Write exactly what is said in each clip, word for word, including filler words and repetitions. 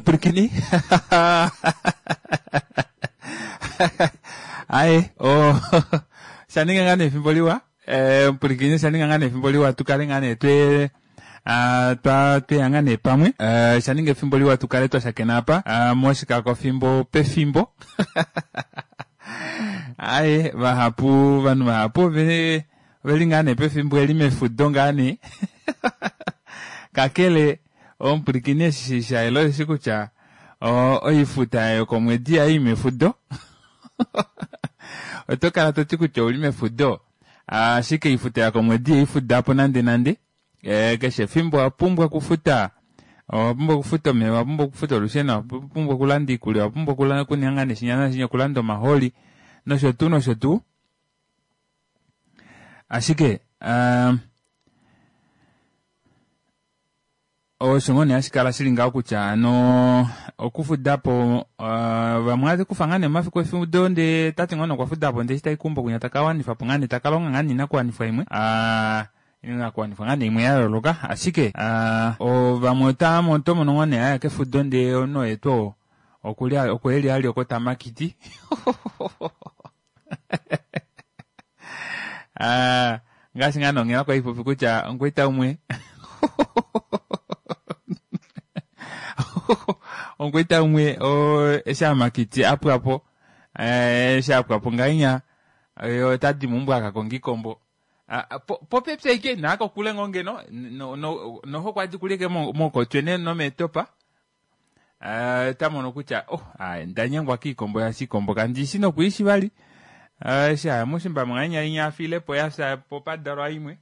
Omupwilikini aye oshaninga ngaa nee efimbo liwa omupwilikini oshaninga ngaa nee efimbo liwa tukale ngaa nee twe tweya ngaa nee pamwe oshaninga efimbo liwa tukale twashakena apa moshikakofimbo pefimbo aye vahapu ovanhu vahapu oveli ngaa nee pefimbo eli mefudo ngaa nee kakele omupwilikini eshi shayela osheshi kutya oifuta yokomwedi yayi mefudo oto kala toti kutya ouli mefudo ashike oifuta yokomwedi ihaifudapo nande nande keshe efimbo owapumbwa okufuta owapumbwa okufuta omeva owapumbwa okufuta olusheno owapumbwa okulanda oikulya owapumbwa okuninga nashinya nashinya okulanda omahooli nosho tuu nosho tuu ashike osho ngoo nee hashi kala shili ngaho kutya hano okufudapo vamwe ohava kufa ngaa nee omafiku efudo ndee tati ngoo nee okwafudapo ndee eshi tai keumbo kwinya takawanifapo ngaa nee takalonga ngaa nee oinakuwanifwa imwe oinakuwanifwa ngaa nee imwe yayooloka ashike vamwe otomono ngoo nee aya kefudo ndee omunhu oye tuu oo oko eli ali oko tamakiti ngaashi ngaa nee onghela kwali haipopi kutya omukwaita umwe omukwaita umwe eshi amakiti apwapo eshi apwapo ngahenya otadi meumbo akakonga oikombo popepi ashike naakokule ngoo ngeno noho kwadi kuli ashike mokotwe nomeetopa otamono kutya oh ondanyengwa koikombo shaashi oikombo kandishi nokwiishi vali eshi aya moushimba ngahenya inya afiilepo yafya po padalwa imwe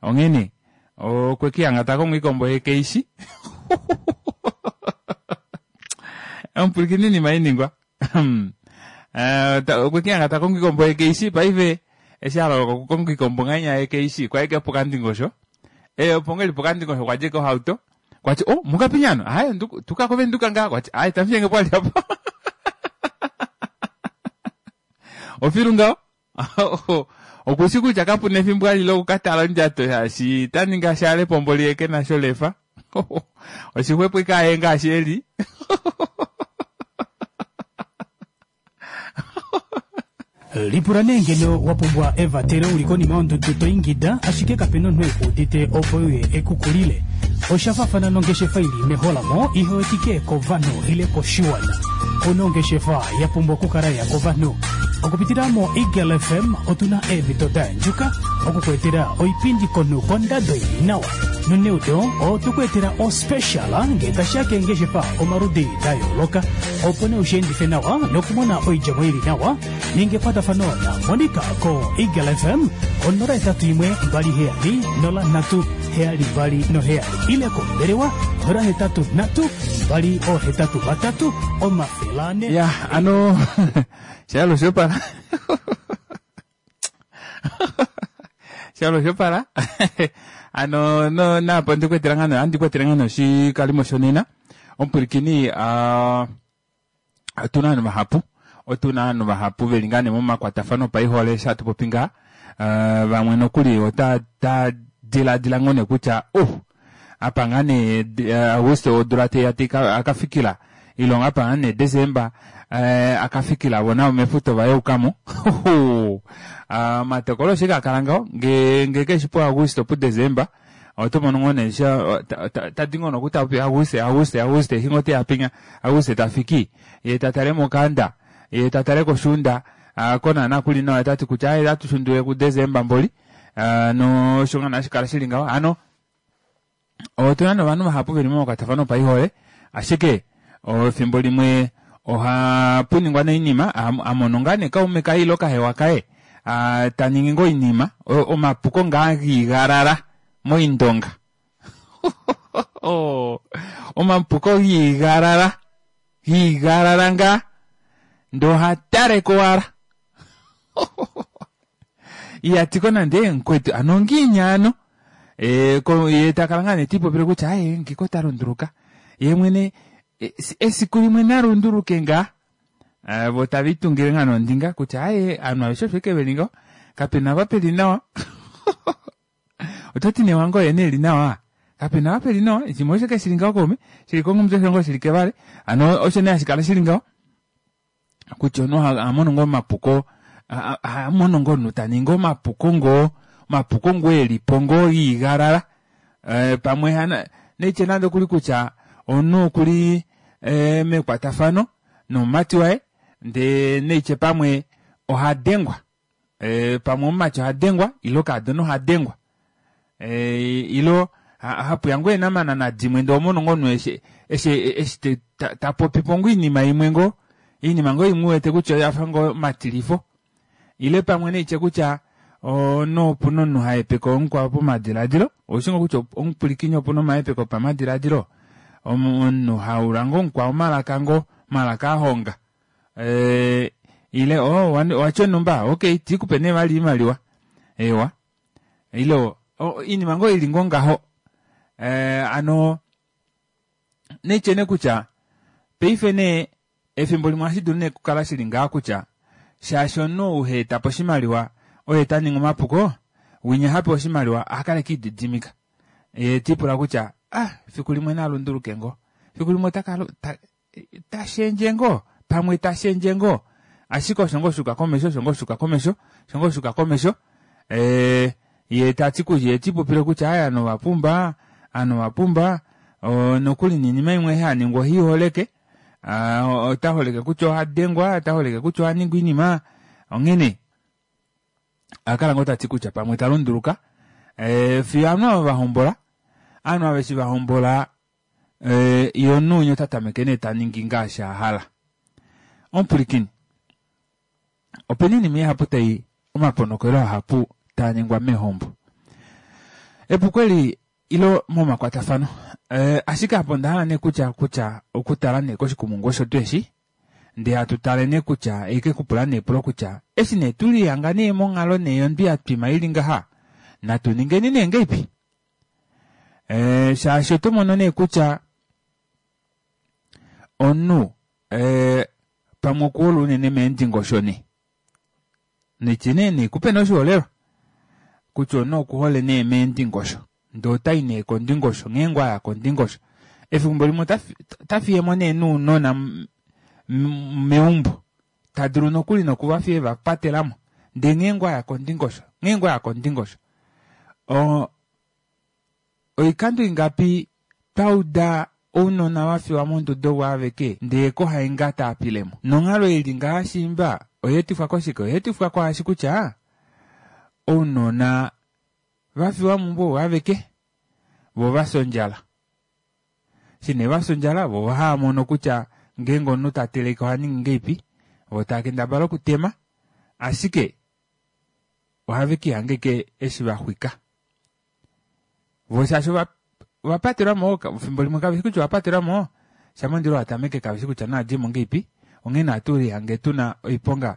onghene okwekihanga takongo oikombo yee keishi omupwilikini oinima hainingwa okwekihanga takongo oikombo yee keishi paife eshi aloloka okukonga oikombo ngahenya yee keishi kwali ashike pokandingosho opo ngoo eli pokandingosho okwadja ashike ohauto kwati oh mukapinya ano aye tuka kovenduka ngaa kwati aye tamufiyenge pwali apa ofilu ngaho okushi kutya kapuna efimbo ali lokukatala ondjato shaashi taninga shale pomboli ye kena sholefa oshixwepo ike aye ngaashi eli Lipula nee ngeno wa pumbwa evatelo uli konima yondudu to ingida ashike kapena omunhu ekuudite opo uye ekukulile. Osha faafana nongeshefa ili meholamo ihe wetike kovanhu ile koshiwana. Kuna ongeshefa ya pumbwa okukala ya kovanhu. Okupitila mo Eagle F M otuna eemhito da yandjuka okukuetela oipindi konhu kondado ili nawa. Noneudo otukuetela ospecial ngee tashiya keengeshefa omaludi da yooloka opo nee ushiendife nawa nokumona oidjemo ili nawa. Ninga ekwatafano na Monica ko Eagle F M onola hetatu imwe mbali heyali nola nhatu heyali mbali noheyali ile kombelewa nola hetatu nhatu mbali ohetatu vatatu omafele ane. Ya ano shalo shopala shalo shopala ano no napo ndikuetela ngano andikuetela ngano shikalimo shonena omupwilikini otuna ovanhu vahapu otuna ovanhu vahapu veli ngaa nee momakwatafano opaihole eshi hatu popi ngaa vamwe nokuli ota diladila ngoo nee kutya oh apa ngaa nee Augusto odula teya akafikila ilonga apa ngaa nee Desemba akafikila vo navo mefuto vayeukamo omatokolo osho kakala ngaho nge keshi po Augusto pu Desemba otomono ngoo nee tadi ngoo nokuta Auguste Auguste Auguste eshi ngoo teya pinya Auguste tafiki ye tatale mokanda ye tatale koshunda konana kuli nawa tati kutya aye atushundule ku Desemba mboli no osho ngoo nashikala shili ngaho ano otuna novanhu vahapu veli momakwatafano opaihole ashike efimbo limwe ohapuningwa noinima amono ngaa nee kaume kaye ile kahewa kaye taningi ngoo oinima omapuko ngaa giigalala moindonga omapuko giigalala giigalala ngaa ndee ohataleko owala ihatiko nande mukwetu ano ongiini ano ye takala ngaa nee tiipopile kutya aye ngiko talunduluka ye mwene esiku limwe nalunduluke ngaa vo tavitungile ngaa nondinga kutya aye ovanhu aveshe osho ashike veli ngaho kapena apa peli nawa ototi nee wange oye nee eli nawa Kapena apa peli nawa, shimwe osho keshili ngaho kaume, shili kongumutwe shongo shili kevale. Hano osho nee hashikala shili ngaho kutya omunhu ohamono ngoo omapuko, ohamono ngoo omunhu taningi omapuko ngoo, omapuko ngoo elipo ngoo iigalala pamwe naitye nande okuli kutya omunhu okuli mekwatafano nomumati waye ndee naitye pamwe ohadengwa pamwe omumati ohadengwa ile okaadona ohadengwa ile hapuya ngoo eenamanana dimwe ndee ohomono ngoo omunhu eshi eshi tapopipo ngoo oinima imwe ngoo oinima ngoo imwe uwete kutya oyafa ngoo omatilifo ile pamwe naitye kutya omunhu opuna omunhu hahepeke mukwao pamadilaadilo oushi ngoo kutya omupwilikini opuna omahepeko opamadilaadilo omunhu haula ngoo mukwao omalaka ngoo omalaka ahonga ile oo owatya onumba okey tiikupe nee vali oimaliwa eewa ile oinima ngoo ili ngoo ngaho hano naitye nee kutya paife nee efimbo limwe ohashidulu nee okukala shili ngaha kutya shaashi omunhu ou haetapo oshimaliwa oye taningi omapuko winya hapewa oshimaliwa ohakala ashike elididimika yee tiipula kutya ah fiku limwe nalunduluke ngoo fiku limwe tashendje ngoo pamwe tashendje ngoo ashike osho ngoo shuuka komesho osho ngoo shuuka komesho osho ngoo shuuka komesho yee tati yee tiipopile kutya aaye ovanhu ovapumba ovanhu ovapumba nokuli noinima imwe ei haningwa oheiholeke otaholeke kutya ohadengwa otaholeke kutya ohaningwa oinima onghene ohakala ngoo tati kutya pamwe talunduluka fiyo ovanhu ava vahombola ovanhu ava eshi vahombola yee omunhu winya otatameke nee taningi ngaashi ahala omupwilikini opena oinima ihapu tai omaponokelo ahapu taaningwa meehombo epuko eli ile momakwatafano ashike apa ondahala nee kutya kutya okutala nee koshikumungu osho tuu eshi ndee hatu tale nee kutya haikekupula nee epulo kutya eshi nee tulihanga nee monghalo nee yondwi yatwima ili ngaha natu ningeni nee ngahelipi shaashi otomono nee kutya omunhu pamwe okuhole unene meendingosho nee naitye nee naikupe nee oshiholelwa kutya omunhu okuhole nee meendingosho ndee otai nee kondingosho ngeenge aya kondingosho efimbo limwe otafiyemo nee nounona meumbo tadulu nokuli nokuvafiya evapatelamo ndee ngeenge aya kondingosho ngeenge aya kondingosho oikando ingapi twauda ounona vafiwa monduda ovo aveke ndee kohainga taapilemo nonghalo ili ngaha shiimba oyeetifwa koshike oyeetifwa kwaashi kutya ounona vafiwa meumbo ovo aveke voo vafya ondjala eshi nee vafya ondjala voo ohaamono kutya ngeenge omunhu tateleke ohaningi ngahelipi voo taakendabala okutema ashike ohave kiihanga ashike eshi vaxwika voo shaashi ovapatelwamo efimbo limwe kaveshi kutya ovapatelwamo shama omundilo watameke kaveshi kutya naadjemo ngahelipi onghee ohatu lihange tuna oiponga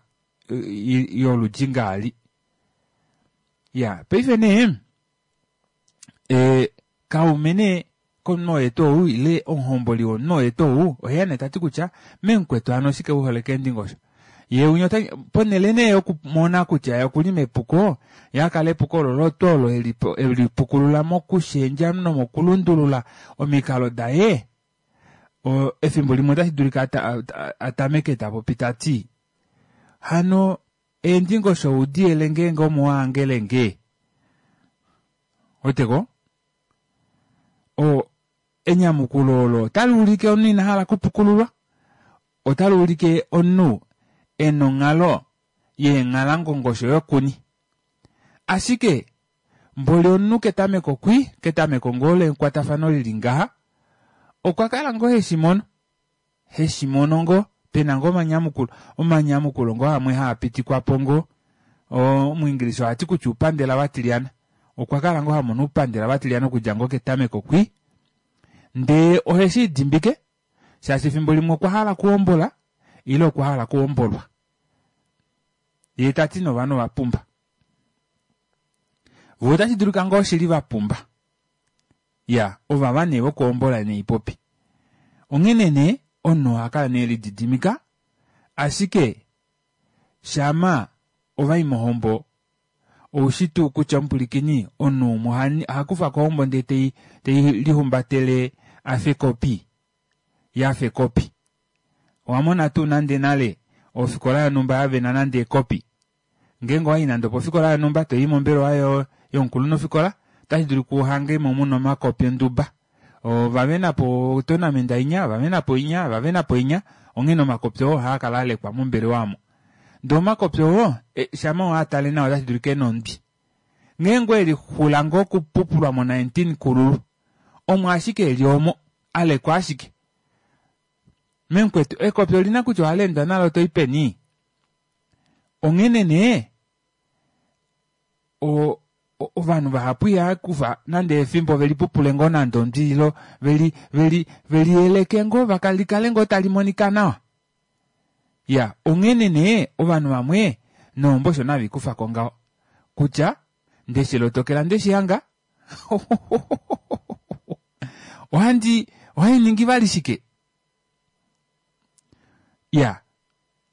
yoludi ngaali iya paife nee kaume nee komunhu oye tuu ou ile omuhomboli womunhu oye tuu ou oheya nee tati kutya memukwetu hano oshike uhole keendingosho yee winya ponele nee yokumona kutya okuli mepuko yee akala epuko olo tuu olo elipukulula mokushendja nomokulundulula omikalo daye efimbo limwe otashi dulika atameke tapopi tati hano eendingosho udiyele ngeenge omo wahangelenge weteko enyamukulo olo otali ulike omunhu ina hala okupukululwa otali ulike omunhu ena onghalo yeenghalangongosho yokuni ashike mboli omunhu ketameko kwi ketameko ngoo lekwatafano lili ngaha okwa kala ngoo heshimono heshimono ngoo pena ngoo omanyamukulo omanyamukulo ngoo amwe haapitikwapo ngoo omuingilisha ohati kutya uupandela watilyana okwa kala ngoo hamono uupandela watilyana okudja ngoo ketameko kwi ndee oheshiidimbike shaashi efimbo limwe okwa hala okuhombola ile okwa hala okuhombolwa yee tati novanhu ovapumba voo otashi dulika ngoo shili vapumba ya ovava nee vokuhombola neipopi onghene nee omunhu ohakala nee elididimika ashike shama ovai mohombo Oushi tuu kutya omupulikini omunhu umwe oha kufa ko ohombo ndee tei lihumbatele afa ekopi, yafa ekopi. Owa mona tuu nande nale ofikola yonhumba yavena nande ekopi? Ngeenge owayi nande opofikola yonhumba toyi mombelewa yomukulunhufikola otashi dulika uhangemo muna omakopi onduba. Ovavena po otournament inya, ovavena po inya, ovavena po inya, onghene omakopi oo ohaakala alekwa mombelewa omo. Ndee omakopi oo shama waatale nawa otashi dulika ena ondwi. Ngeenge oelixula ngoo okupupulwa mo nineteen kululu, omo ashike eli omo, alekwa ashike. Memukwetu ekopi olina kutya ohaleendwa nalo toyi peni? Onghene nee o ovanhu vahapu ihaakufa nande efimbo velipupule ngoo nande ondwi ilo veli veli veliyeleke ngoo likale ngoo tali monika nawa. Ya onghene nee ovanhu vamwe nohombo osho navikufako ngaho kutya ndeshilotokela ndeshihanga ohandi ohainingi vali shike. Ya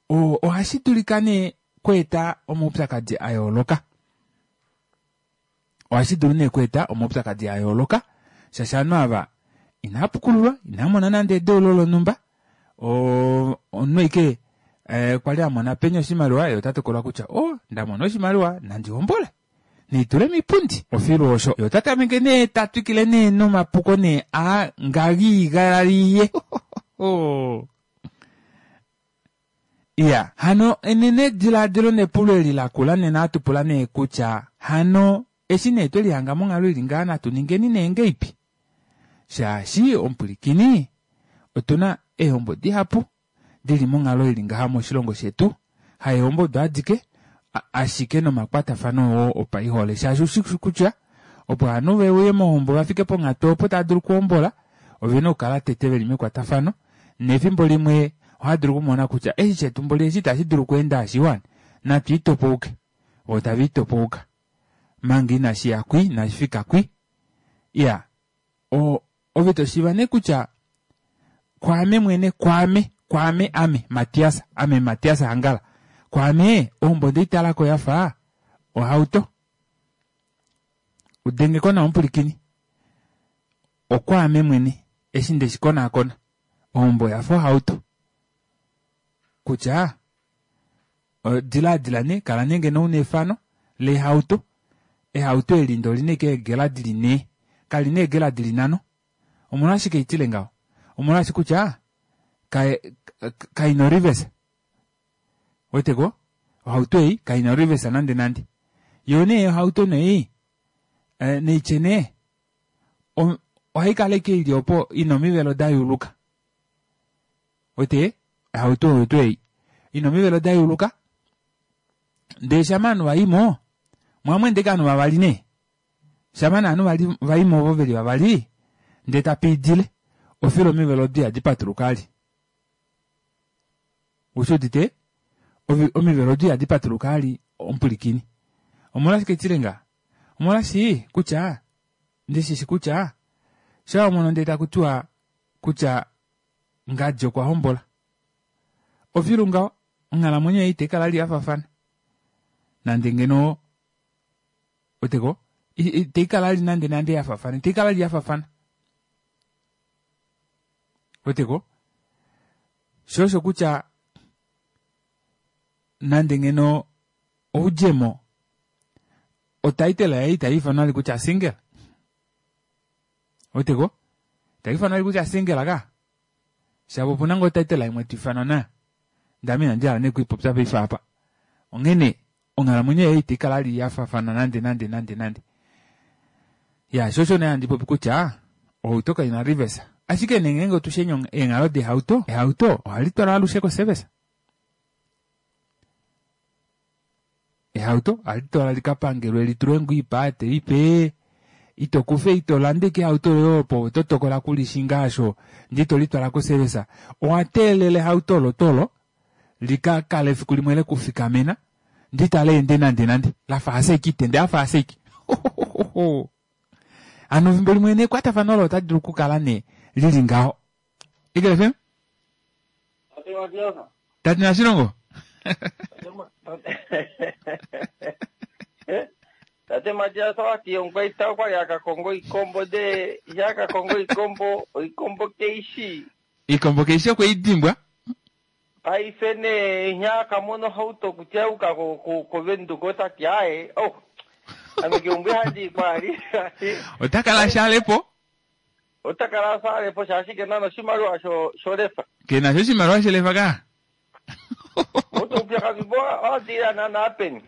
ohashi dulika nee kweeta omaupyakadi a yooloka. Ohashi dulu nee kweeta omaupyakadi a yooloka shaashi ovanhu ava inaapukululwa, inaamona nande edeulo lonhumba, omunhu ashike kwali amona penya oshimaliwa ye ota tokola kutya o ndamona oshimaliwa nandi hombole naitule miipundi ofilu osho. Ye ota tameke nee ta twikile nee nomapuko nee a ngagiigalaliye. Iya hano enene dilaadilo nepulo eli lakula nena hatupula nee kutya hano eshi nee twelihanga monghalo ili ngaha natu ningeni nee ngeipi shaashi omupwilikini otuna eehombo dihapu dili monghalo ili ngaha moshilongo shetu, haehombo odo adike ashike nomakwatafano oo opaihole shaashi ushi kutya opo ovanhu veuye mohombo vafike ponghatu opo tava dulu okuhombola ovena okukala tete veli mekwatafano nefimbo limwe ohadulu okumona kutya eshi shetu mboli eshi itashi dulu okweenda ashiwana natu itopouke vo tava itopouka manga inashi ya kwi inashi fika kwi. Iya ove toshiiva nee kutya kwaame mwene kwaame kwaame ame Matias ame Matias Hangala kwaame ohombo ndeitalako yafa ohauto. Udengeko nawa omupulikini okwaame mwene eshi ndeshikonaakona ohombo yafa ohauto kutya dilaadila nee kala nee ngeno una efano lehauto ehauto eli ndee olina ashike eegela dili nhee kalina eegela dili nhano. Omolwashike itile ngaho? Omolwashi kutya kaina orivesa weteko ohauto ei kaina orivesa nande nande yoo nee ohauto nee neitye nee ohaikala ashike ili opo ina omivelo dayuuluka wete ohauto oyo tuu ei ina omivelo dayuuluka ndee shama ovanhu vaimo mwamweendeke ovanhu vavali nee shama nee ovanhu vaimo ovo veli vavali ndee tapiidile ofilo omivelo odo ihadi patuluka ali ushuudite omivelo odo ihadi patuluka ali omupwilikini. Omolwashike tile ngaha? Omolwashi kutya ndishishi kutya shawamono ndee takutiwa kutya ngadi okwa hombola ofilu ngaho onghalamwenyo yaye itaikala li yafafana nande ngeno weteko itaikala li nande nande yafafana itaikala li yafafana weteko sho osho kutya nande ngeno oudjemo otitle yaye itaifanwa vali kutya single weteko itaifanwa vali kutya single ka shapo opuna ngoo otitle imwe twiifanwa nayo ndee ame inandi hala nee okuipopya paife apa. Onghene onghalamwenyo yaye itaikala li yafafana nande nande nande nande. Ya sho osho nee handi popi kutya ohauto kaina reverse ashike nee ngeenge otushe eenghalo dehauto ehauto ohali twalwa alushe koservice. Ehauto ohali twalwa likapangelwe litulwe ngoo oipaate ipe ito kufa ito landa ashike ehauto loye opo oto tokola okulishinga aasho ndee ito litwala koservice owa teelela ehauto olo tuu olo likakale efiku limwe lekufikamena ndee italeende nande nande lafa ashike itende afa ashike hano efimbo limwe nekwatafano olo otali dulu okukala nee lili ngaho. Eagle F M? Tate Nashilongo? Tate Matias owati omukwaita okwali akakonga oikombo de ihe akakonga oikombo oikombo keishi Ikombo keishi okwe idimbwa. Paife nee ihe akamona ohauto kutya uka kovenduka otati aye oh ame keumbo ihandi kwali Ota kala shalepo. Ota kala salepo shaashi kena noshimaliwa sho sholefa. Kena sho oshimaliwa shelefa ka. Otoupyakadhi bo owadila naana peni.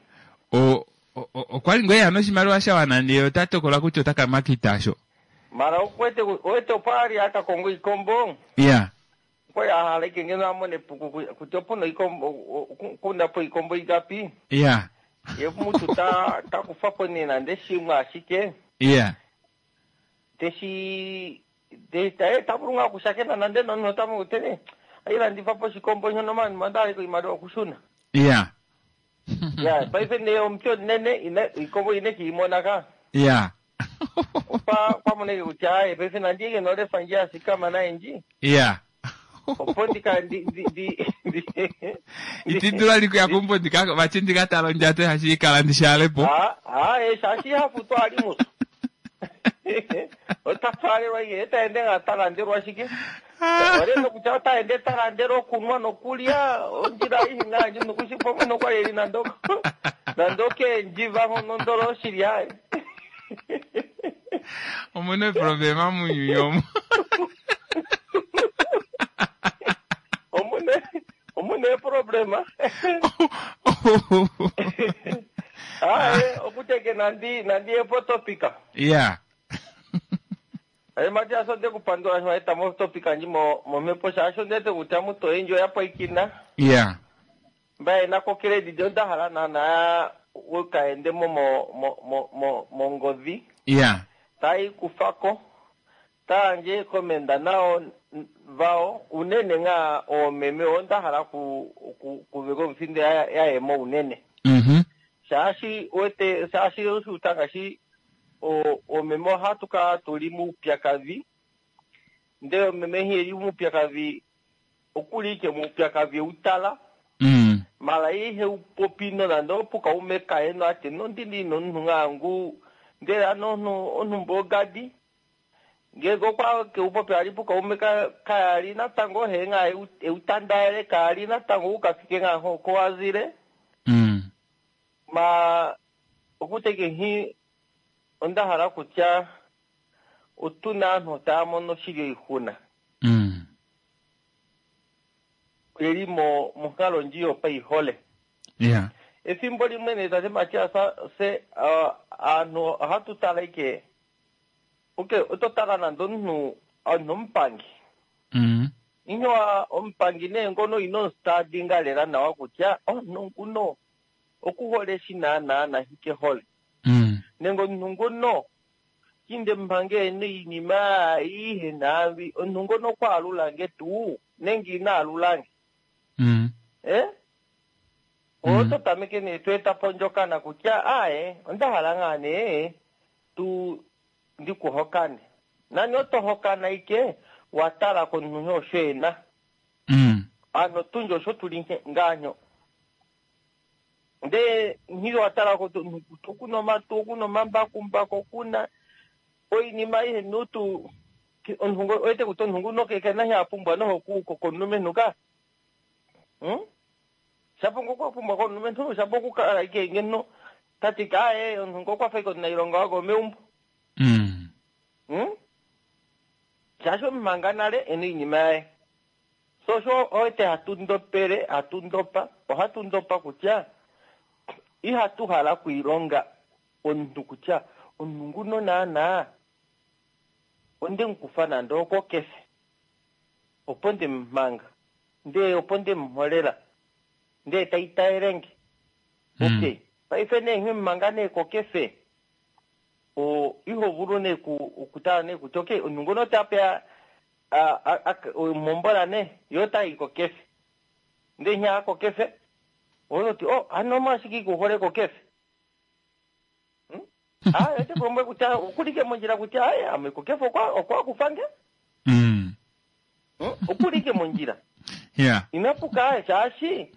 O okwali ngoo eya noshimaliwa sha wana ndee ota tokola kutya ota ka makita sho. Mara okuwete owete opo ali akakonga oikombo. Ya. Okwali ahala ike ngeno amone kutya opuna oikombo kuna po ikombo ingapi. Ya. Ye mutu ta ta kufapo nee nande shimwe ashike. Ya. Teshi ta ta vulu ngaa okushakena nande nomunhu ota tene ailandifa po oshikombo shono mani mandaliko oimaliwa okushuna. Ya. Ya, paife nee omuti omunene ine ikombo ine kiimona ka. Ya. Kwa kwamoneke kutya aye paife nandiyeke nolefa ndji yasikama naye ndji. Ya. Opo ndika ndi ndi ndi Itindula likuya kumbo ndika vachi ndikatala ondjato hashi ikala ndishalepo. Ah, ah, eh shaashi hafutu ali musu. Ota twalelwa iye taende nga talandelwa shike. Oleno kutya otaende talandelwa okunwa nokulya ondjila aihe ngandji nokushipo nokwali nando nando keendjiva hono ndolo oshili aye. Omuna problema munyunyu omu. Omuna omuna problema. Aye okuteke nandi nandi epotopika. Ya. Aye Matias onde kupandula sho eta motopika ndji mo momhepo shaashi ondete kutya mutu oyendji oya pwaikina. Ya. Mba yena ko credit onda hala naana ukaende mo mo mo mo mongodhi. Ya. Tai kufako tayandje komenda nao vao unene nga oomeme onda hala ku ku kuveka omuthinde yayemo unene. Mhm. Shaashi wete shaashi oshuta ngaashi oomeme ohatu kala tuli muupyakadhi ndele omeme hi eli muupyakadhi okuli ike muupyakadhi eutala. Mm. Mara ihe upopi nonande opuka ume kaye no ati nondili nomunhu ngangu ndele ano omunhu omunhu ogadi ngenge okwa keupopi ali puka ume kayali natango he nga eutandaele kali natango ukafike nga ko wazile. Mm. Ma okuteke hi onda hala kutya otuna aantu taya mono shili oixuna. Mm. Eli mo monkalo ndji yopaihole. Ya. Efimbo limwe nee tate Matias se aantu ohatu tala ike okay oto tala nande omunhu omunhu omupangi. Mm. Inyowa omupangi nee ngono ino stadinga lela nawa kutya omunhu nguno okuhole shi naana nahike hole. Mm. Nenge omunhu nguno kinde mpange iinima ihe naambi omunhu ngono okwaalulange tuu nenge ina alulange. Mm. Eh? Oto tameke nee to eta po ondjokana kutya aye onda hala ngaa nee tu ndikuhokane. Nani oto hokana ike watala komunhu osho ena. Mm. Ano tundji osho tuli ngaanyo. Ndee nghili watala okuna omatu okuna omambakumbaku okuna oinima aihe nutu omunhu owete kutya omunhu nguno kena shi apumbwa noho komulumenhu ka. Hmm? Shapo ngo kwapumbwa komulumenhu shapo okukala ike ngeno tati aye omunhu ngo okwafa ike omunailonga wako meumbo. Mm. Hmm? Shaashi omumanga nale ena iinima yaye. So sho owete hatu ndopele hatu ndopa ohatu ndopa kutya ihatu hala okuilonga omuntu kutya omuntu nguno naana onde mukufa nande okokefe opo nde mumanga ndee opo nde muholela ndee taitaelenge. Okay paife nee nghee mumanga nee kokefe o iho vulu nee okutala nee kutya okay omuntu ngono otapeya mombola nee yo otayi kokefe ndee nghee kokefe ototi oh ano omashike ikuhole kokefe. Ah ete kulombwela kutya okulike mondjila kutya aye ame kokefe okwa okwa kufange. Mm. Okulike mondjila. Yeah. Inapuka aye shaashi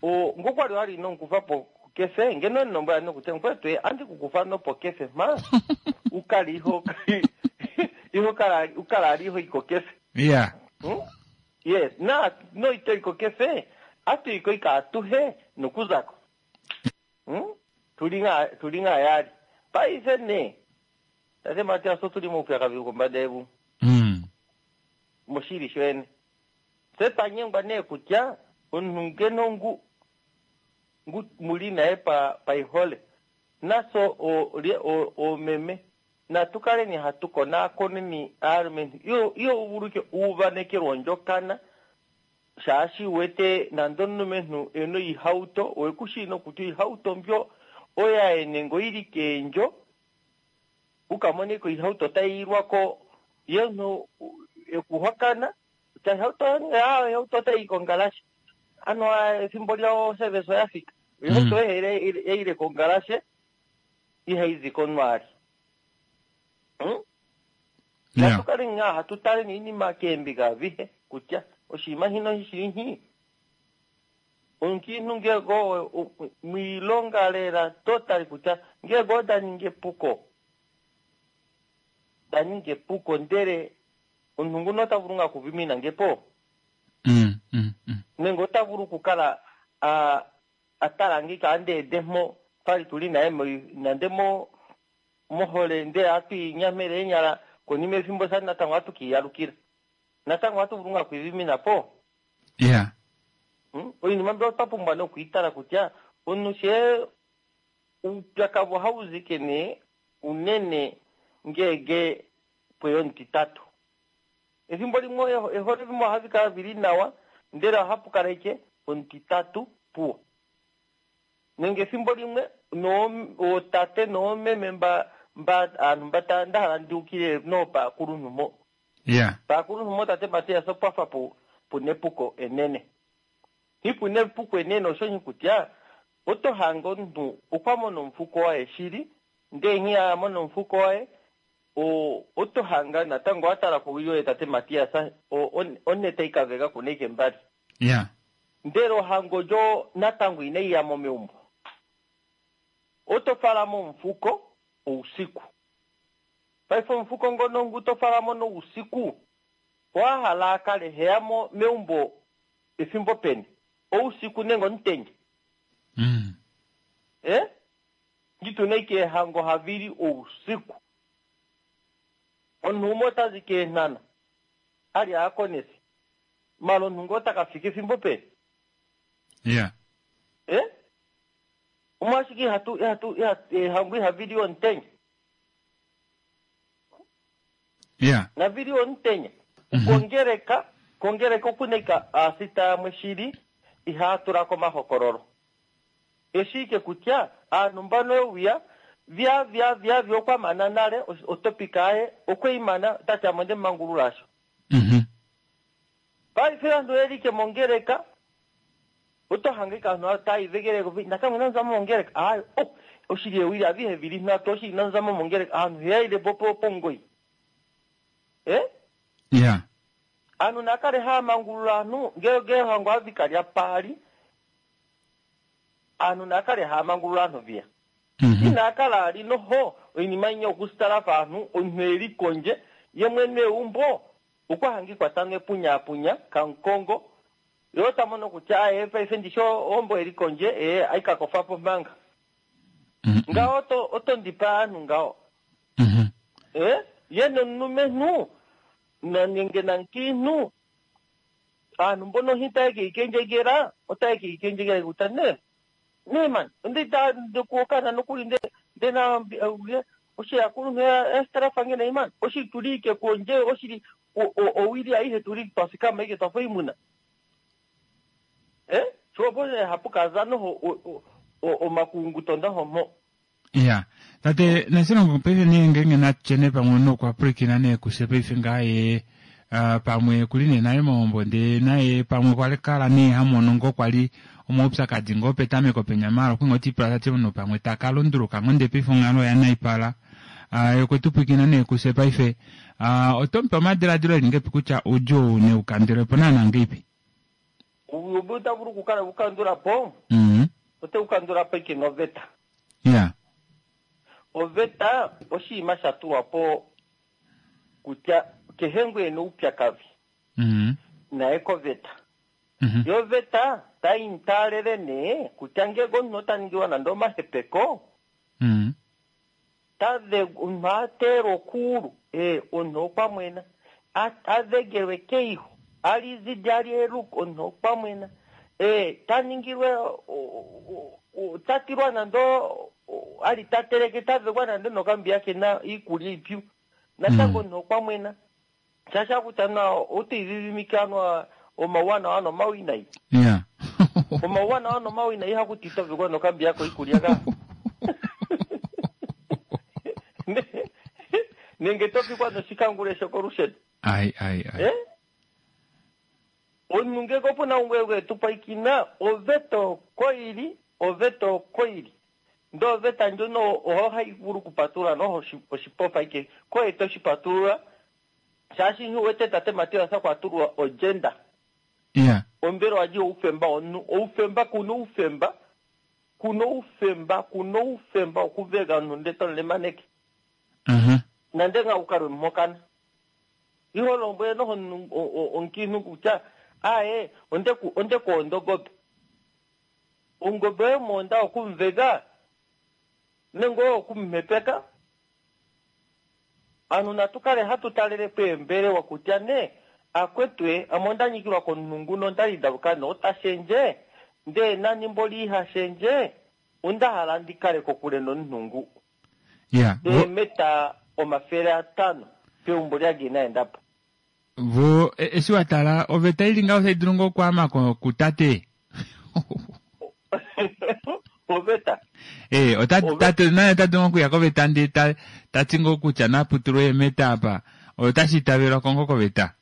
o ngokwali wali nonkufa po Kefe ngeno nombwa nokutya mukwetu andi kukufa nopo kefe ma ukali iho iho kala ukala iho iko kefe. Yeah. Hmm? Yes, na no ito iko kefe atu iko ika atuhe nokuzako. Hmm? Tulinga tulinga yali. Paife ne. Tate Matias tuli moupyakadhi kombanda yevu. Mm. Moshili shwene. Se panyengwa ne kutya omunhu ngeno ngu ngu muli naye pa paihole naso o o omeme natukaleni hatu konakoneni aalumentu iyo iyo uvuluke uuvanekelwa ondjokana shaashi wete nande omulumentu ena oihauto owekushi nokutya oihauto mbyo oyaye nenge oili keendjo ukamoneko oihauto tayiilwako ye omuntu ekuhokana kutya ihauto ihauto otayi kongalashe ano ethimbo lyawo service oyafika oihauto yaile kongalashe ihayizi konwaali. Hmm? Yeah. Natukale nga hatu iinima keembiga avihe kutya oshinima shino shili omukiintu ngele go miilonga lela totally kutya ngele go da ningi epuko da ningi epuko ndele omuntu nguno ota vulu nga okuvimina ngepo Mm, mm, mm. nenge ota vulu okukala a a tala ngika andeede mpo twali tuli naye nande mo mohole ndele atu inyamele eenyala konima efimbo sa natango atu kiiyalukila natango atu vulu nga okwiivimina po. Yeah. Hmm? Oinima mbyo otwa pumbwa nokwiitala kutya omuntu she uupyakadhi ohawuzike nee unene ngege pweya omutitatu ethimbo limwe ehole limwe ohadhi kala dhili nawa ndele ohapu kala ike omutitatu puwo nenge ethimbo limwe ootate noomeme mba mba aantu mba ndahala ndiukile noopaakuluntu mo. Yeah. Paakuluntu mo tate Matias opwafa pu puna epuko enene hi puna epuko enene oshonyi kutya oto hanga omuntu okwa mona omufuko waye shili ndee nghi amona omufuko waye o oto hanga natango watala kowili oye tate Matias one taikaveka kuna ike mbali. Yeah. Ndele ohango lyo natango inaiyamo meumbo oto falamo omufuko ousiku paife omufuko ngono ngu to falamo nousiku owahala akale heyamo meumbo efimbo peni ousiku nenge omutenya. Mm. Eh? Ngituna ike ehango havili ousiku omuntu umwe otazi keenhana ali aakonesi mala omuntu ngo otakafika efimbo peni. Yeah. Eh? Omwashike ihatu ihatu ehango ihavili omutenya. Yeah. Navili omutenya. Mm -hmm. Kongereka kongereka okunaika aasita yamwe shili ihaatulako omahokololo eshike kutya aantu mbano euya vya vya vya vya okwamana nale otopika aye okweimana tati amo ndemangulula asho. Mm -hmm. Paife aantu oyelike mongereka oto hangika aantu taayivegeleko nakamwe nanzamo mongereka ayo oh oshili ewili avihe vili nhatu oshili nanzamo mongereka aantu heyaile po pongoyi. Eh? Yeah. Aantu nakale haamangulula aantu ngele ngele hango avikalya paali aantu nakale haamangulula aantu viya. Mm -hmm. Inakala ali noho oinima inya okusitalafa aantu omuntu eli kondje ye mwene eumbo okwahangikwa tano epunyapunya kankongo yo tamono kutya aye paife ndisho ombo eli kondje ee aikakofapo manga. Mm -hmm. Ngawo oto otondipa aantu ngawo. Mm -hmm. Eh? Ye nomulumentu nenge nankiintu aantu mbono hi taye kiikendjekela otaye kiikendjekela kutya ne ne man onde ta ndikuokana nokuli nde ndena oshiyakuluntu esitalafange nayi man oshili tuli ike kondje oshili owili aihe tuli twafikama ike twafa oimuna. Eh? Shopo hapu kaza noho omakunguto ndaho mo. Yeah. Tate nasilongo paife nee ngenge natyene pamwe nokwapulakena nee kuse paife ngaye uh, pamwe kuli nee naye mohombo ndee naye pamwe kwali kala nee hamono ngo kwali omaupyakadi ngo petameko penya mala okwinga otipula tati omunhu pamwe takalunduluka ngo ndee paife onghalo oya naipala uh, okwetupwikina nee kuse paife uh, otomupe omadiladilo eli ngepi kutya oudjuu neukandule po naana ngeipi? Obu otavulu okukala ukandula po. Mm -hmm. Ote kukandula po ike noveta. Ya. Oveta oshinima sha tulwa po kutya kehe ngu ena oupyakadhi Mhm. naye koveta. Mhm. Yo oveta tayi ntaalele nee kutya ngele omuntu ota ningilwa nande omahepeko Mhm. tadhe omuntu ateelwa okuulu ee omuntu okwa mwena A- adhegelwe keiho alizidi alyeluka omuntu okwa mwena ee ta ningilwe o- o- o- ta tilwa nande o- o- ali ta teleke tadhegwa nande nokambiya kena iikulya iipyu natango Mm. omuntu okwa mwena shasha kutya na otiidhidhimike anwa omauwanawa nomawinayi Ya. omauwanawa nomawinayi hakuti ito vegwa nokambiya koikulya ka Ne- nenge to fikwa noshikangule shokolusheno Ai ai ai. Eh? Omuntu ngeke opuna ungwe tupaikina oveta oko ili oveta oko ili ndee oveta ndjono oho hayi vulu okupatulula noho oshi- oshipofa ike koye toshipatulula shaashi nghi wete tate Matias kwatulwa ogenda Ya. ombelewa dji oufemba womunhu oufemba kuna oufemba kuna oufemba kuna oufemba okuvega omunhu nde tomulemaneke Mhm. nande nga ukalwe mokana iho lombwele noho omunhu- o- o- omukiinhu kutya aye onde onde kuonda ongobe ongobe oyo monda okumuvega nenge oyo okumumepeka anu natu kale hatu talele po eembelewa kutya ne akwetwe ame onda nyikilwa komunhu nguno ondali ndaluka ne ota shendje ndee nani mboli ihashendje onda hala ndikale kokule nomunhu ngu Ya. Vo eemeta omafele atano peumbo lyage inaendapo vo e- eshi wa tala oveta ili ngaho tai dulu ngoo okwaama ko- kutate. oveta Eh, ota Ove- tate naye ota dulu okuya koveta ndee ta tati ngoo kutya naputulwe eemeta apa. Otashi itavelwa ko ngoo koveta.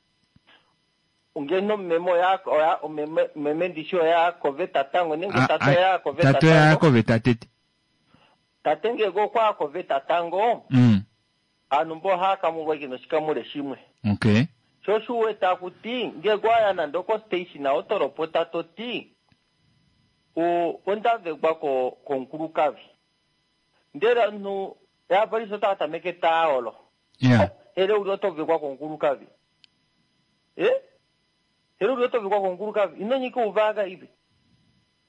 ngeno meme oya oya meme meme ndishi oya koveta tango nenge A- tate a- oya koveta Tate oya tango koveta tete. tate ngege okwa koveta tango Mm. anhu mbo ohaya kamulwa ike noshikamule shimwe Okay. sho shuweta kuti ngege waya nande oko station otolopota toti o ondavegwa ko komukulukadhi ndele omuntu yapolisi otaya tameke taolo Ya. hele uli otovekwa komukulukadhi e hele uli otovekwa komukulukadhi ino nyika uvaga ive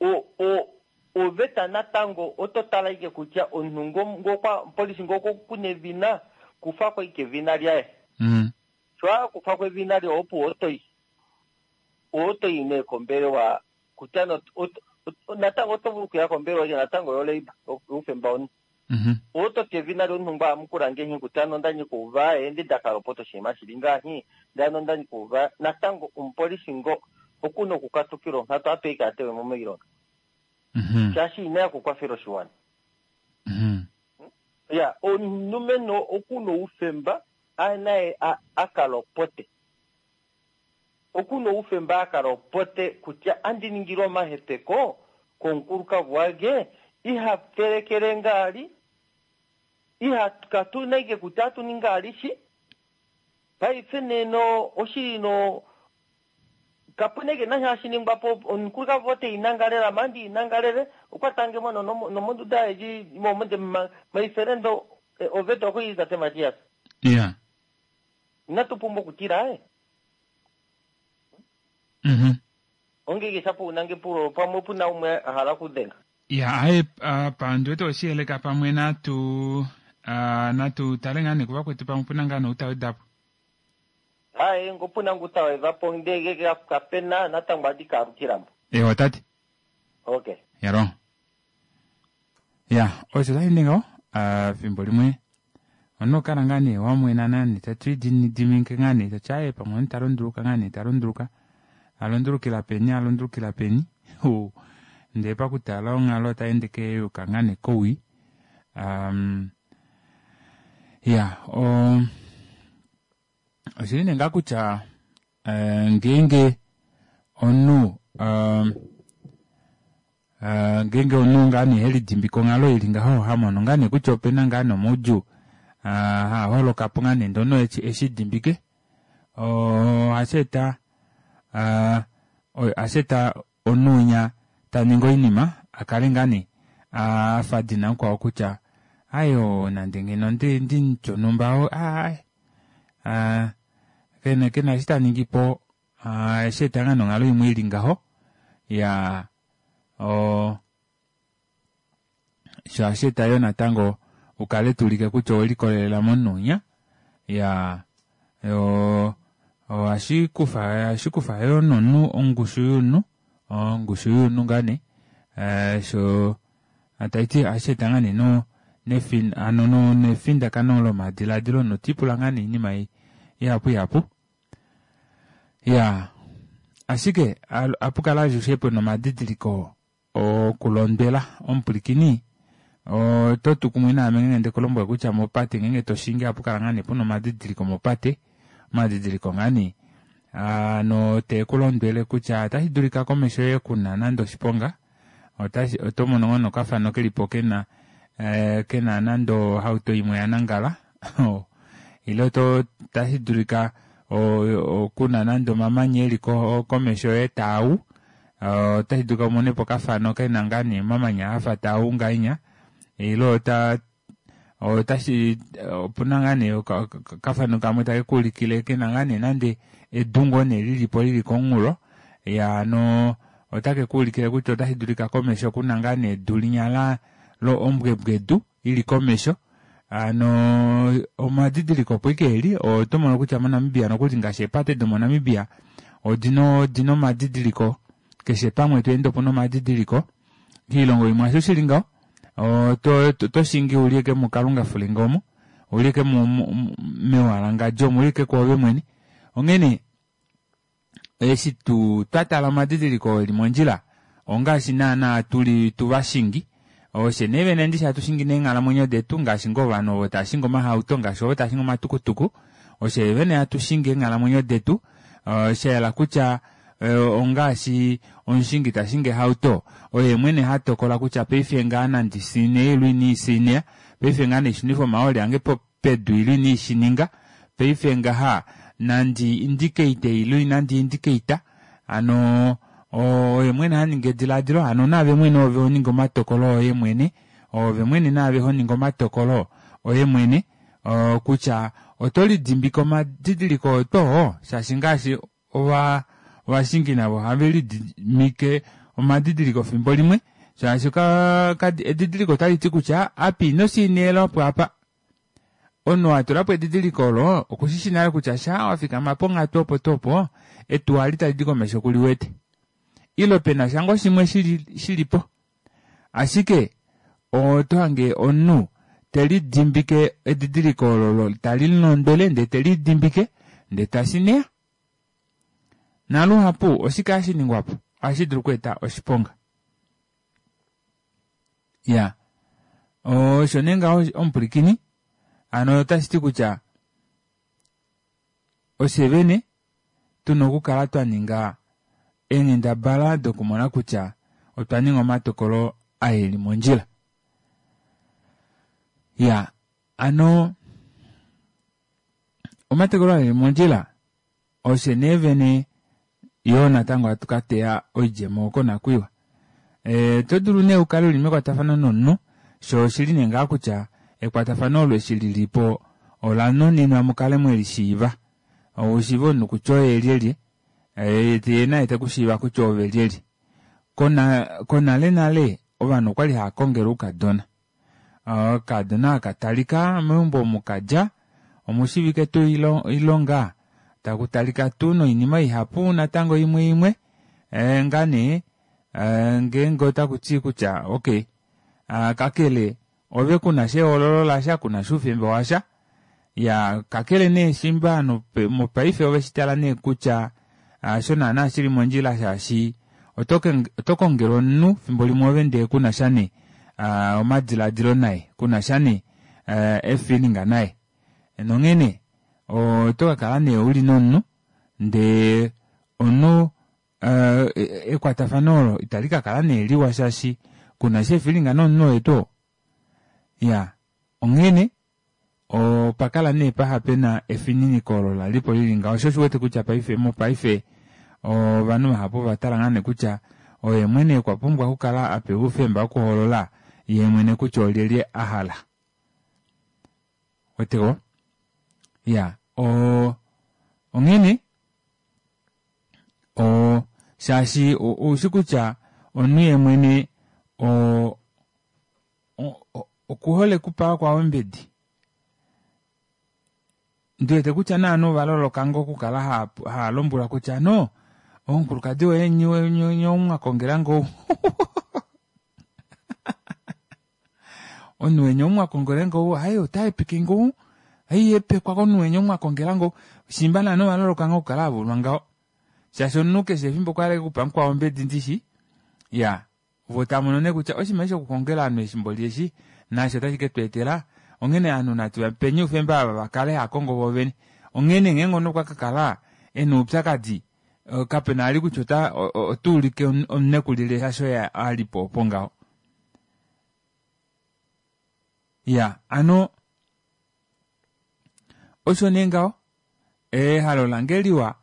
o o oveta natango oto tala ike kutya omuntu ngo- ngokwa polisi ngoko kuna evina kufako ike evina lyaye Mm. sho akufako evina lye opo otoyi otoyi nee kombelewa kutya no- ot- ot- natango oto vulu okuya kombelewa ike natango yoleiba youfemba womuntu Mhm. ototi evina lyomuntu ngo amukula ngehi kutya ano ondanyika uva endi ndakalopota oshinima shili ngahi ndano ondanyika uva natango omupolisi ngo okuna okukatukila onkatu ape ike atewemo miilonga Mhm. shaashi inaya kukwafela oshiwana Mhm. ya omulumenhu okuna oufemba naye akalopote okuna oufemba akalopote kutya andi ningilwa omahepeko komukulukavu wage iha telekele ngaali iha katuna ike kutya atuninga alishi paife neno oshili no kapuna ike nasha hashiningwapo omukulukavu ote inangalela mandi inangalele okwatange mono nomonduda yeji momonde maiferendo oveta okuyiza te Matias Ya. inatu pumbwa okutila e Mhm. ongeke shapo unange pulo pamwe puna umwe a hala okudhenga Ya, aye apa ndiwete oshiyeleka pamwe natu ah, natu tale ngaa nee kuvakwetu pamwe puna ngaa noutaweda po. aye ngopuna ngutawedhapo ndege kapena natango adi kaalukilamo Ewa tate. okay Yaro. Ya, osho tashi ngaho ah, fimbo limwe omunhu okala ngaa nee wamwena nani tatu ididimike ngaa nee tati aye pamwe omunhu ta lunduluka ngaa nee ta lunduluka alundulukila peni alundulukila peni Hu. Ndee pakutala onghalo otaende keyuka ngaa nee kowii um, ya o oshili nee ngaa kutya eh, ngeenge omunhu um, Uh, ngeenge omunhu ngaa nee helidimbika onghalo ili ngaho hamono ngaa nee kutya opena ngaa nomaudjuu uh, haa holoka po ngaa nee ndee omunhu eshi eshidimbike ohashi eta uh, ohashi eta omunhu winya taningi oinima akale ngaa nee afa dina mukwao kutya ayo nande ngeno ndi ndi shonhumba aaye kena kena eshi taningipo osheeta ngaa nee onghalo imwe ili ngaho iyaa oo shoo ohasheeta yoo natango ukale tuulike kutya owelikolelela momunhu winya iyaa oo ohashikufa ohashikufa yoo nomunhu ongushu yomunhu ongushu yomunhu ngaa nee shoo tashiti ohasheeta ngoo nee no nefindakano lomadilaadilo omunhu tiipula ngoo nee oinima ihapu ihapu iyaa ashike ohapukala alushe pena omadidiliko okulondwela omupwilikini ototu kumwe naame ngenge ndekulombwele kutya mopate ngenge toshingi ohapukala ngoo nee pena omadidiliko mopate omadidiliko ngaa nee hano teekulondwele kutya otashidulika komesho yoye kuna nande oshiponga otomono ngoo nee okafano kelipo kena kena nande ohauto imwe yanangala ile otashidulika kuna nande omamanya eli komesho yoye taawu otashidulika umonepo okafano kena ngoo nee omamanya afa taawu ngahenya ile ota otashi opuna ngoo nee okafano kamwe takekuulikile kena ngoo nee nande edu ngoo nee lilipo lili komunghulo iyaa hano otakekuulikile kutya otashidulika komesho kuna ngoo nee edu linya ombwebwedu ili komesho hano omadidiliko opo ashike eli otomono kutya mo namibia nokuli ngaashi eepate domo namibia odina odina omadidiliko keshe pamwe tweende opuna omadidiliko koilongo imwe hasho shili ngaho otoshingi uli ashike mukalunga fulenge omo ouli ashike mewalangandjo omo ouli ashike kwoove mwene onghene eshi tuu twatala omadidiliko oo eli mondjila ongaashi naana tuli tuvashingi ofye nee vene ndishi hatu shingi neenghalamwenyo detu ngaashi ngoo ovanhu ovo taashingi omahauto ngaashi ovo taashingi omatukutuku ofye vene hatu shingi eenghalamwenyo detu shayela kutya ongaashi omushingi tashingi ohauto oye mwene hatokola kutya paife ngaha nandi siine ile ina ndisiineya paife ngaha naishunife omahooli ange pedu ile ina ndishininga paife ngaha nandi indicate ile inandi indicate hano oye mwene haningi edilaadilo hano naave mwene ove honingi omatokolo oye mwene ove mwene naave honingi omatokolo oye mwene kutya oto lidimbike omadidiliko oo shaashi ngaashi ova ovashingi navo ohavelididimike omadidiliko efimbo limwe shaashi edidiliko otaliti kutya apa ino siinela opo apa omunhu oo atulapo edidiliko olo okushishi nale kutya shaa wafikama ponghatu opo tuu opo etuwa eli talidi komesho kuliwete ile penasha ngoo shimwe shilipo ashike otohange omunhu telidimbike edidiliko olo talimulondwele ndee telidimbike ndee tasineya naluhapu oshike hashiningwapo ohashidulu okweeta oshiponga iyaa osho nee ngaho omupwilikini hano otashiti kutya ofye vene tuna okukala twaninga eenghendabala dokumona kutya otwa ninga omatokolo aa eli mondjila iyaa hano omatokolo aa eli mondjila ofye nee vene yoo natango hatu kateya oidjemo konakwiiwa otodulu nee ukale uli mekwatafano nomunhu shoo oshili nee ngaha kutya ekwatafano olo eshi lilipo olanuninwa mukale mwelishiiva ushiive omunhu kutya oye lyelye yee naye tekushiiva kutya oove lyelye konale nale ovanhu okwali haakongele oukadona okaadona hakatalika meumbo omu kadja omushiivike tuu oilonga takutalika tuu noinima ihapu natango imwe imwe ngaa nee ngeenge otakuti kutya okey kakele ove kunasha ehoololo lasha kunasha oufemba washa iyaa kakele nee shimba ovanhu mopaife oveshitala nee kutya hasho naana shili mondjila shaashi otokongelwa omunhu efimbo limwe ove ndee kunasha nee omadilaadilo naye kunasha nee efeeling naye nonghene otokakala nee uli nomunhu ndee omunhu ekwatafano olo ita likakala nee liwa shaashi kunasha efeeling nomunhu oye tuu oo iyaa onghene opakala nee paha pena efininiko olo lalipo lili ngaho shoo osho uwete kutya paife mopaife ovanhu vahapu ovatala ngoo nee kutya Oye mwene okwa pumbwa okukala a pewa oufemba wokuhoolola yee mwene kutya olyelye a hala. Weteko? Ya, o onghene o shaashi oushi kutya omunhu yee mwene o okuhole okupa vakwao ombedi. Ndiwete kutya naanhu ovaloloka ngoo okukala haa lombwelwa kutya no omukulukadi woye nye omwakongela ngoo omunhu weni omwakongela ngoo haye otahepeke ngoo haihepekwa komunhu weni omwakongela ngoo shimba naanhu ovaloloka ngoo okukala havulwa ngaho shaashi omunhu keshe efimbo okwa hala okupa mukwao ombedi ndishi ya vo tamono nee kutya oshinima eshi okukongela ovanhu efimbo lieshi naasho otashi ke tweetela onghene ovanhu natu vapeni oufemba ava vakale haakongo voovene onghene ngeenge omunhu okwa kakala ena oupyakadi kapena vali kutya ota otuulike omunhu ekulile shaashi oye alipo opo ngaho ya ano osho nee ngaho ehalo lange liwa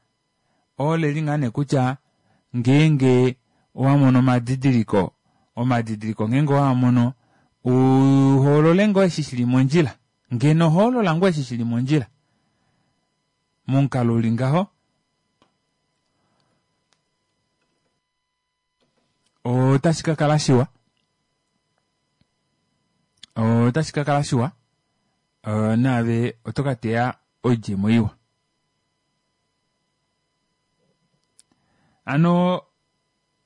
oleli ngaa nee kutya ngeenge owamono omadidiliko omadidiliko ngeenge owamono uhoolole ngoo eshi shili mondjila ngeno hoolola ngoo eshi shili mondjila momukalo uli ngaho otashi kakala shiwa otashi kakala shiwa naave oto kateya oidjemo iwa. Ano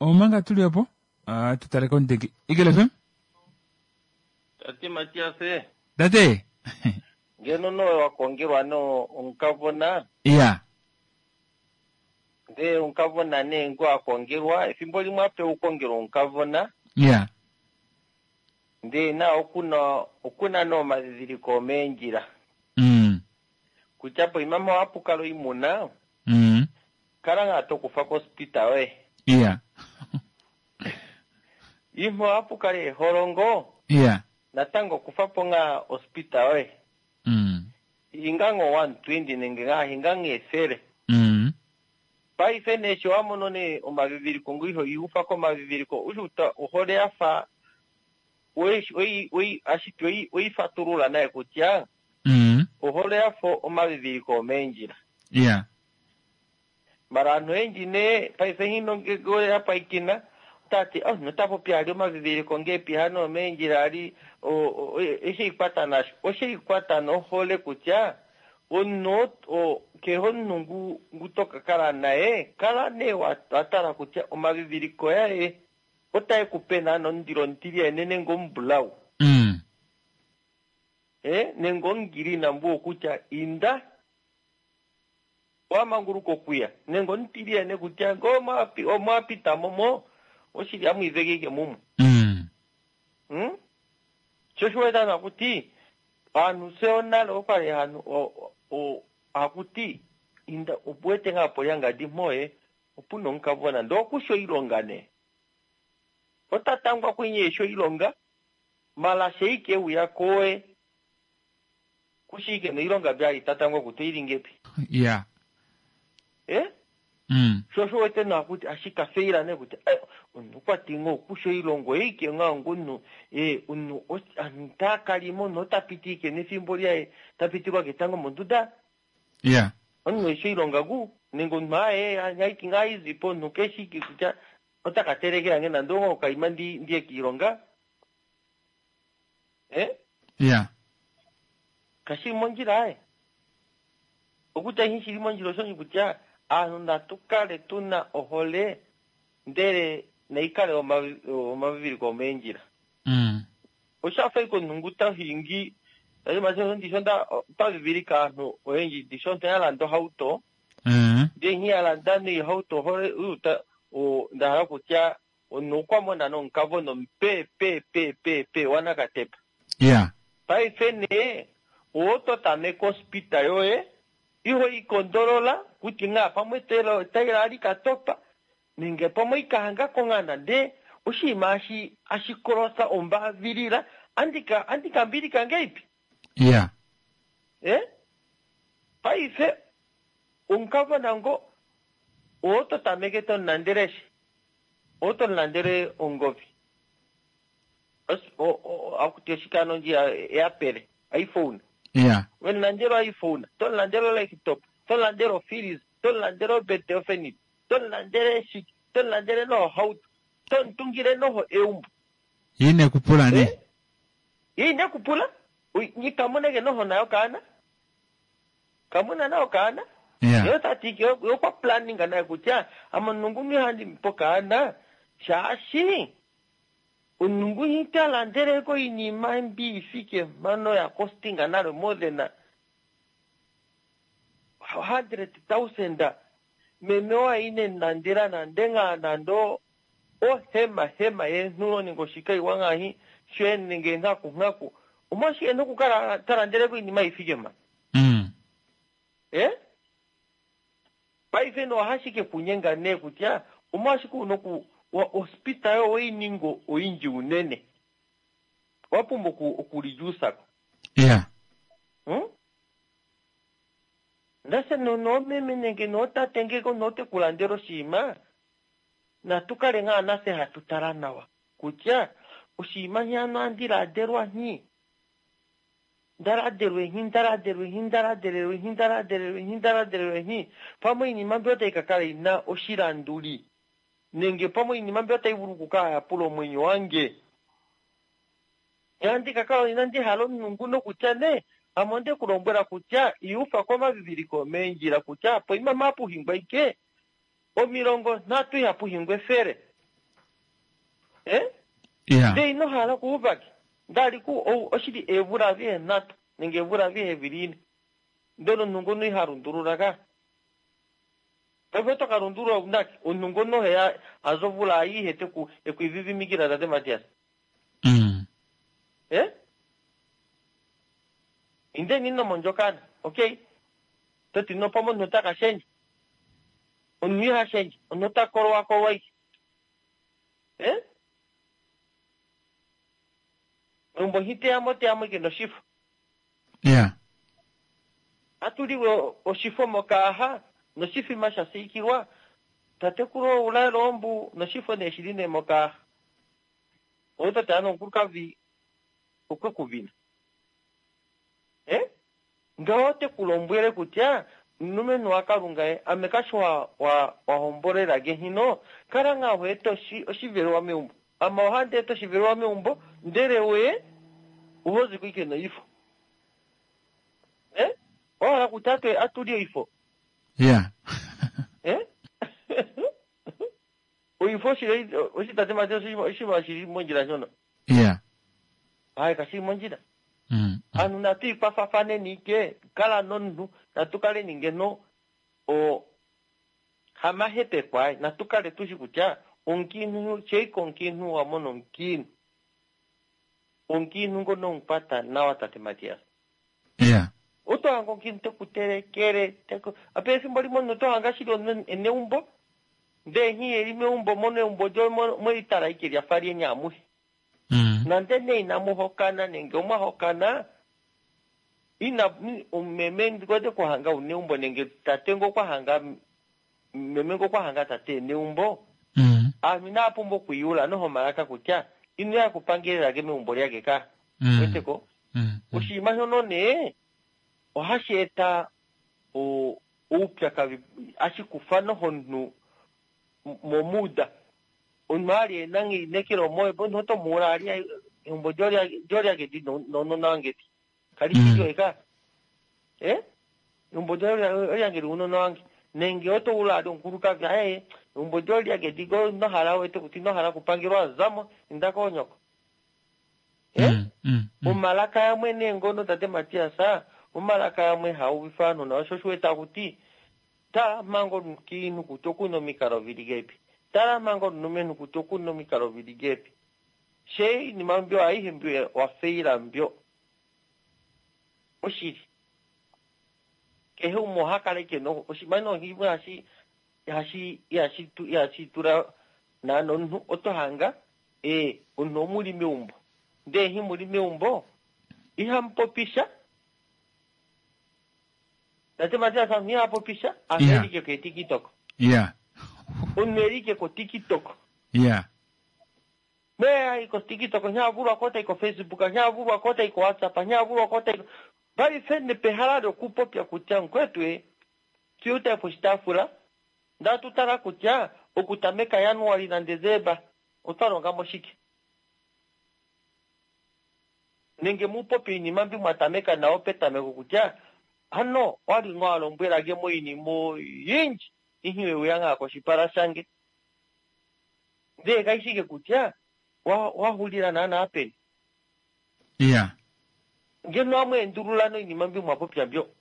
omanga tuli opo tutale komudeki Eagle F M. Tate Matias. Tate. Ngeno nowe wakongelwa no omukavona. Iya. Ndee omukavona nee ngo akongelwa efimbo limwe ape ukongelwa omukavona. Iya. Ndee na okuna okuna no madhidhiliko omeendjila. Mm. Kutya poima mpa wapukala oimuna. Mm. Kala ngaa tokufa kospita yoye. Iya. Imwe wapukala eholongo. Iya. Natango kufa po ngaa ospita yoye. Mm. Hinga ngo one twenty nenge ngaa hinga ngeefele. Mm. Paife nee sho wamono nee omaviviliko ngo iho iufa komaviviliko ushuta ohole yafa oi oi ashike oi oifatulula naye kutya mm. Ohole yafa omaviviliko omeendjila. Iya. Mara anhu oyendji nee paife hino ngege yapaikina tati oh notapopi ali omaviviliko ngepi hano omeendjila ali oshe ikwata nasho oshe ikwata nohole kutya omunhu kehe omunhu ngu ngu tokakala naye kala nee watala kutya omaviviliko yaye otae kupe naana omundilo omutilyane nenge omubulau. Mm. Eh nenge omugirina mbu kutya inda wamanguluka okuya nenge omutilyane kutya ngo omwapita momo oshili amwiivekeke mumwe. Mm. Mm? Sho shiwetana kuti aanhu fye onale okwali hanu hakuti inda opuwete ngaa polyangadi mpoye opuna omukavona ndee okusha oilonga nee otatangwa kwenye esho oilonga mala sheike uya koe kushike noilonga byali tatangwa kuti oilingepi. Yeah. Eh? Mm. Sho shiwete naa kuti ashika feila nee kuti omunhu okwati ngoo okusha oilongo eike ngaa ngunu eh omunhu antakalimo omunhu otapiti ike nefimbo lyaye tapitilwa ketango monduda. Yeah. Omunhu esho oilonga gu nenge omunhu aye aiki ngaa izipo omunhu keshiki kutya otaka nge nande ongo okaima ndi ndiye kiilonga. Eh? Yeah. Kashili mondjila aye. Okutya ihi shili mondjila oshoni kutya aanhu natu kale tuna ohole ndele naikale omaviviliko omeendjila. Mm. Oshafa ike omunhu ngu tahingi ndisho nda pavivilika aanhu oyendji ndisho nda yalanda ohauto. Mm. Ndee nghi yalanda neihauto ohole uta ndahala kutya omunhu okwa mona nomukavono pe pe pe pe pe wanakatepa. Yeah. Paife nee oto tameka ospita yoye iho ikondolola kuti ngaa pamwe taila ali katopa nenge pamwe ikahanga kongana ndee oshinima ashi ashikolosa ombavilila andika andika mbilika ngeipi. Yeah. Eh? Paife omukavona ngo oto tameke to nandereshe. Oto landele ongovi akuti oshikano ndji eapele iPhone. Yeah. Wemulandela iPhone, tomulandela laptop, tomulandela ofreezer, tomulandela obete yofenit, tomulandele shike, tomulandele nohauto, tomutungile noho eumbo. Ine kupula ne. Ye ine kupula nikamuneke noho nayo kaana kamuna nayo kaana. Yeah. Yo tati yo kwa planning naye kutya amanungu handi mpo kaana shaashi onungu hitalandeleko iinima mbi ifike mano ya costinga nalo more than hundred thousand meme waine nandela nande nando ohema hema yenhulo ningo shikaiwa ng'ahi shwe nenge nghaku nghaku omwashike nokukala talandeleko iinima ifike ma. Mm. Eh? Paife no hashike kunyenga ne kutya omwashike unoku wa hospital oiningo oinji unene wapumbwa okulijusako. Yeah. Hmm? Ndase no nomeme nenge notate ngeko note kulandela oshinima natukale ngaa nase hatu tala nawa kutya oshinima hyano andiladelwa nhi ndaladelwe nhi ndaladelwe nhi ndaladelelwe nhi ndaladelelwe nhi ndaladelelwe nhi pamwe iinima mbyo otayi kakala ina oshilanduli nenge pamwe iinima mbyo otayi vulu okukala yapula omwenyo wange yandikakala inandi hala omunungu nokutya ne ame onde kulombwela kutya iufa komaviviliko meendjila kutya poima mapuhingwa ike omilongo nhatu ihapuhingwa efele. Eh? Yeah. Nde ino hala kuuvake ndali ku oshili eevula avihe nhatu nenge eevula avihe vilini ndele omunhu ngono ihalundulula ka paife oto lundulula unake omunhu ngono heya azovula ayihe teku ekuivivimikila tate Matias. Mm. Eh? Inde nino mondjokana okay toti no pamwe omunhu ota kashendja omunhu ihashendja omunhu ota kolwa kolwa ike. Eh? Meumbo nhiteyamo teyamo ike noshifo. Yeah. Atuliwe oshifo mokaaha noshifima sha siikilwa tatekulu oulaelo ombu noshifo nee shili nee mokaaha otate ano omukulukadhi okwe kuvina. Eh? Ngaho te kulombwele kutya mulumenhu wakalunga ye ame kashi wa wa wahombolela hino kala ngaa hoeta oshivelewa meumbo ama ohandi eta oshivelewa meumbo ndele we uhozi kuike noifo. Eh? Ohala kutya atu atulye oifo. Yeah. Eh? Oifo shili oshitate mate oshiva shili mondjila shono. Yeah. Hayi kashili mondjila. Mm. Anu natu ikwafafaneni ike kala nonhu natukaleni ngeno o hamahepekwa natukale tushi kutya omukiinhu sheika omukiinhu wamona omukiinhu omukiinhu ngono omukwata nawa tate Matias. Yeah. Otohanga omukiinhu tekutelekele teku ape efimbo limwe omunhu otohanga shili eneumbo ndee nhi eli meumbo mono eumbo lyo mwelitala ike lyafa lyeni amuhe. Mm. Nande nee inamuhokana nenge omwahokana ina meme ndikote kuhanga uneumbo nenge tate ngo kwahanga meme ngo kwahanga tate neumbo. Mm. Aanhu inaapumbwa okwiiyula noho malaka kutya ino ya kupangelelake meumbo lyake ka. Mm. Weteko Mm. oshinima shono nee ohashi eta oupyakadhi ashikufa noho omunhu momuda omunhu ali ena einekelo moye omunhu oto muula ali eumbo lyolyakedi nounona wangedi kali shi lyoye ka. Eh? Eumbo lyolyangeli uunona wange nenge oto ula ali omukulukadhi aye eumbo lyolyakedi ko inohala wete kuti inohala okupangelwa zamo inda koonyoko. Eh? Mm. Mm. Omalaka yamwe nee ngono tate Matias omalaka yamwe hauvifa aanhu nawa sho oshiweta kuti tala manga omukiinhu kutya okuna omikalo vili gepi tala manga omulumenhu kutya okuna omikalo vili gepi she iinima mbyo ayihe mbyo wafeila mbyo oshili kehe umwe oha kala ike no oshinima nohimwe hashi hashi ihashi ihashi tula naana omunhu oto hanga ee omunhu omuli meumbo ndee hi muli meumbo ihamupopisha tate Matias omunhu ihapopisha Yeah. anhu elike ko TikTok Yeah. omunhu elike ko TikTok Yeah. Me ayi ko TikTok nyavulwa ko tai ko Facebook nyavulwa ko tai ko WhatsApp nyavulwa ko tai paife nepehala lyokupopya kutya nkwetu e tuyuta poshitaafula ndatutala kutya okutameka Januari naDesemba otwa mo shike nenge mupopi iinima mbi mwatameka nayo petameko kutya ano wali ngo alombwelage mo iinima oyindji ihe weya ngaa koshipala shange ndee kaishike kutya wahulila naana peni. Yeah. Ngeno amweendulula noinima mbi mwapopya mbyo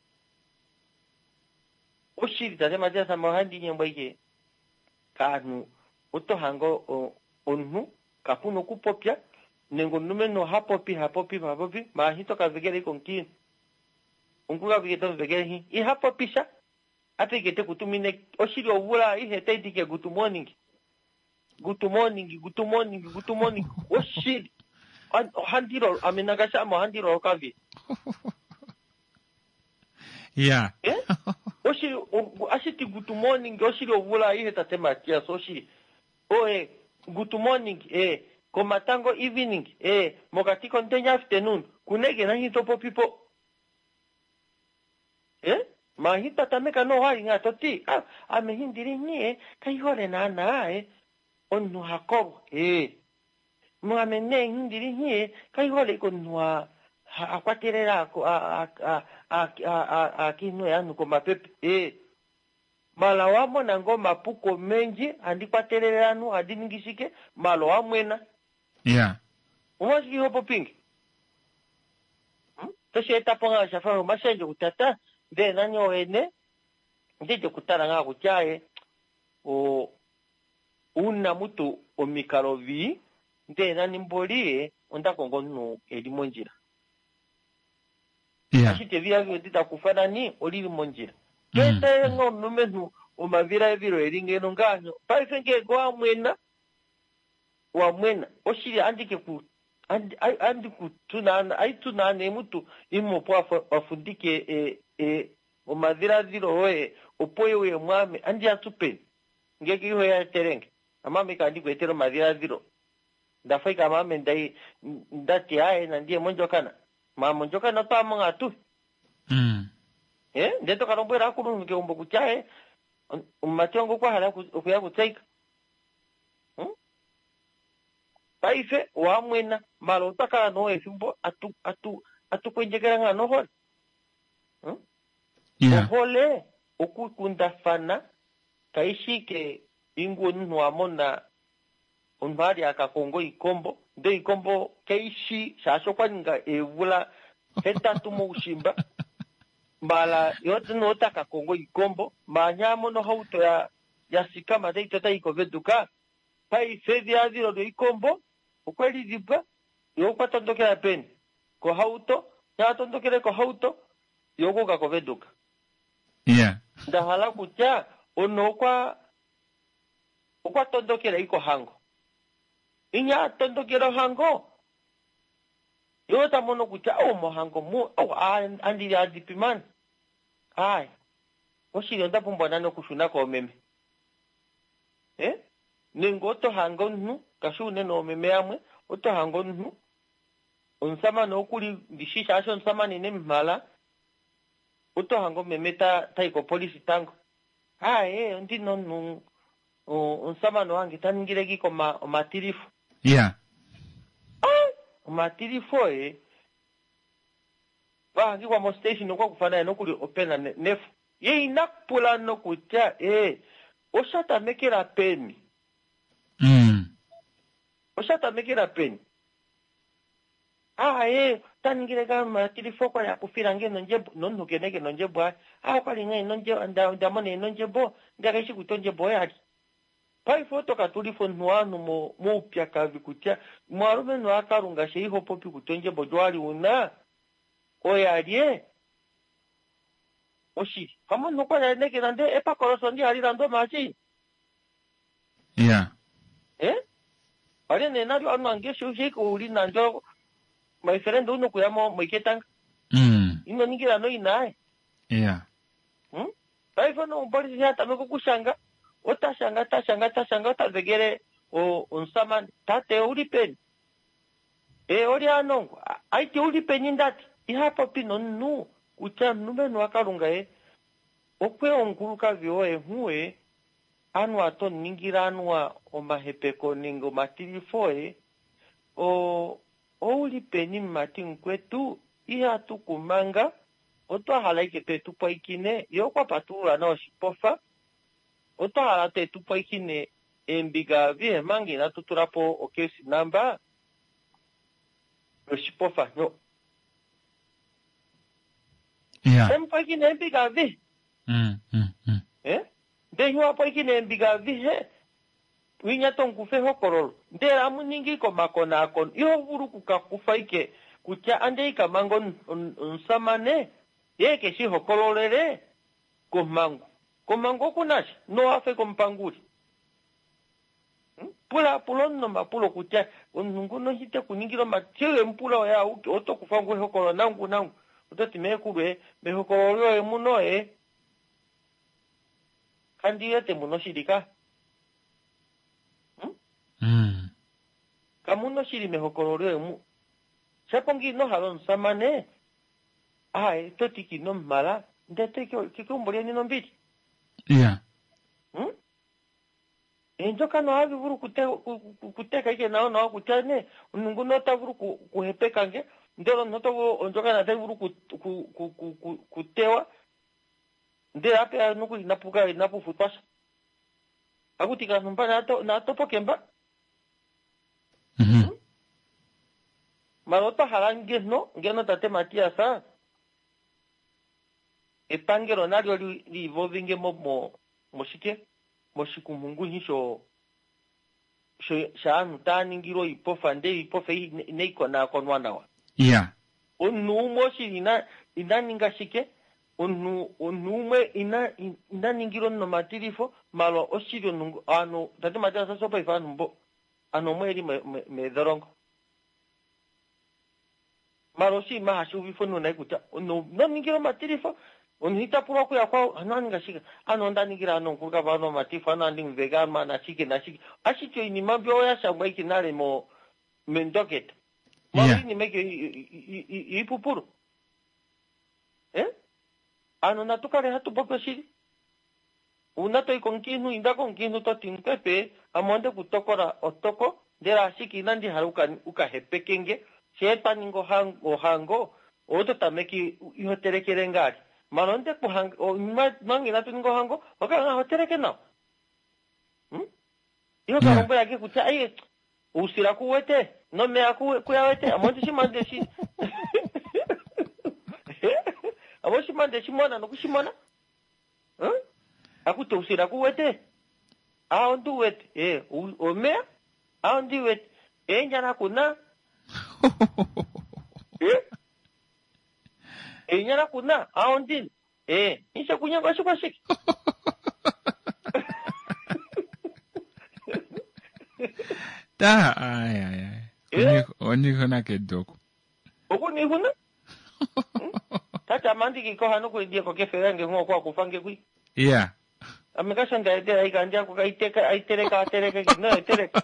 oshili tate Matias ame ohandi nyengwa ike kaanhu oto hange omunhu kapuna okupopya nenge omulumenhu oha popi ha popi ha popi maahi tokavekele ike omukiinhu omukukavike tomuvekele hi iha popi sha ate tekutumine oshili ovula ihe taiti ke good morning good morning good morning good morning oshili ohandilo ame nangashi ame ohandilo okavi. Yeah. Eh? Oshili ashiti good morning oshili ovula ihe tate Matias oshili oe good morning eh komatango evening eh mokati komutenya afternoon kunege nahi topopipo eh mahi tatameka no wali nga toti ah ame hindiri nie kaihole naana eh omunhu hakolwa eh mwame ne hindiri nie kaihole komunhu akwatelela aakiinhu yanu komapepe eh mala wamona ngo mapuko menji andikwatelele anu andi shike malo wamwena. Yeah. Omwashike hopopingi hmm? Tosheetapo ngaa shafa omashendjo kutata ndee nani owene ndije kutala ngaa kutya e o una mutu omikalo vii ndee nani mboli e onda kongo omunhu eli mondjila. Yeah. Ashike evilavilo nditakufa nani olili mondjila toetele nga omulumenhu omavilavilo eli ngeno ngaanyo paife ngeenge wamwena wamwena oshili andike ku andi kutunaana aitunaana emutu imwe opo wafundike e e omadhiladhilo oye opo ye mwame andi atupeni ngeke iho yaetelenge amame kandi kuetela omadhiladhilo ndafa ike amame ndai ndati aye nandiye mondjokana ma mondjokana otwamo ngatu. Mm. Eh ndee tokalombwela akulunhu keumbo kutya e omumati wange okwa hala okuya kutseyika. Hmm? Paife wamwena mala otwa kala noo efimbo atu atu atukwendjekela ngaa nohole. Hmm? Yeah. Ohole okukundafana kaishike ingu omunhu wamona omunhu ali akakonga oikombo ndee oikombo kaishi shaashi okwa ninga eevula hetatu moushimba mbala yote notaka kongo ikombo manya mono hauto ya yasikama taito taikoveduka paife edhiladhilo lyoikombo okweli dhibwa yo okwa tondokela peni kohauto yatondokele kohauto yo okuuka koveduka. Yeah. Ndahala kutya ono okwa okwa tondokela ikohango inya tondokela ohango yo tamono kutya o mohango mu o andili adipimani ai oshili onda pumbwa nani okushuna koomeme eh nenge oto hanga omunhu kashi unene oomeme yamwe oto hanga omunhu omusamane okuli ndishi shaashi omusamane ine mumhala oto hanga omeme tayi kopolisi tango aye ondina omunhu omusamane wange taningile kiko omatilifo. Yeah. Omatilifo e vahangikwa mo station okwa kufa naye nokuli opena nefu ye ina pula nokutya e oshatamekela peni. Mm. Oshatamekela peni aye taningile ka matilifo kwa yakufila nge nondjebo nomunhu keneke nondjebo aye a okwali nge nondjebo ndamona enondjebo ndakaishi kutya ondjebo oyali paife otokatulifa omunhu wanhu moupyakadhi kutya mwalumenhu akalunga she iho popi kutya ondjebo lyo una oyalye oshili pamwe okwali neke nande epakoloso ndi hali landa omashi. Yeah. Eh wali ne nalyo anu ange shike uli nandyo my friend uno kuya mo moiketanga. Mm. Ino ningira no inaye. Yeah. Hmm? Paife no omupolisi yatameka okushanga otashanga tashanga tashanga otavekele Omusamane tate ouli peni e oli anongo aiti ouli peni ndati iha popi nomunhu kutya omulumenhu waKalunga ye okwe omukulukadhi woye nhuwe anuwa toningile anuwa omahepeko nenge omatilifo ye o ouli peni mumati mukwetu ihatu kumanga otwa hala ike twetu pwaikine ye okwa patulula na oshipofa otwa hala twetu pwaikine eembiga vihe manga inatu tula po okesi namba yoshipofa nyo Yeah. emupwaikine eembiga vihe Mm, mm, mm. eh ndee hiwapwaikine eembiga vihe winya tonkufa ehokololo ndele amuningi komakonaakono iho vulu okukakufa ike kutya ande ikamanga omusamane ye ke shi hokololele komhangu komhangu okunasha nowafe komupanguli pula pula omunhu omapulo kutya omunhu nguno hite kuningila omatile mupula oye auke oto kufa ngu ehokololo nangu nangu ototi meekulu e mehokololo loye muno e kandi wete muno oshili ka Mm. kamuno oshili mehokololo lyoye mu shapo ngi ino hala omusamane aye toti kino mumala ndee toyi keumbo lyeni nombili Yeah. Hmm? Eendjokana ohadhi vulu okute- ku- ku- kuteka ike nawa nawa kutya ne omuntu nguno ota vulu ku- kuhepeka nge ndele omuntu oto vulu ondjokana tayi vulu ku- ku- ku- ku- ku- kutewa ndele apeya nokuli inapu inapu futwa sha akuti kantu mba nato- natopoke mba Mhm. mala otwa hala ngeno ngeno tate Matias epangelo nalyo li- liivovinge mo mo moshike moshikumhunguhi sho sho shaanhu taa ningilwa oipofa ndele iipofa ei ine- inayi konaakonwa nawa Yeah. omunhu umwe oshili ina ina ninga shike omunhu omunhu umwe ina ina ningilwa omunhu omatilifo mala oshili omunhu ovanhu tate Matias osho paife ovanhu mbo anhu omwe eli me- me- meedholongo mala oshinima hashi uvifwa omunhu nai kutya omunhu noningila omatilifo omunhu ita pulwa okuya kwao anu aninga shike anu onda ningila anu omukulukadhi anu omatilifo anu andi muveka anu nashike nashike ashike oinima mbyo oya shangwa ike nale mo mendoketa mala Yeah. oinima ike iipupulu eh ano natu kale hatu popi oshili uuna toyi komukiintu inda komukiintu toti mukwepe ame onde kutokola otoko ndele ashike inandi hala uka- ukahepeke nge shee twa ninga ohango, ohango oto tameke iho telekele ngaali mala onde kuhanga o- manga inatu ninga ohango okala nga ho teleke nawa hmm? iho Yeah. kalombwelake kutya aye uusila kuwete nomeya ku- kuyawete ame ondishima ndeshi ame oshima ndeshimona nokushimona Hmm? akuti usila kuwete a ondi wete e u- omeya a ondi wete eenyala kuna e eenyala kuna a ondini e inshe kunyanga oshikwashike Ta ai ai ai. Eh? Onihona kedoko. okunihuna tati amandikikoha nokulidieko kefela nge ng'o kwakufa nge kwi Yeah. ame kasho ndaetela ikandi ako kaiteka aiteleka ateleke no eteleka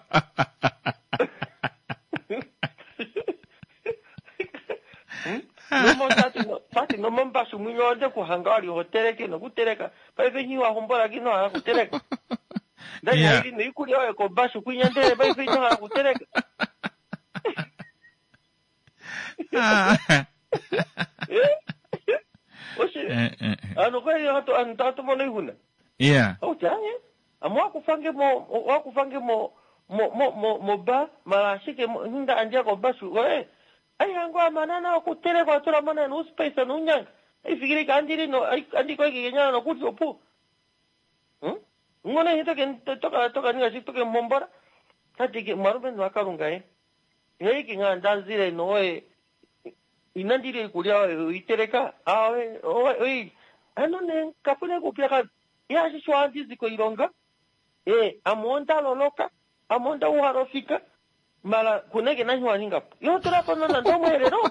nomo tati no tati nomombashu mwinyo onde kuhanga wali hoteleke nokuteleka paife nyi wahombola kino hala kuteleka ndali Yeah. haili noikulya oyo kobashu kwinya ndele paife ino hala kuteleka Ah. Eh? Oshi Eh, eh, eh. ano kweli hatu anu tatu mono ihuna Yeah. auti aye ame wakufange mo wakufange mo mo mo mo mo ba mala ashike mo- hinda andja kobashu oye aihango amanana okuteleka atula mana nuuspace nuunyanga aifikiri kandili no andikoikekenyana nokuti opu Hmm? ngono hi toke toka toka ninga shi toke mombora tati ke mwarume wakalunga ye heiki nga ndazile noye inandile ikulya oyo iteleka awe oyi ano ne kapune kupya ka yashi shwa koilonga e amonda loloka amonda uharofika mala kuneke nahi waningapo yo tulapo nona ndomwelelo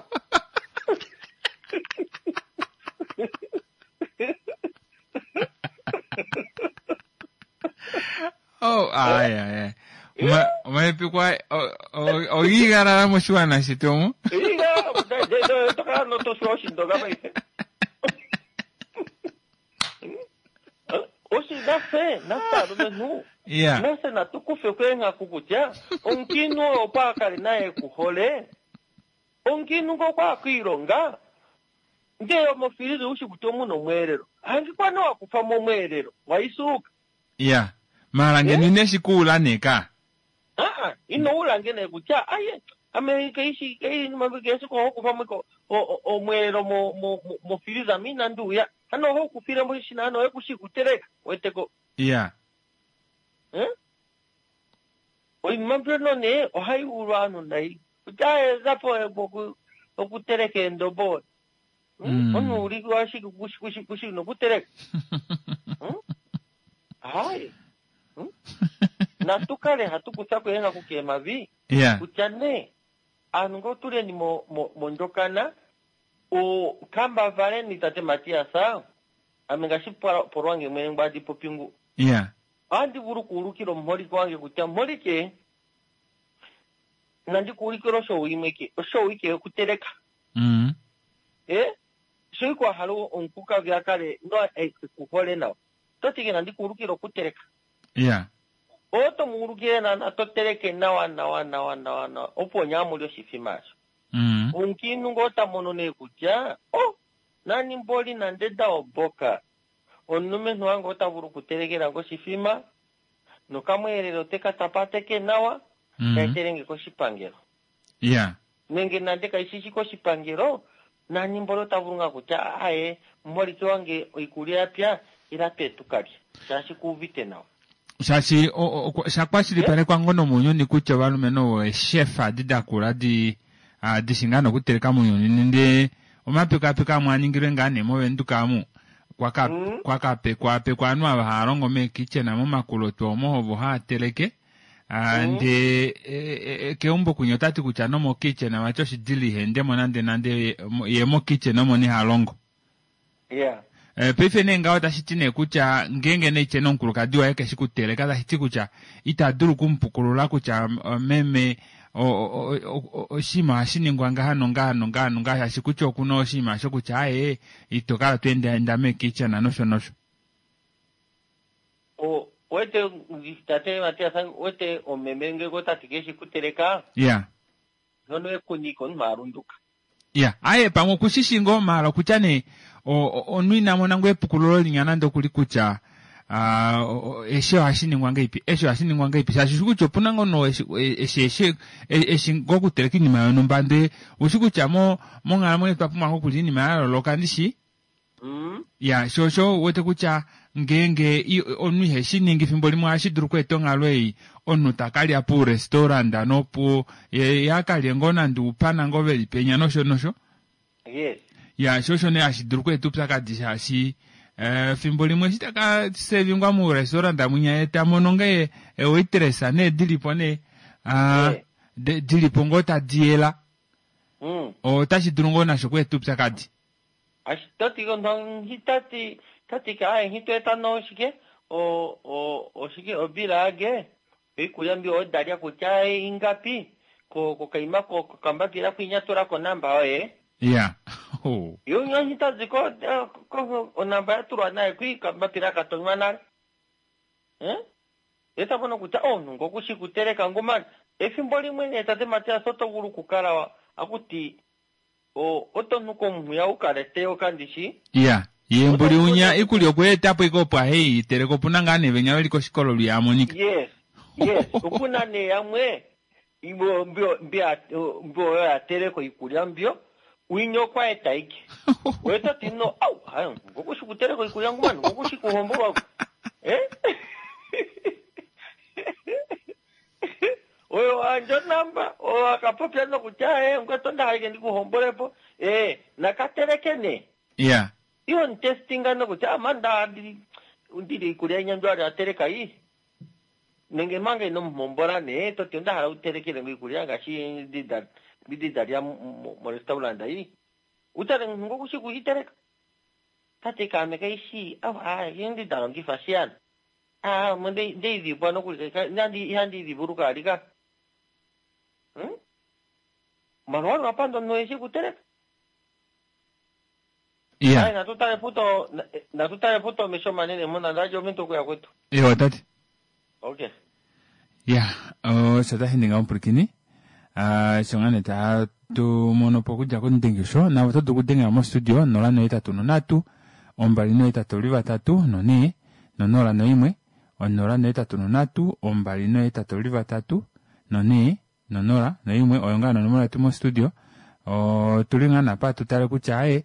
Oh, ai ai ai. Omahepeko ogiigalala moshiwana shetu omu. Tokala notoshiwa oshindonga paife. Oshi nafye nafye alumenhu. Yeah. Nafye natu kufe kweenghaku kutya omukiinhu oyo opo a kale naye kuhole. Omukiinhu ngo okwa kwiilonga ndee omofiliza ushi kutya omuna omweelelo. Hangikwa nowa kufa mo omweelelo waisuuka. Yeah. Mara ngeno ine shi kuula nee ka. Aa, ino ula ngene kutya aye ame keishi keishi oho kufa mo omweelelo mo mo mofiliza mi inandi uya. Hano oho kufile mo shina hano ekushi kuteleka weteko. Yeah. Eh? Oinima mbyono nee ohai ulwa ovanhu nai. Kutya ezapo okuteleka eendobo. Mm. Omunhu uli ashike kushi kushi kushi nokuteleka. Hayi. Natu kale hatu kutha ko eenghaku keemavi. Yeah. Kutya nee aanhu ngoo tuleni mo mo mondjokana o kambavaleni tate Matias ame ngaashi polwange mwene ngwadi popingu. Yeah. Ohandi vulu okuulukila omuholike wange kutya muholike nandi kuulikile oshowo imwe ke oshowo ike yokuteleka. Mm. Eh? Sho ike wa hala omukukavi a kale no ekuhole nawa. Toti ke nandi kuulukile okuteleka. Yeah. Oto mu ulukile naana to teleke nawa nawa nawa nawa nawa opo nyamuli oshifima asho. Mm. Omukiinhu ngoo ta mono nee kutya oh nani mboli nande da oboka. Omulumenhu wange ota vulu okutelekela ngo oshifima nokamweelelo teka tapateke nawa Mm. kaetelenge koshipangelo. Yeah. Nenge nande kaishishi koshipangelo nani mboli ota vulu ngaa kutya aye muholike wange oikulya yapya ila twe tukalye shaashi kuuvite nawa. Shaashi sha kwashilipalekwa ngoo nomounyuni kutya ovalumenhu ovo eeshefa adi dakula di dishi ngaa nokuteleka mounyuni nande omapekapeko amwe aningilwe ngaa nee movenduka amu kwaka Mm. kwakapekwaapekwa ovanhu ava hava longo meekitchen momakulotu omo ovo hava teleke. Mm. Ndee keumbo kwinya otati kutya nomokitchen vati oshidili ihendemo nande nande ye mokitchen omo nee ha longo. Yeah. Paife nee ngaho tashi ti nee kutya ngeenge nee tyena omukulukadi waye keshi kuteleka tashi ti kutya ita dulu okumupukulula kutya meme oshinima ohashi ningwa ngaha nongaha nongaha nongaha shaashi kutya okuna oshinima shokutya aaye ito kala to endaenda meekitchen nosho nosho. O wete tate Matias wete omeme ngenge otati keshi kuteleka. Yeah. Nono ekuniko omunhu alunduka. Yeah, aye pamwe okushishi ngoo maala okutya nee omunhu ina mona ngoo epukululo linya nande okuli kutya eshi ohashi ningwa ngahelipi eshi ohashi ningwa ngahelipi shaashi ushi kutya opuna ngoo no eshi eshi eshi ngoo okuteleka oinima yonhumba ndee ushi kutya mo monghalamwenyo otwa pumbwa ngoo okulya oinima ya yooloka ndishi. Mm. Ya, sho osho wete kutya ngeenge omunhu iheshi ningi fimbo limwe ohashi dulu okweeta onghalo ei omunhu takalya pourestaurant nopo ye akalye ngoo nande oupana ngoo veli penya nosho nosho. Yes. Ya, sho osho nee hashi dulu okweeta oupyakadi shaashi fimbo limwe eshi taka sevingwa murestaurant mwinya ye ta mono ngee ewaitress nee dilipo nee dilipo ngoo tadi yela. Mm. Otashi dulu ngoo nasho okweeta oupyakadi. Tati tati tati ka aye nghitweeta noshike o o oshike obilage oikulya mbi odalya kutya ingapi ko kokaima ko kokambapila kwinya tula konamba yoye. Yeah. Oh. Yo nghitazi ko ko onamba yatulwa naye kwi kambapila katonywa nale. Eh? Eta mono kutya omunhu ngokushi kuteleka ngumani efimbo limwe nee tate Matias oto vulu okukala akuti o oto nu komunhu ya ukale teyo kandishi. Yeah. Ye mbuli unya ikulya okweetapo ike opo ahei iteleka opuna ngaa nee venya veli koshikolo lwiya amonika. Yes. Yes. Opuna nee yamwe mbyo mbyo mbyo oyo yateleka iikulya mbyo winya okwa eta ike. Weta ti no au hayo ngokushi kuteleka iikulya ngumani ngokushi kuhombolwa. Eh? Oyo wandja namba oyo akapopya nokutya eh ngwetonda haike ndikuhombolepo eh nakateleke nee. Yeah. Iyo ntestinga nokutya amanda ndili ikulya inya ali ateleka iyi. Nenge manga ino muhombola nee toti onda hala utelekele ngo ikulya ngaashi ndida ndidalya mo restaurant iyi. Utale ngokushi kuiteleka. Tate kaame kaishi awa ndidalongifa shiyana. Ah, mo ndei ndeidhibwa nokuli nandi ihandi idhibuluka alika. Hmm? Mano wali wapanda omunhu eshi kuteleka. Ai ya natu tale puto natu tale puto omesho manene mona ndaje omuntu okuya kwetu. Ewa tate. Okay. Ya, osho tashi ninga omupwilikini sho ngaa nee tatu mono po okudja komudengisho navo oto dulu okudengela mostudio nola nohetatu nonhatu ombali nohetatu vatatu nonhee nonola noimwe onola nohetatu nonhatu ombali nohetatu vatatu nonhee nonola noimwe oyo ngaa nonomola yetu mostudio otuli ngaa naapa tutale kutya aaye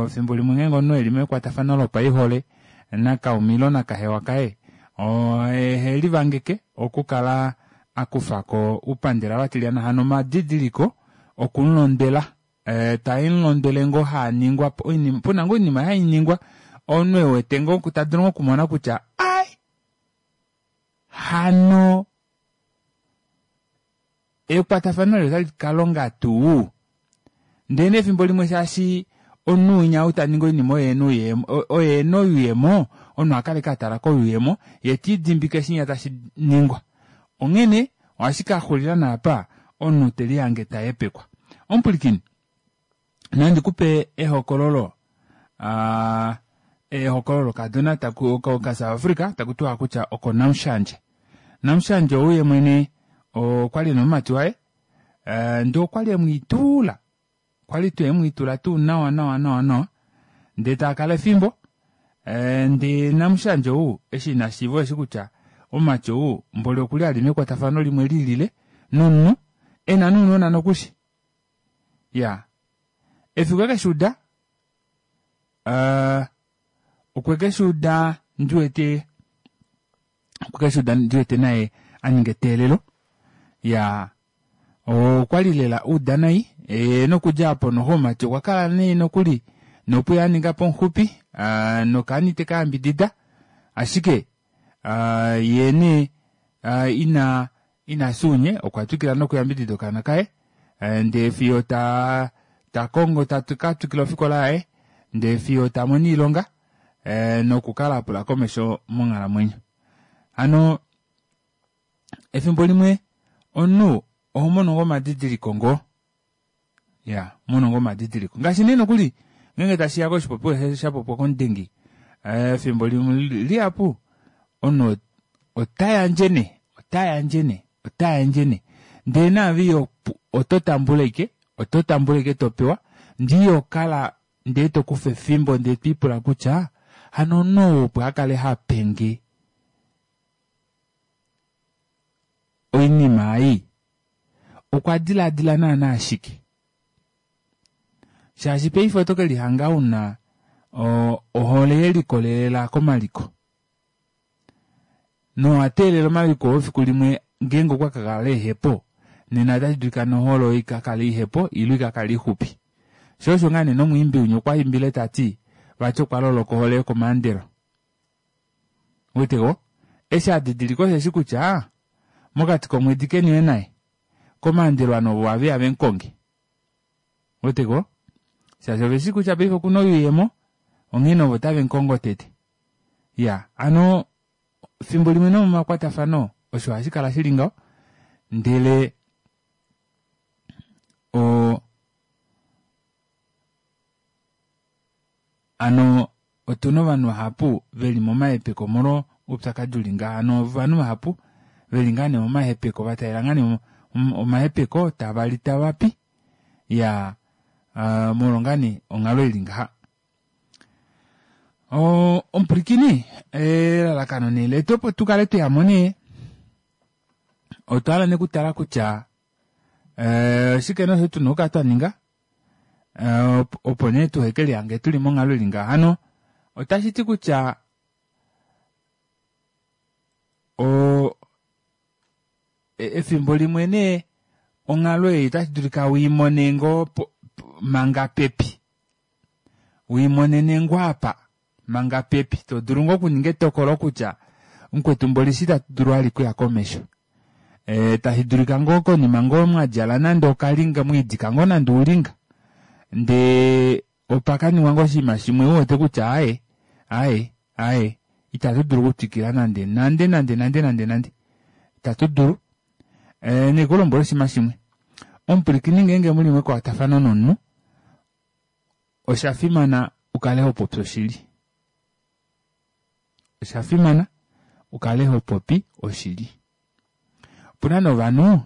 efimbo limwe ngeenge omunhu eli mekwatafano lopaihole nakaume ile nakahewa kaye ohelivangeke okukala akufako oupandela vatilyana hano omadidiliko okumulondwela taemulondwele ngoo haningwa puna ngoo oinima hainingwa omunhu ewete ngoo tadulu ngoo okumona kutya ai hano ekwatafano eli otali kalonga tuu ndee nee efimbo limwe shaashi omunhu winya ou taningi oinima oye ena oye ena oyuuyemo omunhu ohakala ashike atala koyuuyemo yee telidimbike shinya tashi ningwa onghene ohashi kaxulila naapa omunhu telihange tahepekwa. Omupwilikini nandikupe ehokololo aa ehokololo lokadona ka South Africa takutiwa kutya oko Namushandje. Namushandje ou yemwene okwali ena omumati waye ndee okwali emwiitula kwali tuu emwiitula tuu nawa nawa nawa nawa ndee taakala efimbo ndee Namushandje ou eshi ina shiiva osheshi kutya omumati ou mboli okuli ali mekwatafano limwe lilile nomunhu ena nounona nokushi iyaa efiku ekeshuuda aa okwekeshuuda ndiwete okwekeshuuda ndiwete naye aninga eteelelo iyaa okwali lela auda nai nokudja aapo noxo omumati okwakala nee nokuli nopuye aningapo omuxupi nokaana itekayambidida ashike yee nee ina inafya ounye okwatwikila nokuyambidida okaana kaye ndee fiyo taa takongo takatwikila ofikola yaye ndee fiyo tamono oilonga nokukala apula komesho monghalamwenyo. Hano efimbo limwe omunhu ohomono ngoo omadidiliko ngoo iya ohomono ngoo omadidiliko ngaashi nee nokuli ngeenge tashiya koshipopiwa shapopiwa komudengi efimbo limwe lihapu omunhu otayandje nee otayandje nee otayandje nee ndee naave oto tambula ashike oto tambula ashike topewa ndee ihokala ndee tokufa efimbo ndee twiipula kutya hano omunhu ou opo akale hapenge oinima ei okwa dilaadila naana shike shaashi paife oto kelihanga una ohole yelikolelela komaliko nowateelela omaliko oo efiku limwe ngeenge okwa kakala ehepo nena otashi dulika nohole oyo ikakale ihepo ile ikakale ixupi shoo osho ngaa nee nomwiimbi winya okwa tati vati okwa loloka ohole yokomaandelo ouweteko eshi adidilika osheshi kutya mokati komwedi keniwe naye komaandelo ovanhu ovo ohaveya vemukonge ouweteko shaashi oveshi kutya paife okuna oyuuyemo onghene ovo tavemukongo tete iya hano efimbo limwe nomomakwatafano osho hashikala shili ngaho ndele oo hano otuna ovanhu vahapu veli momahepeko omolwo oupyakadi uli ngaha hano ovanhu vahapu veli ngaa nee momahepeko vataalela ngaa nee omahepeko tavali tavapi iyaa molwo ngaa nee onghalo ili ngaha. Omupwilikini elalakano nee letu opo tukale tweyamo nee otwa hala nee okutala kutya oshike nee osho tuna okukala twaninga opo nee tuhekelihange tuli monghalo ili ngaha hano otashiti kutya oo efimbo limwe nee onghalo ei otashi dulika wiimone ngoo manga pepi wiimonene ngoo apa manga pepi todulu ngoo okuninga etokolo kutya mukwetu mboli eshi itatu dulu vali okuya komesho e, tashi dulika ngoo konima ngoo mwadjala nande okalinga mwiidika ngoo nande oulinga ndee opakaningwa ngoo oshinima shimwe uwete kutya aaye aaye aaye Itatu dulu okutwikila nande nande nande nande nande nande. Itatu dulu. E, nekulombwela oshinima shimwe. Omupwilikini ngeenge muli mekwatafano nomunhu, osha fimana ukale ho popi oshili. Osha fimana ukale ho popi oshili. Opuna novanhu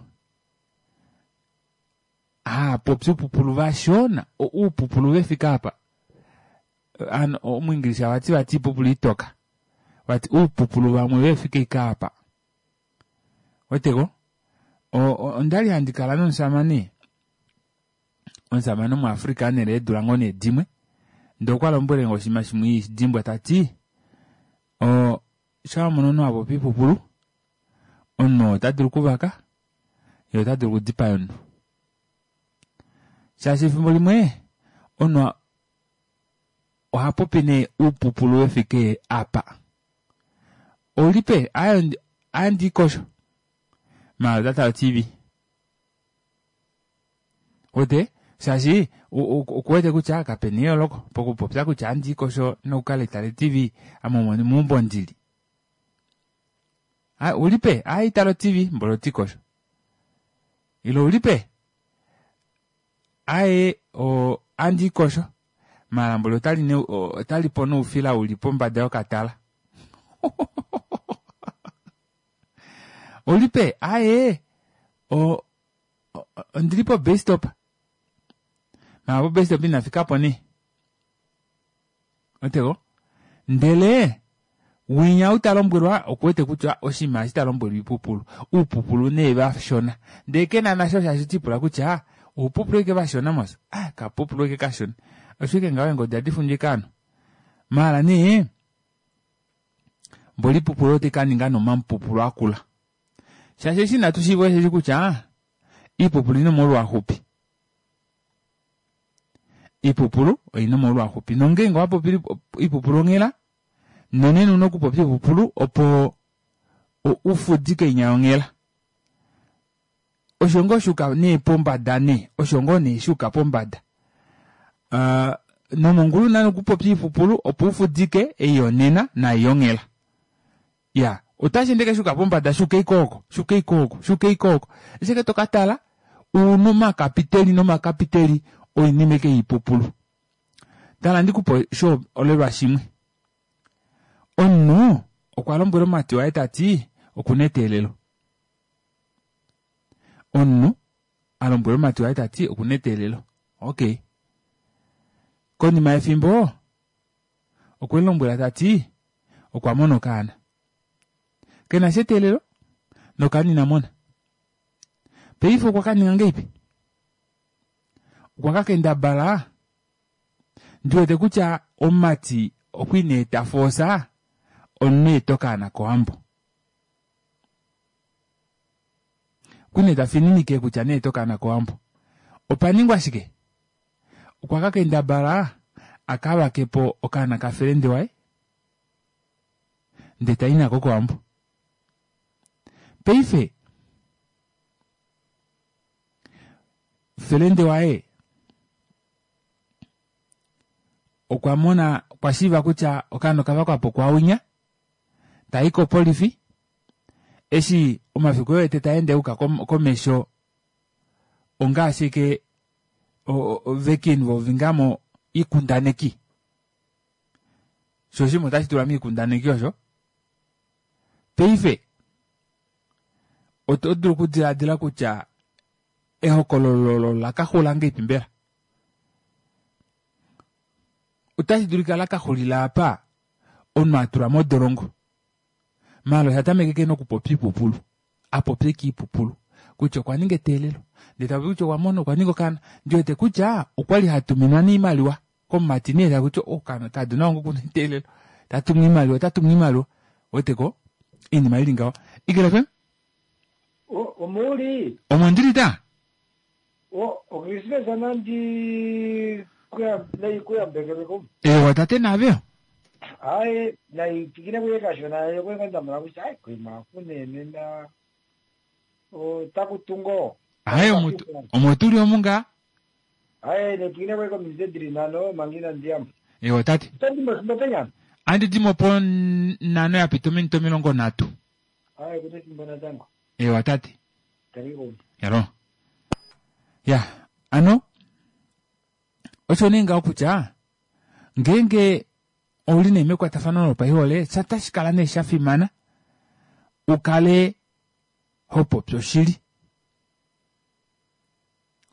haapopi upupulu vashona, uupupulu vefika apa. Ano omuingilisha vati vati ipupulu itoka. Vati uupupulu vamwe vefika ika apa. Weteko? Ondali handi kala nomusamane. Omusamane omuAfrika nele eedula ngoo nee dimwe. Ndee okwa lombwele nge oshinima shimwe dimbwa tati, o sha wamono omunhu apopi ipupulu, omunhu ota dulu okuvaka, ye ota dulu okudipaya omunhu. Shaashi efimbo limwe, omunhu oha popi nee uupupulu wefike apa. Oulipe, andi kosho. Maala ota tala o T V. Wete, shaashi okuwete kutya kapena eyooloko pokupopya kutya andi kosho nokukala tale T V ame omo meumbo ndili. Ulipe, ai tala o T V, mbolo oti kosho. Ilo ulipe, ae o andi kosho. Maala mbolo otali ne, otali po noufila uli pombada yokatala. Ulipe, ae o ondili po bus stop. Maala po bus stop inafika po nee. Otego? Ndele winya utalombwelwa okuwete kutya oshinima eshi talombwelwa ipupulu. Uupupulu nee vashona. Ndele kena nasho shaashi tipula kutya uupupulu eke vashona mos. Ah, kapupulu eke kashona. Osho ike ngaho engodi adi fundju eke ano. Maala nee mboli ipupulu ote kaninga nomamupupulu akula. Shaashi eshi inatu shiiva osheshi kutya iipupulu ina omolwaxupi. Iipupulu oina omolwaxupi. Nongeenge owapopi iipupulu onghela, nonena una okupopya iipupulu opo ufudike inya yonghela. Osho ngoo shuka nee pombada nee, osho ngoo nee shuka pombada. Uh, nomongulu una okupopya iipupulu opo ufudike eiyonena naiyonghela. Ya, otashi ndeke shuka pombada shuka ikooko, shuka ikooko, shuka ikooko. Esheke tokatala uno makapiteli nomakapiteli oinima eke iipupulu. Tala ndikupo sho olelwa shimwe. Omunhu okwa lombwela omumati waye tati okuna eteelelo. Omunhu a lombwela omumati waye tati okuna eteelelo. Okay. Konima yefimbo okwe lombwela tati okwa mona okaana. Kena sha eteelelo nokaana ina mona. Paife okwa kaninga ngeipi? Okwa ka kendabala ndiwete kutya omumati okwa ina eta foosa omunhu eta okaana kowambo. Okwa ina eta fininike kutya neeta okaana kowambo. Opa ningwa shike? Okwa ka kendabala aka vakepo okaana kafelende waye ndee tai nako kowambo. Paife felende waye okwa mona okwa shiiva kutya okaana okavakwapo kwaunya tai kopolifi eshi omafiku wete taende uka komesho ongaashi ke veki involvingamo iikundaneki. Sho shimwe otashi tulwa miikundaneki osho. Paife oto dulu okudiladila kutya ehokololo lakaxula ngeipi mbela? Otashi dulika lakaxulila apa omunhu atulwa modolongo. Maala osha tameke ke nokupopya iipupulu. Apopye kiipupulu. Kutya okwa ninga eteelelo. Ndee tapopi kutya okwa mona okwa ninga okaana. Ndiwete kutya okwali hatuminwa niimaliwa komumati nee takutya oh kaduna wangu okuna eteelelo. Tatumwa iimaliwa, tatumwa iimaliwa. Weteko? Iinima ili ngaho. Ikela F M? Omuli. Omo ndili ta? O, Okrismesa nandi kuya nayi kuyambekeleko. Ewa tate navyo. Ai, nayi tikine kuye kashona yo kwenda mula kutya ai kuima kunene na o takutungo. Ai omo omo tuli omunga. Ai ne tikine kuye komizedri nano mangina ndiam. Ewa tate. Tandi mosindopenya. Andi dimo po nhano ya pita ominute omilongo nhatu. Aye kuna efimbo natango. Ewa tate. Karibu. Yalo. Ya, ano osho nee ngaho kutya ngeenge ouli nee mekwatafano lopaihole otashi kala nee sha fimana ukale ho popi oshili.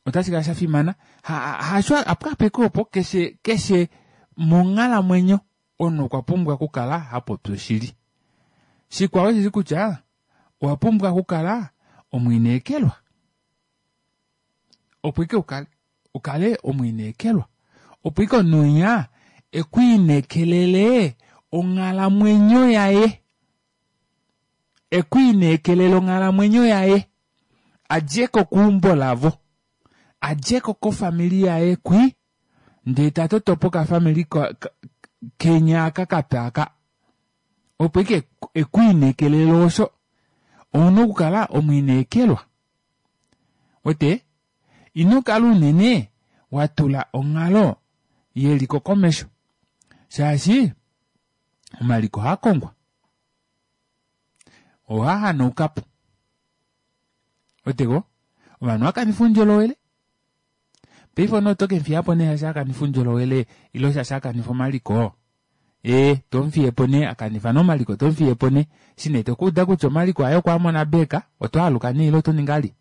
Otashi kala sha fimana hasho apo opo keshe keshe monghalamwenyo omunhu okwa pumbwa okukala ha popi oshili. Shikwao osheshi kutya owa pumbwa okukala omwiinekelwa. Opo ike ukale ukale omwiinekelwa. Opo ike omunhu winya ekwiinekelele onghalamwenyo yaye. Ekwiinekelele onghalamwenyo yaye. Adjeko keumbo lavo. Adjeko kofamili yaye kwi ndee tatotopo okafamili kenya aka kape aka. Opo ike ekwiinekelele osho ouna okukala omwiinekelwa. Wete ino kala unene watula onghalo yeliko komesho shaashi omaliko ohaakongwa ohahanaukapo. Weteko ovanhu ohakanifa oundjolowele paife omunhu oto kemufiyapo nee shaashi akanifa oundjolowele ile shaashi akanifa omaliko ee tomufiyepo nee akanifa nee omaliko tomufiyepo nee eshi nee tokuuda kutya omaliko aye okwaamona beka otoaluka nee ile otoningi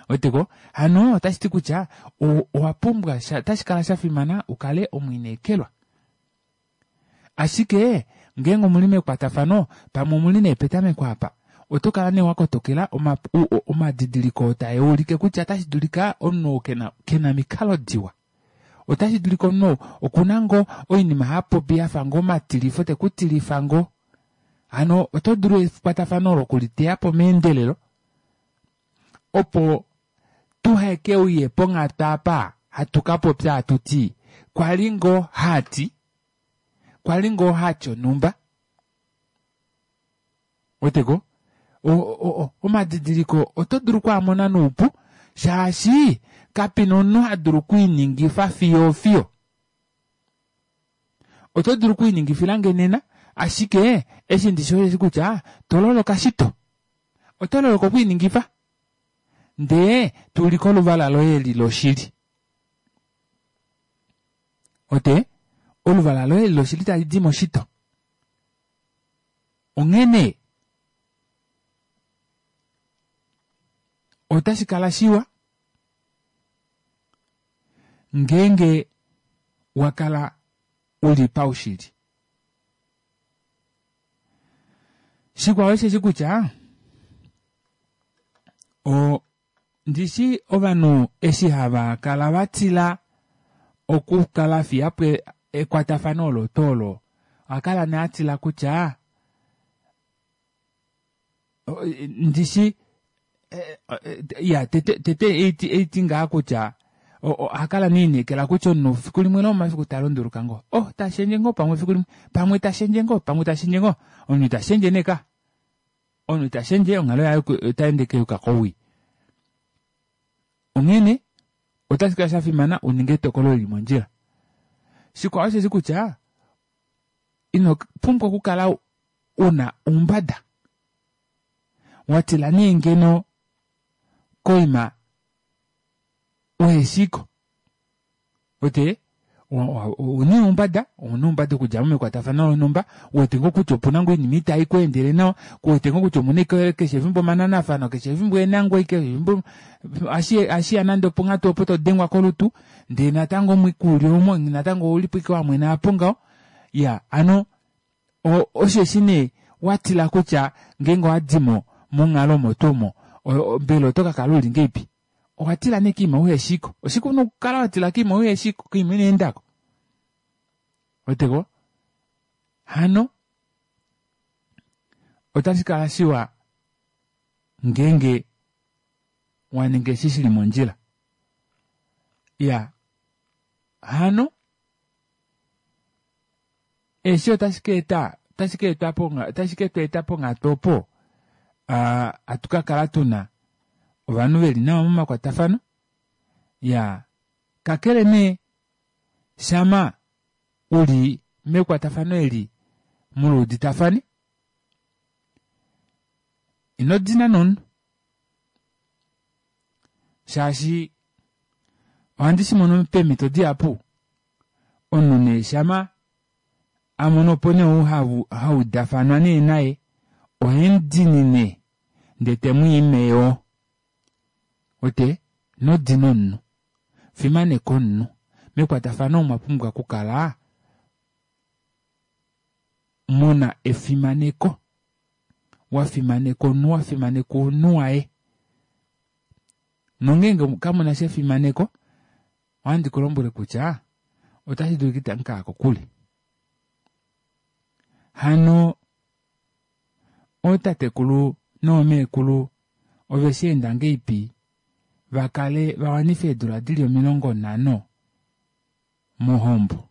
weteko hano otashiti kutya owa pumbwa otashi kala shafimana ukale omwiinekelwa. Ashike ngeenge omuli mekwatafano pamwe omuli nee petameko apa oto kala nee wakotokela omadidiliko oo taulike kutya otashi dulika omunhu oo kena kena omikalo diwa. Otashi dulika omunhu okuna ngoo oinima hapopi yafa ngoo omatilifo tekutilifa ngoo. Hano oto dulu ekwatafano olo okuliteyapo meendelelo opo tuhakeuye ponghatu apa hatu kapopya hatuti kwali ngoo hati kwali ngoo hati onhumba. Weteko omadidiliko oto dulu okwaamona noupu shaashi kapena omunhu hadulu okwiiningifa fiyo fiyo. Oto dulu okwiiningifilange nena ashike eshi ndishi osheshi kutya tololoka shito. Oto loloka okwiiningifa ndee tuulike oluvala loye eli loshili. Ote oluvala loye eli loshili talidi moshito. Onghene otashi kala shiwa ngeenge wakala uli paushili. Shikwao osheshi kutya o ndishi ovanhu eshi hava kala vatila okukala fiyapo ekwatafano olo tuu olo ohakala nee atila kutya ndishi ya tete tete eiti ngaa kutya ohakala nee elineekela kutya omunhu fiku limwe lomomafiku talunduluka ngoo. Oh tashendje ngoo pamwe fiku limwe pamwe tashendje ngoo pamwe tashendje ngoo omunhu itashendje nee ka. Omunhu itashendje onghalo yaye otaende yuuka kowii. Onghene otashi kala shafimana uninge etokolo lili mondjila. Shikwao osheshi kutya ino pumbwa okukala una oumbada. Watila nee ngeno koima uheshiko. Wete ouna oumbada ouna oumbada okudjamo mekwatafano lonhumba uwete ngoo kutya opuna ngoo oinima ita ikweendele nawa kuwete ngoo kutya omuna keshe efimbo omananafano keshe efimbo eenangwa keshe efimbo ohashiya nande oponghatu opo todengwa kolutu ndee natango omwiku uli omo natango oulipo ashike wamwena aapo ngaho. Iya hano osheshi nee watila kutya ngeenge owadimo monghalo omo tuu omo mbela oto kakala uli ngahelipi. Owatila nee koima uheshiko. Oshike una okukala watila koima uheshiko koima inoendako. Weteko hano otashi kala shiwa ngeenge waninga eshi shili mondjila. Iya hano eshi otashi kaeta otashi kaeta otashi ketweeta ponghatu opo hatu kakala tuna ovanhu veli nawa momakwatafano. Iyaa kakele nee shama uli mekwatafano eli muluuditafane. Ino dina nomunhu shaashi ohandi shimono peemito dihapu omunhu nee shama amono opo nee ou haudafanwa nee naye ohemudinine ndee temwii yoo ote inodina omunhu fimaneka omunhu mekwatafano omwa pumbwa okukala muna efimaneko wafimaneka omunhu wafimaneka ounhu waye nongenge kamunasha efimaneko ohandi kulombwele kutya otashi dulika itamukaya kokule. Hano ootatekulu noomeekulu ovesheenda ngeipi vakale vawanife eedula dili omilongo nhano mohombo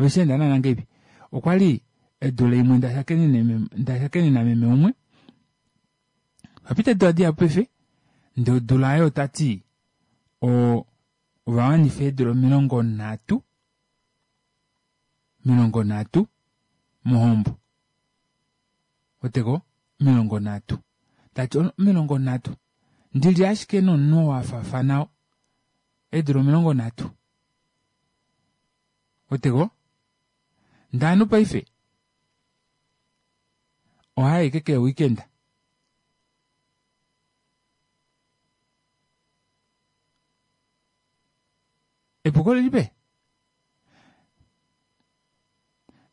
ovesheenda naana ngeipi okwali edula imwe ndashakenena meme umwe papita eedula dihapu paife ndee odula aayo otati oo ovawanifa eedula omilongo nhatu omilongo nhatu mohombo ouweteko omilongo nhatu tati omilongo nhatu ndili ashike nomunhu oo afaafana eedula omilongo nhatu ouweteko ndee ovanhu paife ohaayi ashike kee weekend epuko olili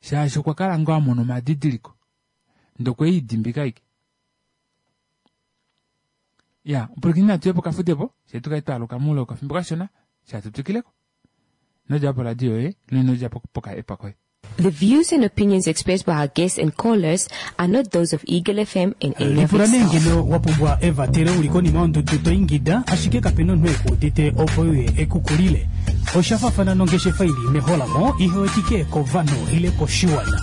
shaashi okwa kala ngoo amona omadidiliko ndee okweidimbika ashike iya omupwilikini natuye pokafudepo fyee tukale twaaluka moule wokafimbo kashona fyee hatu twikileko inodjapo poradio yoye ile inodjapo poka app koye. The views and opinions expressed by our guests and callers are not those of Eagle F M in any of Lipula its nee staff. ngeno wa pumbwa evatelo uli konima yondudu to ingida ashike kapena omunhu ekuudite opo uye ekukulile. Osha faafana nongeshefa ili meholamo ihewetike kovanhu ile koshiwana.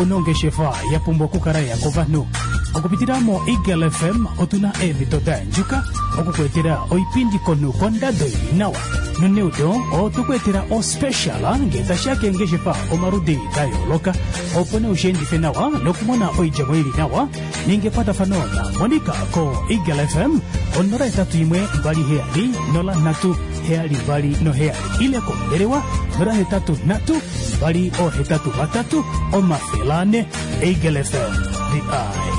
Onongeshefa ya pumbwa okukala ya kovanhu. Okupitila mo Eagle F M otuna eemhito da yandjuka okukuetela oipindi konhu kondado ili nawa. Noneudo otukuetela ospecial ngee tashiya keengeshefa omaludi da yooloka opo nee ushiendife nawa nokumona oidjemo ili nawa ninga ekwatafano na Monica ko Eagle F M onola hetatu imwe mbali heyali nola nhatu heyali mbali noheyali ile kombelewa nola hetatu nhatu mbali ohetatu vatatu omafele ane. Eagle F M, the eye.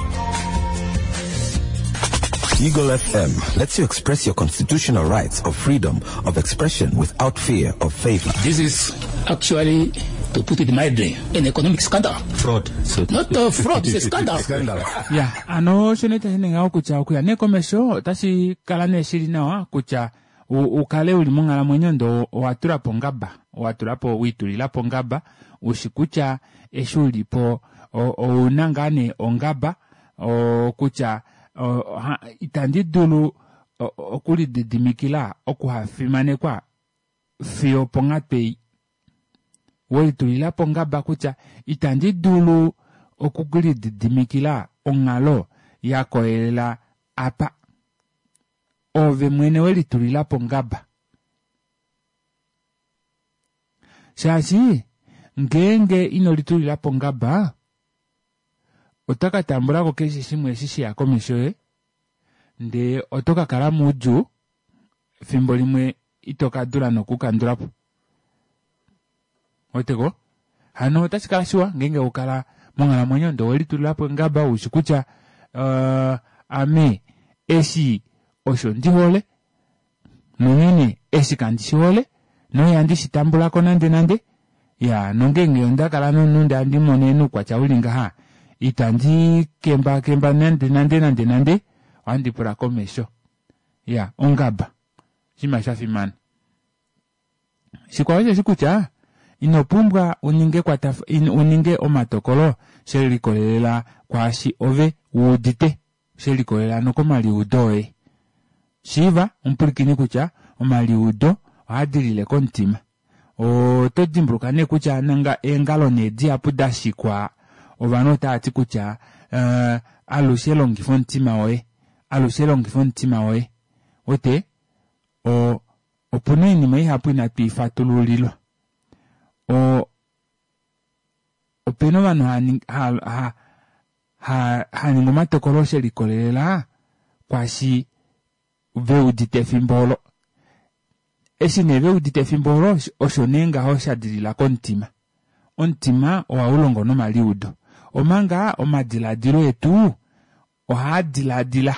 Eagle F M lets you express your constitutional rights of freedom of expression without fear of favor. This is actually, to put it mildly, an economic scandal. Fraud. So Not a fraud, it's a scandal. Scandal. Ya, ano osho nee tashi ninga kutya okuya nee komesho otashi kala nee shili nawa kutya u-, ukale uli monghalamwenyo ndo owa tula po ngaba, owa tula po, wiitulila po ngaba, ushi kutya eshi uli po, o-, ouna ngaa nee ongaba, o-, kutya, o-, ha, itandi dulu, o-, okulididimikila okuhafimanekwa fiyo ponghatu ei. Welitulila po ngaba kutya itandi dulu okulididimikila onghalo ya koyelela apa. Ove mwene welitulila po ngaba. Shaashi ngeenge ino litulila po ngaba, oto ka tambula ko keshe shimwe eshi sheya komesho yoye, ndee oto ka kala moudjuu, fimbo limwe ito ka dula nokukandula po. Oteko? Hano otashi kala shiwa ngeenge okala monghalamwenyo ndee owelitulila po ngaba ushi kutya, uh, ame eshi osho ndi hole, nonghene eshi kandi shi hole, noihandi shi tambula ko nande nande. Ya, nongeenge onda kala nomunhu ndee handi mono oukwatya uli ngaha, itandi kemba kemba nande nande nande nande, ohandi pula komesho. Ya, ongaba. Oshinima sha fimana. Shikwao osheshi kutya, ino pumbwa uninge kwataf-, in-, uninge omatokolo she likolelela kwaashi ove wuudite, she likolelela nokomaliudo oye. Shiiva omupwilikini kutya omaliudo ohaa dilile komutima. Oto dimbuluka nee kutya nanga eengalo nee dihapu da shikwa, ovanhu otava ti kutya, eh, alushe longifa omutima woye, alushe longifa omutima woye. Ote, o-, opuna oinima ihapu inatu i fatululilwa. O opena ovanhu ha ha ha haningi omatokolo shelikolelela kwaashi veudite efimbo olo. Eshi nee veudite efimbo olo osho nee ngaho shadilila komutima. Omutima ohaulongo nomaliudo omanga omadilaadilo etu ohaadilaadila.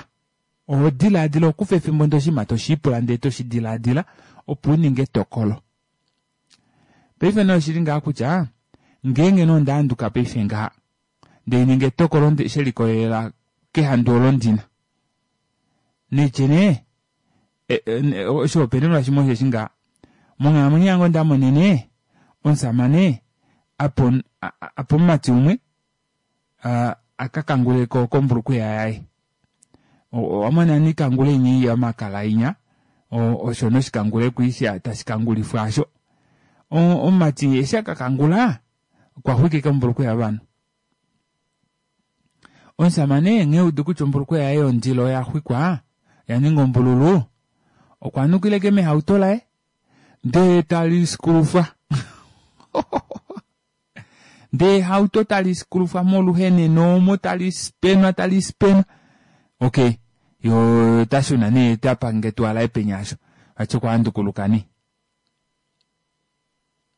Oho dilaadila okufa efimbo ndee oshinima toshiipula ndee toshidilaadila opo uninge etokolo. Paife nee oshili ngaha kutya ngeenge nee onda handuka paife ngaha ndee hainingi etokolo shelikolelela kehandu olo ndina naitye nee oshihopaenenwa shimwe osheshi ngaha monghalamwenyo yange ondamonene omushamane apa apa omumati umwe akakanguleko kombulukweya yaye owamona nee oikangule inya yomakala inya osho nee oshikangule kwii tashikangulifwa aasho omumati eshi akakangula okwaxwika ashike ombulukweya yovanhu omushamane nghee eudu kutya ombulukweya yaye yondilo oyaxwikwa oyaninga ombululu okwanukila ashike mehauto laye ndee taliskulufwa ndee ehauto taliskulufwa moluheneno omo talispenwa talispenwa okey yoo otashuna nee tapange etuwa laye penya aasho vati okwahandukuluka nee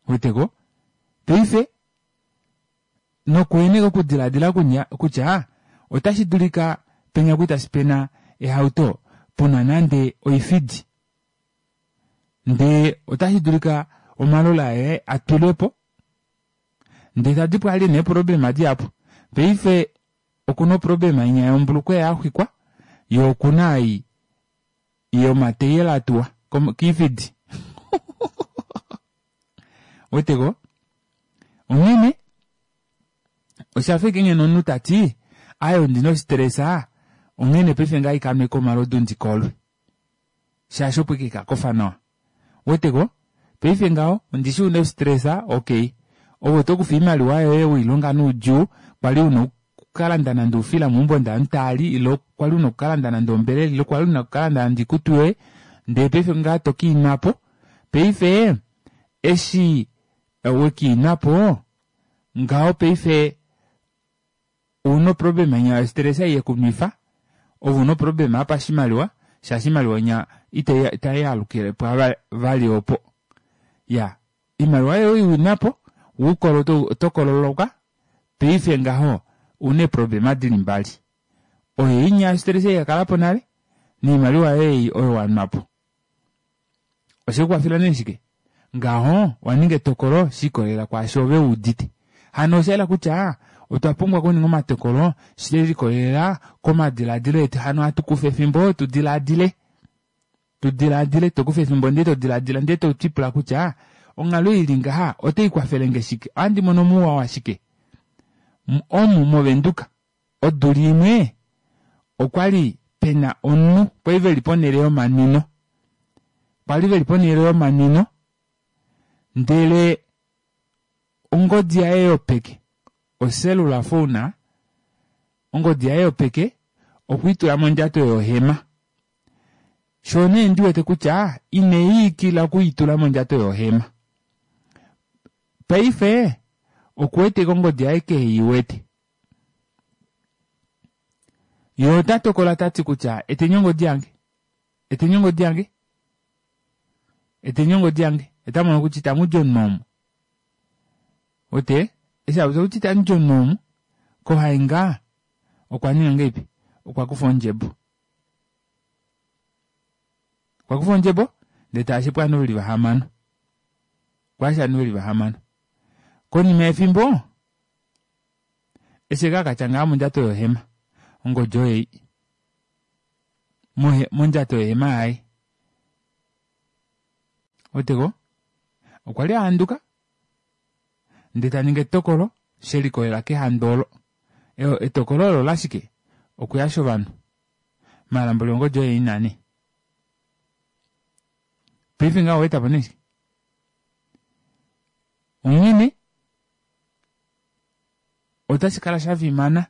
ouweteko paife nokuheneka okudilaadila kutya otashi dulika penya kwali tasipena ehauto puna nande oifidi ndee otashi dulika omalola aye atwilwepo ndee tadipo ali ena eeproblema dihapu paife okuna oproblema inya yombulukweya yaxwikwa yee okuna ei yomateyela atuwa koifidi ouweteko onghene oshafa ashike ngeno omunhu tati aaye ondina ostressa onghene paife ngaha haikanweko omalodu ndikolwe shaashi opo ashike haikakofa nawa ouweteko paife ngaho ondishi una ostressa okey ove otokufa oimaliwa yoye weilonga noudjuu kwali una okukalanda nande oufila meumbo ndee ovanhu taali ile kwali una okukalanda nande ombelela ile kwali una okukalanda nande oikutu yoye ndee paife ngaha tokiinwapo paife eshi wekiinwapo ngaho paife ouna oproblema inya yostress ei yekunwifa ove una oproblema yopashimaliwa shaashi oimaliwa inya itaialukile vali opo iyaa oimaliwa yoye oiwinapo woukolwe otokololoka paife ngaho ouna eeproblema dili mbali oyo inya yostress ei yakalapo nale noimaliwa yoye ei oyo wanwapo oshekukwafela nee shike ngaho owaninga etokolo shiikolelela kwaasho ove wuudite hano oshayela kutya otwa pumbwa okuninga omatokolo shelikolelela komadilaadilo etu hano hatukufa efimbo tudilaadile tudilaadile tokufa efimbo ndee todilaadila ndee tolipula kutya onghalo ili ngaha otaikwafelenge shike ohandi mono mouwa washike omu movenduka odula imwe okwali pena omunhu kwali veli ponele yomanwino kwali veli ponele yomanwino ndele ongodi yaye yopeke ocellular phone ongodi yaye yopeke okweitula mondjato yohema shoo nee ndiwete kutya ineyiikila okwiitula mondjato yohema paife okuwete ongodi yaye keheiwete yee ota tokola tati kutya eteni ongodi yange eteni ongodi yange eteni ongodi yange otamono kutya itamudi omunhu omu wete eshi apopya kutya itamudi omunhu omu kohainga okwa ninga ngahelipi okwa kufa ondjebo okwa kufa ondjebo ndee taashe pwaanhu veli vahamano okwaasha ovanhu veli vahamano konima yefimbo eshi ekakatya ngaha mondjato yohema ongodi oyo ei mondjato yohema yaye ouweteko okwa li ahanduka ndee taningi etokolo shelikolelela kehandu olo etokolo olo olashike okuyasha ovanhu maala mboli ongodi oyo ina nee paife ngaho owaetapo nee shike onghene otashi kala shafimana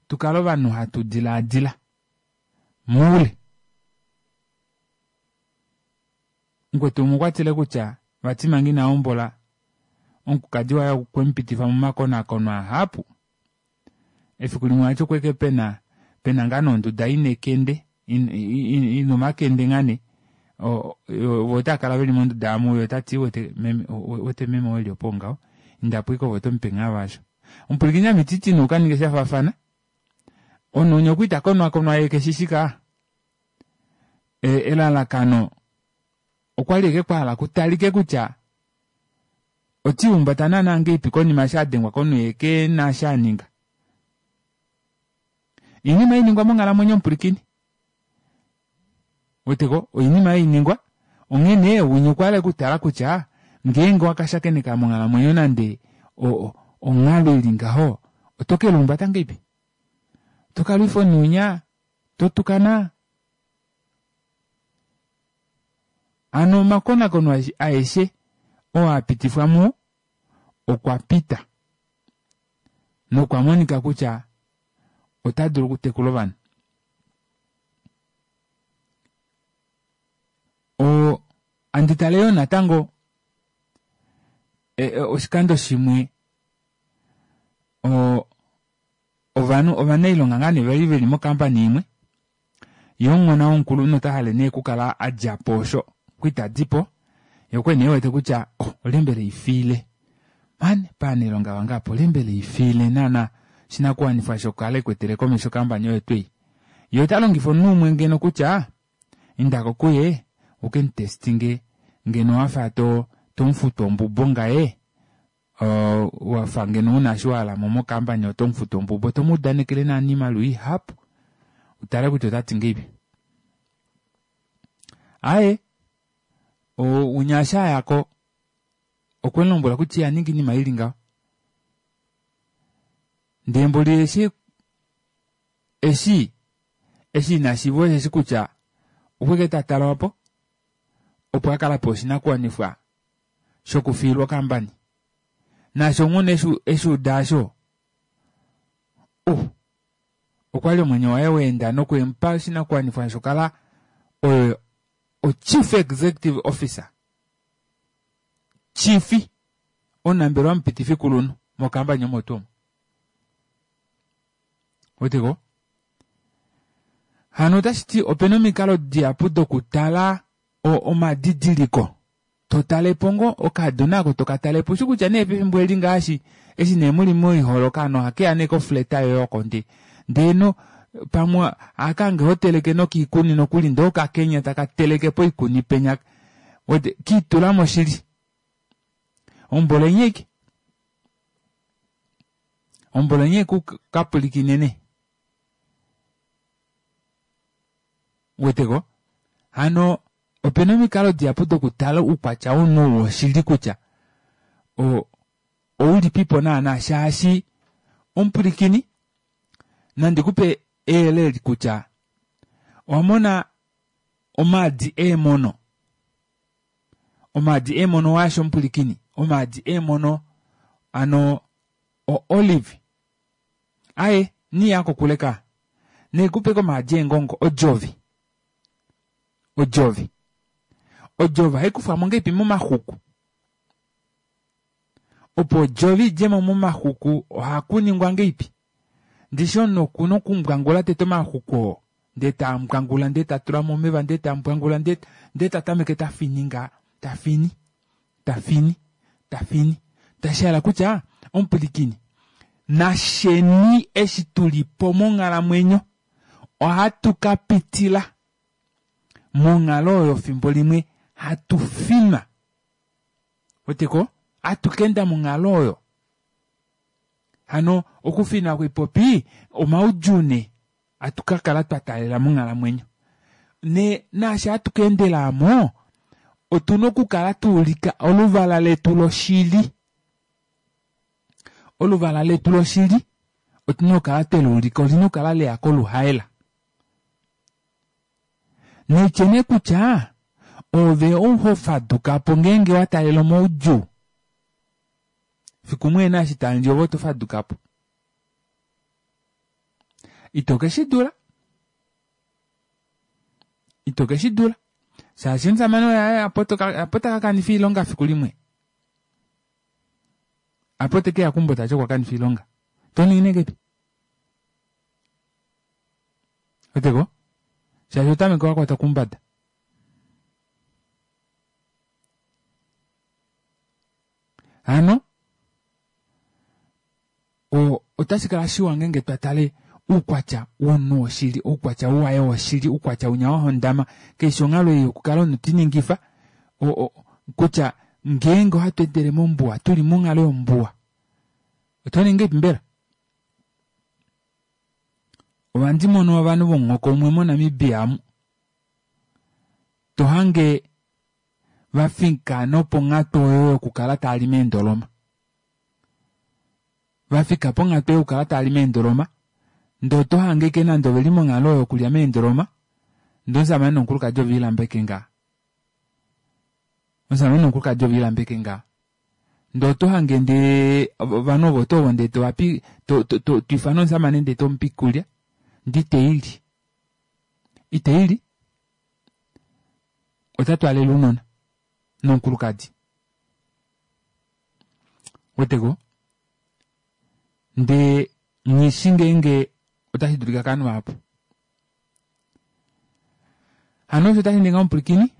tukale ovanhu hatu dilaadila moule mukwetu umwe okwatile kutya Vati manga ina hombola omukukadi waye okwe mu pitifa momakonakono ahapu. Efiku limwe vati okweke pena pena ngaa nee onduda ina ekende ina omakende ngaa nee vo otaakala veli monduda amu yee otati ouwete meme oo eli opo ngaho indapo ashike ove otomupe ngaa vaasho. Omupwilikini ame ititi nee ukaninge shafaafana omunhu winya okwali takonakonwa yee keshishi kaa elalakano okwali ashike kwahala kutalike kutya otiihumbata naana ngahelipi konima eshi adengwa komunhu yee kena eshi aninga. Oinima hainingwa monghalamwenyo omupwilikini ouweteko oinima hainingwa onghene winya okwahala ashike okutala kutya ngeenge owakashakeneka monghalamwenyo nande onghalo ili ngaho oto keluumbata ngahelipi otokalwifa omunhu winya totukana hano omakonakono aeshe oo apitifwa muwo okwa pita nokwa monika kutya otadulu okutekula ovanhu. Oo handi tale yoo natango oshikando shimwe oo ovanhu ovanailonga ngaa nee vali veli mo company imwe yee omuhona womukulunhu otahale nee okukala adjapo osho okwali tadipo yee okwali nee ewete kutya oh olye mbela haifiile mani povanailonga vange aapa olye mbela haifiile naana oshinakuwanifwa shokukala ekwetele komesho ocampany oyo twii yee otalongifa omunhu umwe ngeno kutya indako kuye ukemutestinge ngeno wafa tomufutu ombubo ngaye wafa ngeno una eshi wahalamo mo company otomufutu ombubo tomuudanekele naana oimaliwa ihapu utale kutya otati ngahelipi. Aaye winya eshi ayako okwemulombwela kutya ihaningi oinima ili ngaho ndee mboli eshi eshi eshi inashiiva osheshi kutya okweke tatalwapo opo akale apewa oshinakuwanifwa shokufiilwa okampani naashi onghona eshuuda aasho oh okwali omwenyo waye waenda nokwemupa oshinakuwanifwa shokukala oye o chief executive officer chief omunambelewa omupitifi kulunhu mokampani omo tuu omo ouweteko hano otashiti opena omikalo dihapu dokutala omadidiliko totalepo ngoo okaadona aako tokatalepo ushi kutya nee pefimbo eli ngaashi eshi nee muli moihole okaana ohakeya nee kofleta yoye oko ndee ndeeno pamwe ohakahange hoteleke nokiikuni nokuli ndee okakenya taka teleke poikuni penya uwete kiitulamo shili ombolenye aike ombolenye kapwilikinene uweteko hano opena omikalo dihapu dokutala oukwatya womunhu woshili kutya oulipipo naana shaashi omupwilikini nandikupe eyele eli kutya owamona omaadi eemono omaadi eemono waashi omupwilikini omaadi eemono hano o olive aaye iniiya kokule kaa naikupe komaadi eengongo odjovi odjovi odjovi ohaikufwamo ngahelipi momaxuku opo odjovi idjemo momaxuku ohakuningwa ngahelipi ndishi omunhu okuna okumbwangula tete omaxuku oo ndee tambwangula ndee tatulamo omeva ndee tambwangula ndee tatameke tafini ngaa tafini tafini tafini tashihala kutya omupwilikini nasheni eshi tulipo monghalamwenyo ohatu kapitila monghalo oyo fimbo limwe hatu finwa ouweteko hatu kaenda monghalo oyo hano okufinwa kwipopi omaudjuu nee hatu kakala twataalela monghalamwenyo nee naashi hatu kaendela aamo otuna okukala twaulika oluvala letu loshili oluvala letu loshili otuna okukala tweluulika olina okukala leya koluhaela naitye nee kutya ove ou hofadukapo ngeenge wataalela omaudjuu fiku muhena eshi tamuli ove oto fadukapo ito keshidula ito keshidula Shaashi omusamane oye apo taka kanifa oilonga fiku limwe. Apo tekeya keumbo tati okwa kanifa oilonga. Toningi nee ngahelipi? Weteko? Shaashi otameke wakwatwa koumbada. Hano otashi kala shiwa ngeenge twa tale oukwatya womunhu woshili, oukwatya waye woshili, oukwatya winya wa hondama, keshe onghalo ei yokukala omunhu tiningifa kutya ngeenge ohatu endele mombuwa, tuli monghalo yombuwa, oto ningi ngahelipi mbela? Ohandi mono ovanhu vomuhoko umwe moNamibia amu to hange va fika noponghatu oyo yokukala tava li meendoloma. Va fika ponghatu yokukala tava li meendoloma ndee oto hange ashike nande oveli monghalo oyo yokulya meendoloma ndee omushamane nomukulukadi oviilamba ashike ngaa. Omushamane nomukulukadi oviilamba ashike ngaa. Ndee oto hange ndee ovanhu ovo tuu ovo ndee tovapi to to twiifana omushamane ndee tomupe oikulya ndee iteili. Iteili ota twaalele ounona nomukulukadi. Weteko? Ndee nghishi ngeenge otashi dulika kovanhu vahapu. Hano osho otashi ningi omupwilikini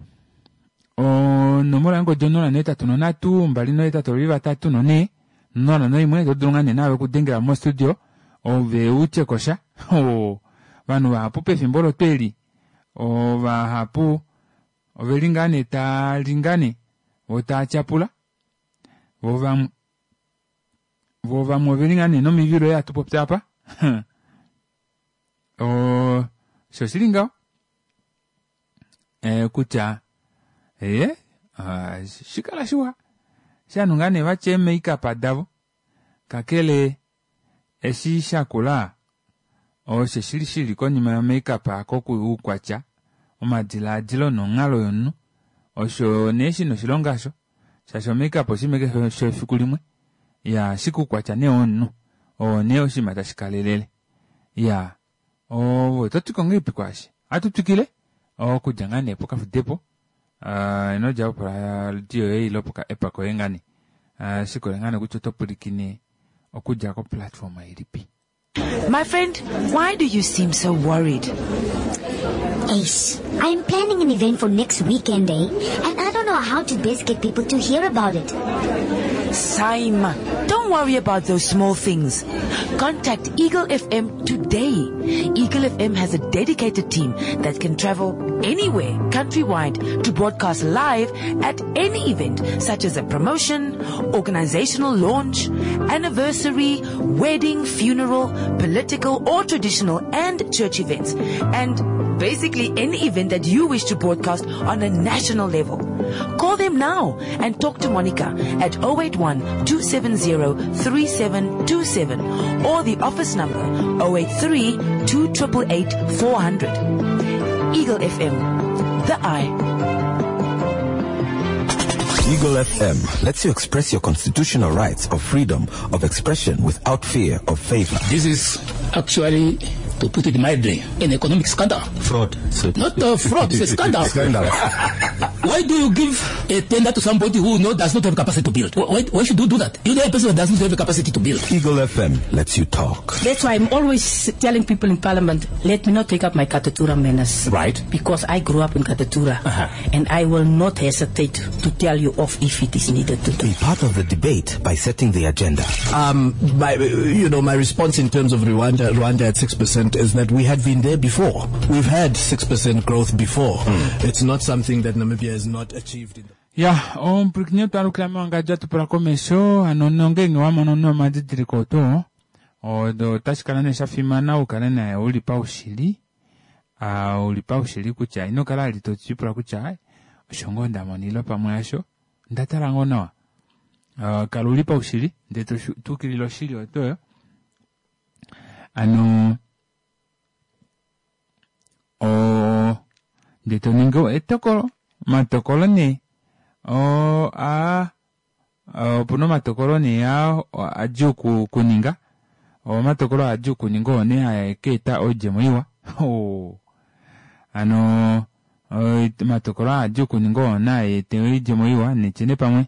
onomola yongodi onola nohetatu nonhatu mbali nohetatu ovavali vatatu nonhee onola noimwe oto dulu ngaa nee naave okudengela mo studio ove utye kosha ovanhu vahapu pefimbo olo tweli ovahapu oveli ngaa nee taali ngaa nee voo taatyapula voo vamwe voo vamwe oveli ngaa nee nomivilo ei hatu popi apa oo osho shili ngaho eh, kutya ee shikala shiwa shanhu ngaa nee vatya eemakeup davo kakele eshi shakula osho shili shili konima yomakeup aako oukwatya omadilaadilo nonghalo yomunhu osho nee shina oshilonga osho shaashi omakeup oshinima ashike shefiku limwe ya ashike oukwatya nee womunhu oo nee oshinima tashi kalelele ya ove ototi ngahelipi kwaashi ohatu twikile okudja ngaa nee pokafudepo ino djapo poradio yoye ile poka app koye ngaa nee shikole ngaa nee kutya oto pwilikine okudja ko platform ilipi. My friend, why do you seem so worried? Ace, I'm planning an event for next weekend, eh? And I don't know how to best get people to hear about it. Saima, don't worry about those small things. Contact Eagle F M today. Eagle F M has a dedicated team that can travel anywhere, countrywide, to broadcast live at any event, such as a promotion, organizational launch, anniversary, wedding, funeral, political or traditional and church events, and basically any event that you wish to broadcast on a national level. Call them now and talk to Monica at oh eight one, two seven zero, three seven two seven or the office number oh eight three, two triple eight, four hundred. Eagle F M, the eye. Eagle F M lets you express your constitutional rights of freedom of expression without fear of favor. This is actually, to put it mildly, an economic scandal. Fraud. So Not a fraud, it's a scandal. Scandal. Why do you give a tender to somebody who no, does not have capacity to build? Why, why should you do that? You know a person who does not have the capacity to build. Eagle F M lets you talk. That's why I'm always telling people in Parliament, let me not take up my Katutura manners. Right. Because I grew up in Katutura. Uh-huh. And I will not hesitate to tell you off if it is needed to do. Be part of the debate by setting the agenda. Um, my, you know, my response in terms of Rwanda, Rwanda at six percent is that we had been there before. We've had six percent growth before. Mm. It's not something that Namibia has not achieved. In the Ya, omupwilikini otwalukila mewangadjo atupula komesho, hano nongenge wamono nomadidiliko oto, odo otashi kala nee shafimana ukale naye uli paushili, ah, uli paushili kutya ino kala ali totipula kutya, ai, osho ngoo nda mona ile pamwe hasho, nda tala ngoo nawa. Ah, kala uli paushili, ndee to tukilile oshili otoyo. Ano, o, ndee to ningi etokolo, omatokolo nee, o, a, opuna omatokolo nee a, adjuu ku, kuninga, omatokolo adjuu kuninga oo nee haa ka eta oidjemo iwa. Oh. Ano, Omatokolo aa adjuu okuninga oo naa ete oidjemo iwa nitye nee pamwe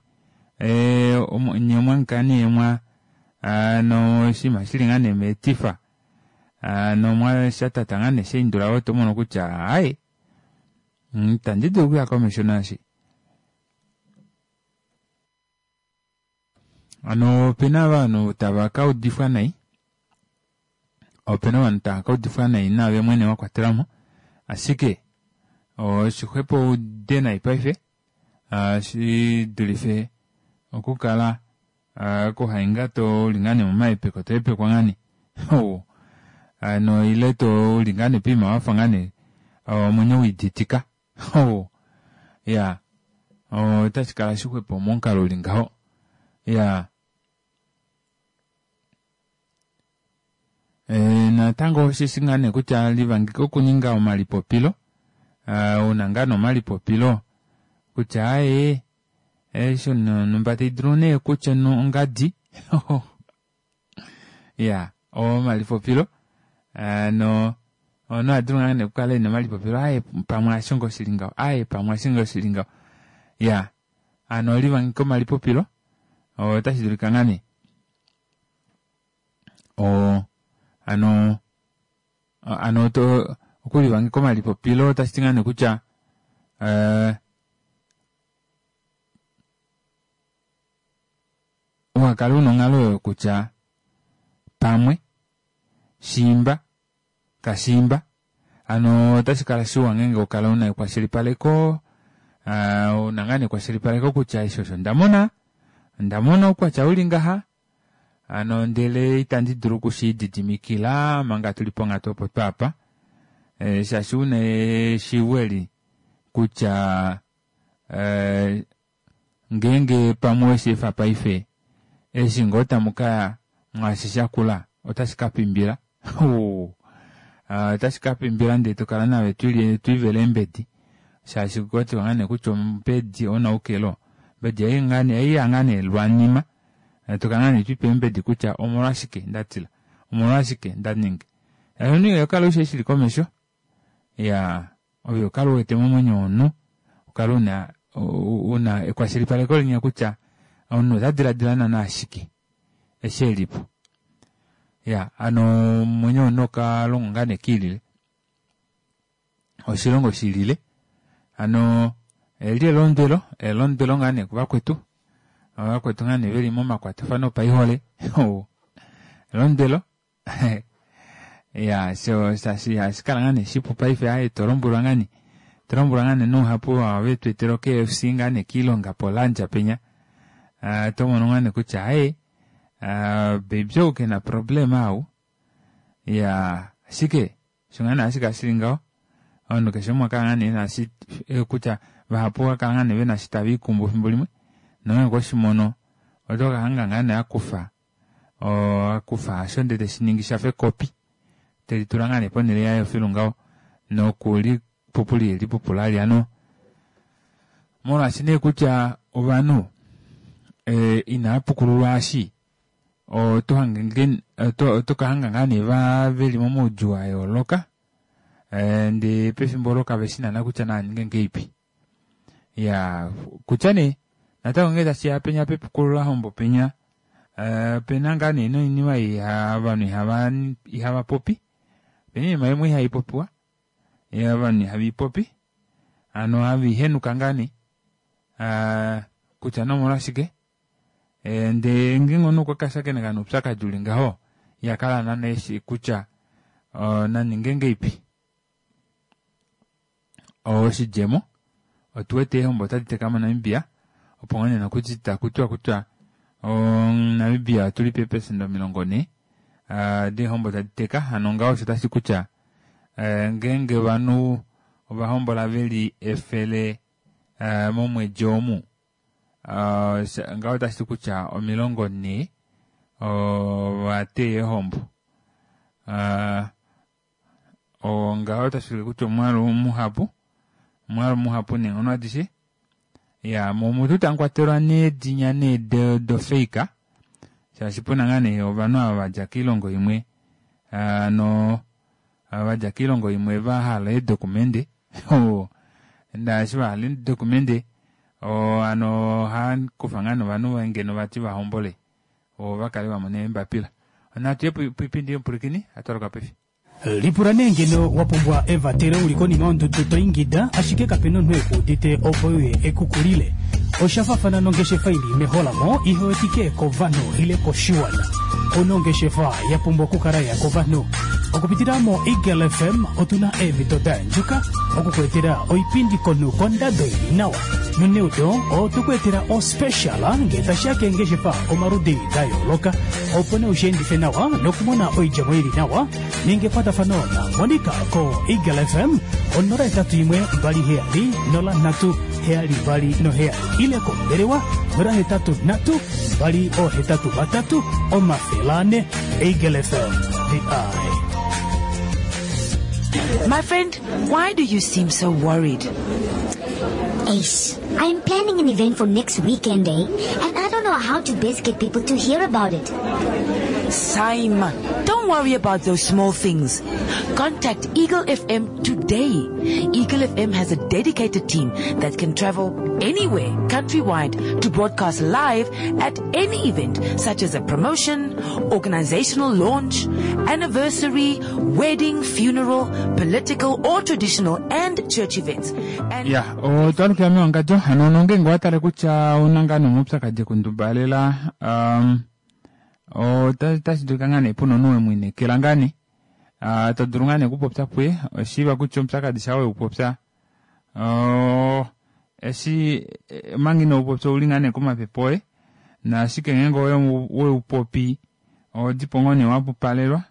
nye omwahangika nee mwa noshinima shili ngaa nee metifa hano shatata ngaa nee shaindula otomono kutya aaye itandi dulu okuya komesho naashi. Hano opena ovanhu tava kaudifwa nai, opena ovanhu tava kaudifwa nai naave mwene wakwatelwamo, ashike oshixwepo uude nai paife shidulife okukala okuhainga uli ngaa nee momahepeko tohepekwa ngaa nee hano ile uli ngaa nee poima wafa ngaa nee omwenyo wiiditika iyaa otashikala shixwepo momukalo uli ngaho iyaa. Natango osheshi ngaa nee kutya livangeka okuninga omalipopilo, una ngaa nee omalipopilo kutya aaye eshi onhumba taidulu nee kutya ongadi iyaa omalipopilo hano omunhu ohadulu ngaa nee okukala ena omalipopilo aaye pamwe hasho ngoo shili ngaho aaye pamwe hasho ngoo shili ngaho iyaa hano livangeka omalipopilo otashi dulika ngaa nee oo hano hano to okulivangeka omalipopilo otashiti ngaa nee kutya uhakale una onghalo oyo kutya pamwe shiimba kashiimba hano otashi kala shiwa ngeenge okala una ekwashilipaleko una ngaa nee ekwashilipaleko kutya eshi osho ndamona ondamona oukwatya uli ngaha hano ndele itandi dulu okushilididimikila manga tuli ponghatu opo twaapa shaashi una eshiivo eli kutya ngeenge pamwe owesheefa paife eshi ngoo tamukaya mwaashi shakula otashi kapimbila otashi kapimbila ndee tokala naave twiivele eembedi shaashi okwatiwa ngaa nee kutya ombedi onaukelo ombedi oiya ngaa nee lwanima tokala ngaa nee twiipe eembedi kutya omolwashike ndatila omolwashike ndaninga omunhu ihokala ushi eshi shili komesho iyaa ove ukale uwete momwenyo womunhu ukale una una ekwashilipaleko linya kutya omunhu ota diladila naana shike eshi elipo iya hano omwenyo womunhu okalongwa ngaa nee kiilile oshilongo shilile hano eli elondwelo elondwelo ngaa nee kuvakwetu ovakwetu ngaa nee veli momakwatafano opaihole elondwelo iya sho shaashi ihashikala ngaa nee shipu paife aaye tolombwelwa ngaa nee tolombwelwa ngaa nee nouhapu ava vetweetela o K F C ngaa nee kiilonga polandja penya tomono ngaa nee kutya aaye baby ou kena problem au iya ashike osho ngaa nee hashi shili ngaho ovanhu keshe umwe okala ngaa nee ena shi kutya vahapu ovakala ngaa nee vena shi tava ikumbu efimbo limwe nongeenge oshimono oto kahanga ngaa nee akufa akufa asho ndele teshiningi shafa ekopi telitula ngaa nee ponele yaye filu ngaho nokuli pupuli lipupula ali molwaashi nee kutya ovanhu inaapukululwa ashi oto kahanga ngaa nee veli momaudjuu ayooloka ndee pefimbo olo kaveshi naana kutya naaninge ngeipi iyaa kutya nee natango ngee tashiya penya pepukululahombo penya opena ngaa nee noinima ei ovanhu ihava popi opena oinima imwe ihaipopiwa ovanhu ihaveipopi hano haveihenuka ngaa nee kutya nee omolwashike ndee ngeenge omunhu okwa kashakeneka noupyakadi uli ngaho ihakala naana eshi kutya naninge ngeipi oshidjemo otuwete eehombo otadi teka moNamibia opo ngoo nee nokuti takutiwa kutya Namibia otuli peepesenda omilongo nhee deehombo tadi teka hano ngaho osho tashi kutya ngeenge ovanhu ovahombola veli efele momwedi omu ngaho otashi kutya omilongo nhee ovateya eehombo ngaho otashi kutya omwaalu muhapu omwaalu muhapu neenghono adishe iya momutu tamukwatelwa needinya nee dofeika shaashi puna ngaa nee ovanhu ava vadja koilongo imwe hano vadja koilongo imwe vahala eedokumende Naashi vahala eedocumente hano ohakufa ngaa nee ovanhu ngeno vati vahombole vo vakale vamona eembapila. Natu ye poipindi yomupwilikini hatwaluka paife. Lipula nee ngeno wa pumbwa evatelo uli konima yondudu to ingida ashike kapena omunhu ekuudite opo euye ekukulile. Osha faafana nongeshefa ili meholamo ihe wetike kovanhu ile koshiwana. Ouna ongeshefa ya pumbwa okukala ya kovanhu. Okupitila mo Eagle F M otuna eemhito da yandjuka okukuetela oipindi komunhu kondado ili nawa. Noneudo otukuetela ospecial ngee tashiya keengeshefa omaludi da yooloka opo nee usheendife nawa nokumona oidjemo ili nawa ninga ekwatafano na Monica ko Eagle F M onola hetatu imwe mbali heyali nola nhatu heyali mbali noheyali ile kombelewa nola hetatu nhatu mbali ohetatu vatatu omafele ane. Eagle F M, the eye. My friend, why do you seem so worried? Ace, I'm planning an event for next weekend, eh? And I don't know how to best get people to hear about it. Saima, don't worry about those small things. Contact Eagle F M today. Eagle F M has a dedicated team that can travel anywhere, countrywide, to broadcast live at any event, such as a promotion, organizational launch, anniversary, wedding, funeral, political or traditional, and church events. And Ya, otwalukila mewangadjo hano nongenge owatale kutya ouna ngaa nomaupyakadi ekundubalela um, otashi dulika ngaa nee puna omunhu wemwiinekela ngaa nee uh, to dulu ngaa nee okupopya puye oshiiva kutya omupyakadi sha weupopya uh, eshi omanga inoupopya ouli ngaa nee komapepe oye naashike ngeenge weupopi ohodipo ngoo nee wapupalelwa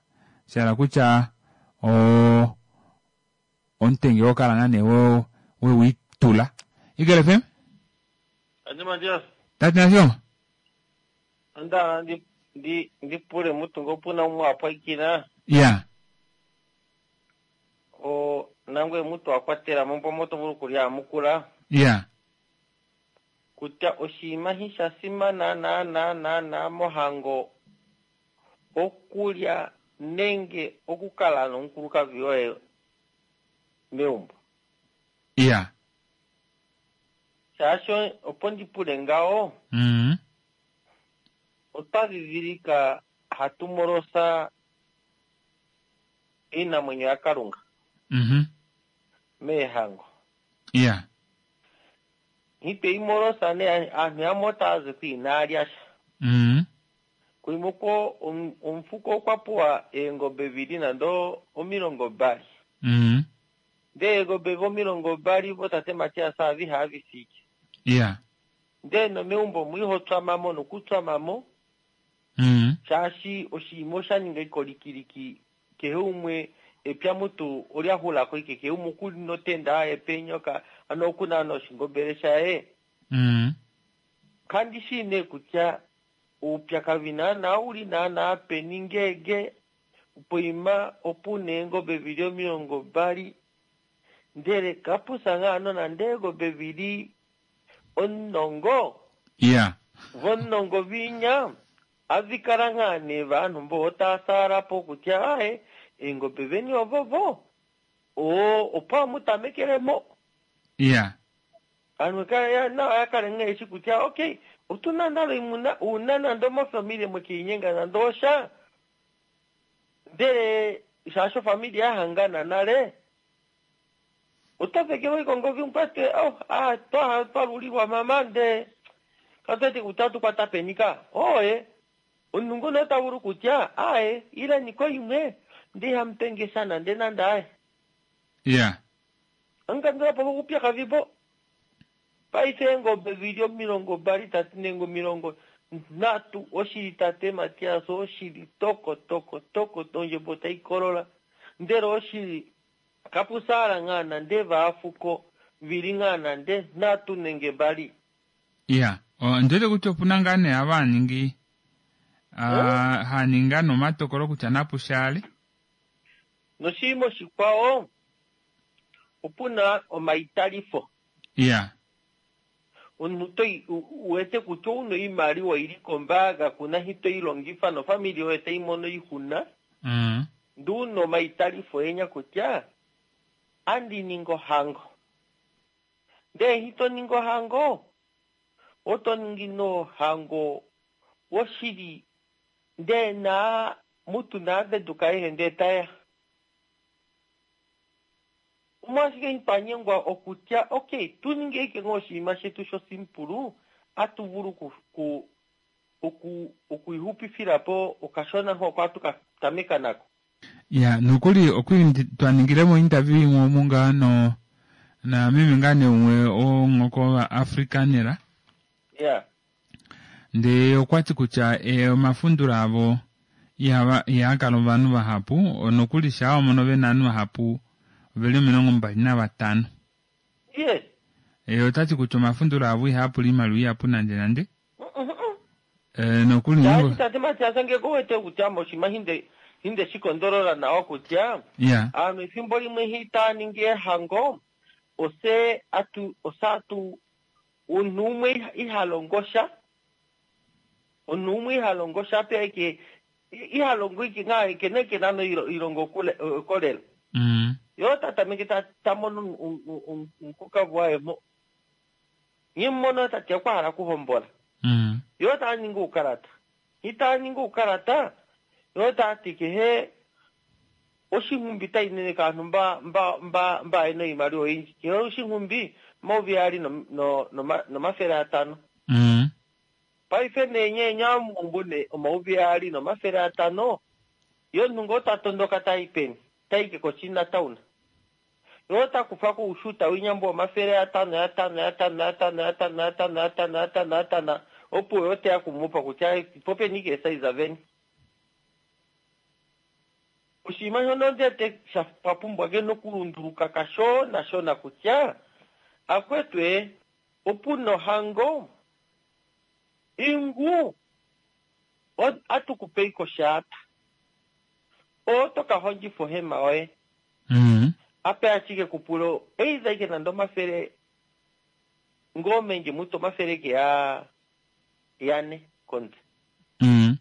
shahala kutya o omutenge wokala ngaa nee wewiitula. Eagle F M. Andi Matias. Tati Nashilongo. Onda ndi ndi ndipule mutungo puna umwe apwaikina. Ya. O nangwe mutu akwatela mombo moto vulu kulya amukula. Ya. Kutya oshinima hi sha simana na na na na mohango okulya nenge okukala nomukulukadhi woye meumbo. Ya. Shaashi opo ndipule ngawo mm otwa dhidhilika hatu molosa iinamwenyo yaKalunga mhm meehango. Ya. Ite imolosa ne aantu yamwe otaya zi kwiinaalya sha. mm Kuimoko omufuko okwa puwa eengombe vili nando omilongo mbali. mm Ndee eengombe omilongo mbali votate Matias avihe avisike. Ya. Ndee nomeumbo mwihotswamamo nokutswamamo mm shaashi oshinima osha ninga ikolikiliki kehe umwe epya mutu olya hulako ike kehe umwe okuli notenda aye penyoka ano okuna noshingombele shaye. mm Kandi shi nee kutya uupyakadhi naana uli naana peni ngege poima opuna eengombe vili omilongo mbali ndele kapusa ngaa nonande eengombe vili omulongo ya. Vomulongo vinya avikala ngaa nee vanhu mbo otasaalapo kutya ae eengombe veni ovovo o opo amutamekelemo. Ya. Anhu nawa yakale ngaa eshi kutya okay otuna nale imuna una nando mofamili mwekiinyenga nando osha ndele shaashi ofamili yahangana nale otafekelwa ikongo vimkwate oh, ah, twa twaluliwa mama nde katwete kutya tukwata penika oye omunhu ngono ota vulu kutya aye ilaniko imwe nde ihamutengesa nande nande aye. Ya. Ankandulapo kokupyakadhi po paife eengombe vili omilongo mbali tatu nenge omilongo nhatu oshili tate Matias oshili toko toko toko ondjembo taikolola ndele oshili kapusaala ngaa nande vaafuko vili ngaa nande nhatu nenge mbali. Ya, ondiwete kutya opuna ngaa nee ava haningi haninga nomatokolo kutya napushaale. Noshinima oshikwawo opuna omaitalifo. Ya. Omuntu toi uwete kutya ouna oimaliwa ili kombaanga kuna hi toyi longifa nofamili yoye tayi mono iihuna. mm Ndee una omaitalifo enya kutya andi ningi ohango. Ndee hito ningi ohango, oto ningi nohango woshili ndee na mutu naaveduka ayehe ndee taya. Omwashike twanyengwa okutya okay tu ninge ike ngoo oshinima shetu shosimpulu atu vulu ku, ku, oku okuihupifila po okashona hoko atu ka tameka nako. Ya nokuli okwi twaningilemo interview imwe omu ngaa no na meme ngaa nee umwe wonghoko va Afrikanera. Ya. Ndee okwati kutya e, omafundula avo ihava ihaa kala ovanhu vahapu nokuli shaa wamono vena ovanhu vahapu oveli omilongo mbali navatano. Yes. E, otati kutya omafundula avo ihaa pula iimaliwa ihapu nande nande. E, nokuli Shaashi tate Matias ngeke owete kutya moshinima hinde hinde shikondolola nawa kutya ya aanhu efimbo limwe hi taa ningi ehango ose atu ose atu omunhu umwe iha- iha longo sha omunhu umwe iha longo sha pe eke iha longo ike ngaa eke neke nano ilongo kolela mm. yo ta tameke ta ta mono omukukavu waye mo nye mono tati okwa hala okuhombola Mm. yo taa ningi uukalata itaa ningi uukalata yo taa ti kehe oshinghumbi tainene kaanhu mba mba mba mba yena oimaliwa oyindji kehe oshinghumbi omayovi aali no- no- noma- nomafele atano Mm. paife nee nye nyamuumbu ne omayovi aali nomafele atano yo omunhu ngoo ta tondoka tai peni taike koChina town yo ta kufa ko ushuta winyambo omafele atano atano atano atano atano atano atano atano atano opo yo teya kumupa kutya popeni ke esaiza veni oshinima shono ndete sha papumbwa ke nokulunduluka kashona shona kutya akwetwe opu nohango ingu o- atukupe koshaata oto ka hondjifa ohema yoye Mm. ape ashike kupulo either ike nande omafele ngoo menge mutu omafele ke ya yane komutse Mm.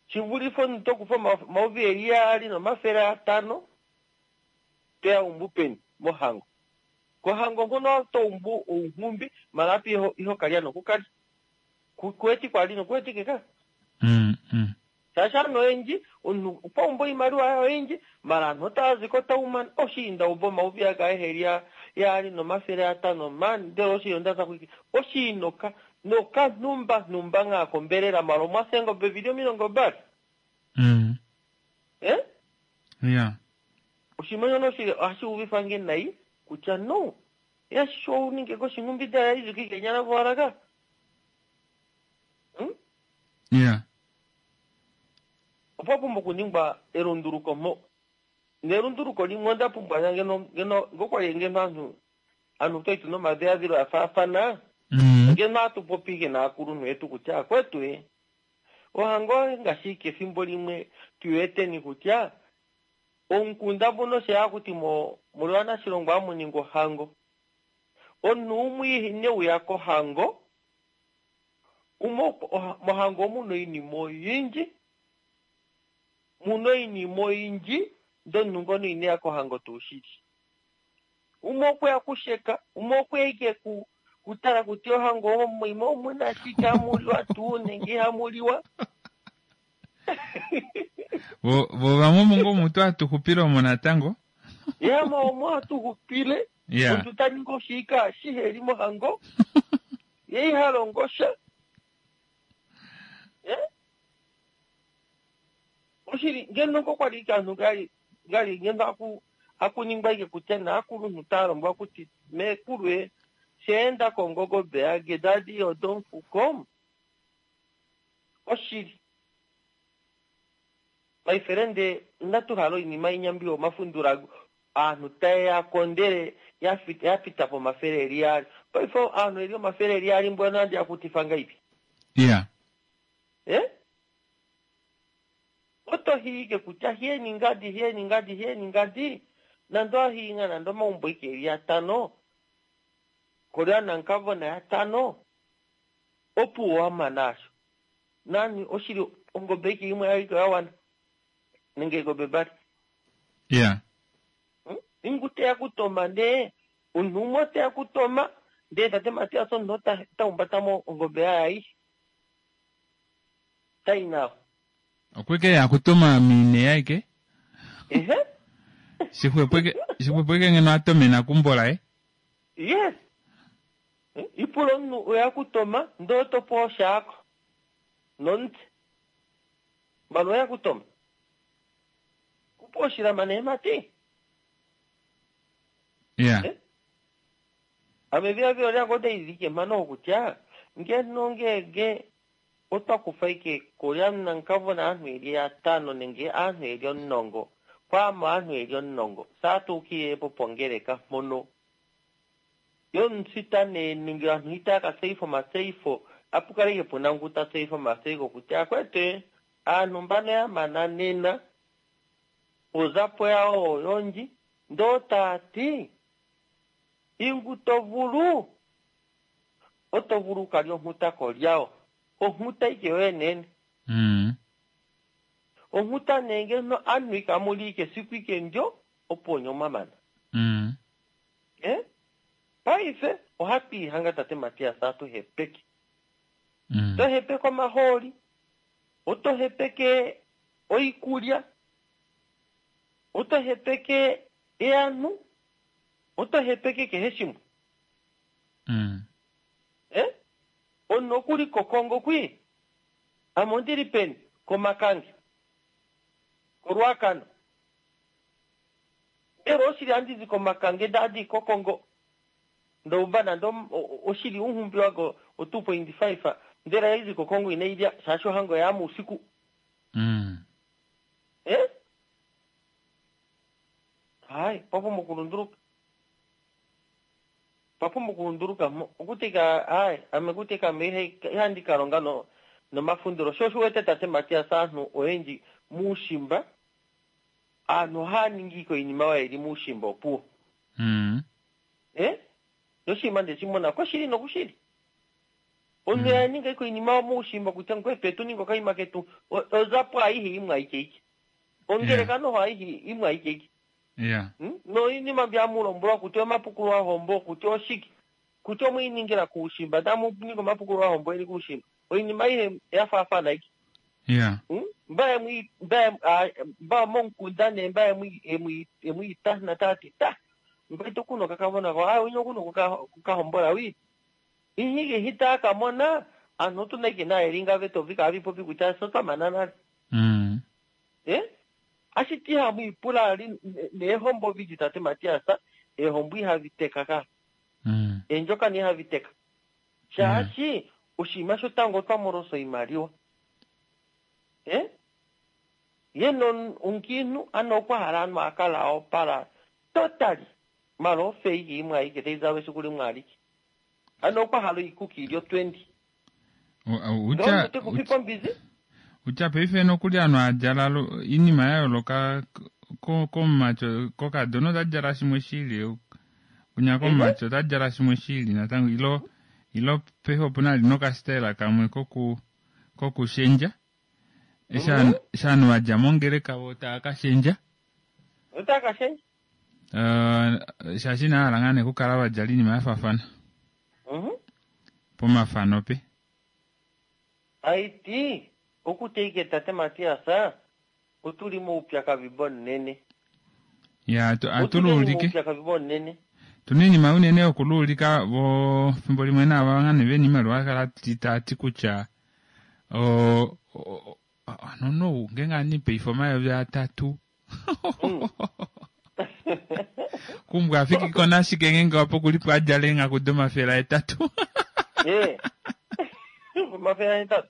shivulife omuntu tokufa omayovi eli yaali nomafele atano toya umbu peni mohango kohango ngono to umbu ounghumbi mala api iho, iho kalya nokukalya Ku- kuweti kwali nokuwetike ka Mm. Mm. shaashi aanhu oyendji omunhu okwa umba oimaliwa yaye oyindji mala aanhu otaya ziko taumana oshiinda umba omayovi aga eheli ya- yaali nomafele atano mani ndele oshiyo ndasa kuiki oshiinoka nokanhumba nhumba ngaa kombelela mala omwasengobe vili omilongo mbali Mm. eh Ya. oshinima shono oshi ohashi uvifa nge nayi kutya no yasho uninge koshinghumbi dala izuki kenyala voalaka hmm? Ya. opwa pumbwa okuningwa elunduluko mo nelunduluko limwe onda pumbwa ngeno ngeno ngokwali ngeno aantu aantu twaitu nomadhiladhilo ya faafana Mm. ngeno atu popi ike naakulunhu yetu kutya akwetu e ohango ngaashi kefimbo limwe tuweteni kutya omukunda mbuno sheya kuti mo muliwana shilongo amuninga ohango omunhu umwe ineuya kohango umwe oha- mohango omuno oinima oyindji muno oinima oyindji ndee omunhu ngono ineya kohango tuu shili umwe okweya kusheka umwe okweya ike ku kutala kutya ohango omo omuna shike hamuliwa tuu nenge ihamuliwa Vo vo vamwe omo ngoo mutu atuxupile omo natango. yamwe omo atuxupile Ya. omuntu ta ningi oshiika shiheli mohango ye iha longo sha Eh? oshili ngeno ngo kwali ike aantu gali gali ngeno aku akuningwa ike kutya naakulunhu taya lombwa kuti mekulu e sheenda kongogobe age dadi odomfuko oshili maifelende inatu hala oinima inyambi omafundula aanhu tayeya kondele ya pita pomafele eli yaali paife aanhu eli omafele eli yaali mbwena andi akutifa ngaipi Ya. eh oto hiike kutya hiyeni ngadi hiyeni ngadi hiyeni ngadi nando ahinga nando omaumbo ike eli yatano kolya nankavona yatano opuwo wamana asho nani oshili ongobe ike imwe yaliko yawana nenge engobe mbali Ya. hmm? ingu teya kutoma nee Omunhu umwe oteya kutoma ndee tate Matias omunhu ota ota mo ongobe yaye aishe. Tai nawa. Okweke ya kutoma mine yaike. Ehe. Shixwepweke shixwepweke ngeno atomena kumbola eh. Yes. Ipula omunhu oya kutoma ndee otopewa oshaako nomutse. Mbano oya kutoma. Kupa oshilama neemati. Yeah. Eh? Ame viavio lyange otaidike mano kutya ngeno ngenge otwa kufa ike kolya nankavona aanhu eli yatano nenge aanhu eli omulongo kwaamo aanhu eli omulongo saatuukile po pongeleka mpono yomusita nee nenge aanhu itaya ka tseyitha omatseyitho apu kale ike puna ngu ta tseyitha omatseyitho kutya akwete aanhu mbano ya mana nena ozapo yawo oyondji ndoo taati ingu to vulu oto vulu ukalya onghuta kolyawo onghuta ike yoye nene Mm. onghuta nee ngeno anhu ikamuli ike esiku ike ndyo opo onye omwamana Mm. eh? Paife ohatu ihanga tate Matias atuhepeke Mm. tohepeke omahooli oto hepeke oikulya oto hepeke eanhu oto hepeke kehe shimwe Mm. eh? Omunhu okuli kokongo kwi ame ondili peni komakange koRuacana mbela oshili andizi komakange ndadi kokongo ndoumba nande oshili unhumbi wako o two point five ndele aizi kokongo inailya shaashi ohango yaama usiku Mm. eh? Hayi papumbwa okulunduluka papumbwa okulunduluka mo okutika hayi ame kutika ame ihandi kalonga no nomafundilo sho oshiwete tate Matias aanhu oyendji muushimba aanhu ohaya ningi ike oinima oyo ili muushimba opuwo Mm. eh? noshinima ndeshimona koshili nokushili omunhu ya ninga ike oinima muushimba kutya ngwetu etu ninga okaima ketu ozapo aihe imwe aike ike ongeleka noho aihe imwe aike ike Yeah. Hmm? noinima mbyamulombwelwa kutya omapukulo ahombo kutya oshike kutya omwiiningila kuushimba tamuninga omapukulo ahombo eni kuushimba oinima aihe yafaafana ike Yeah. Hmm? mba emwi mba mba momukunda nee mba emwi emwi emwiitana tati ta mba ito kuno kakavona ko ah uno kuno kukahombola wi ihike hita kamona anhu otuna ike naelinga vetovi kavipopi kutya sotwamana nale Mm. eh ashiti ihamwiipula li neehombo viji tate Matias eehombo ihaviteka ka Mm. eendjokana ihaviteka shaashi oshinima shotango otwamolosa oimaliwa eh ye omukiinhu ano okwa hala anhu akala opala totally mala ofeiki imwe aike taizalwa esiku limwe alike ano okwa hala oikuki ilyo twenty Utya tekufipa ombizi utya paife nokuli anhu adjala inima ya yooloka komumacho kokadona otadjala shimwe shili kunya komumacho otadjala shimwe shili natango ilo ilo paife opuna ali nokasitayela kamwe koku kokushendja eshi ovanhu vadja mongeleka vo tava kashendja otava kashendja uh, shaashi inahala ngaa nee okukala vadjala oinima yafaafana pomafano pe aiti okuteike tate Matias otuli moupyakadhi bonene ya atuluulike moupyakadhi bonene tuna iinima unene yokuluulika vo fimbo limwe naava ngane vena iimaliwa kala taati kutya o nono ngenge anipe omayovi atatu kumbwa afikiko nashike ngenge wapo kulipo adjala eenghaku domafele aetatu omafele aetatu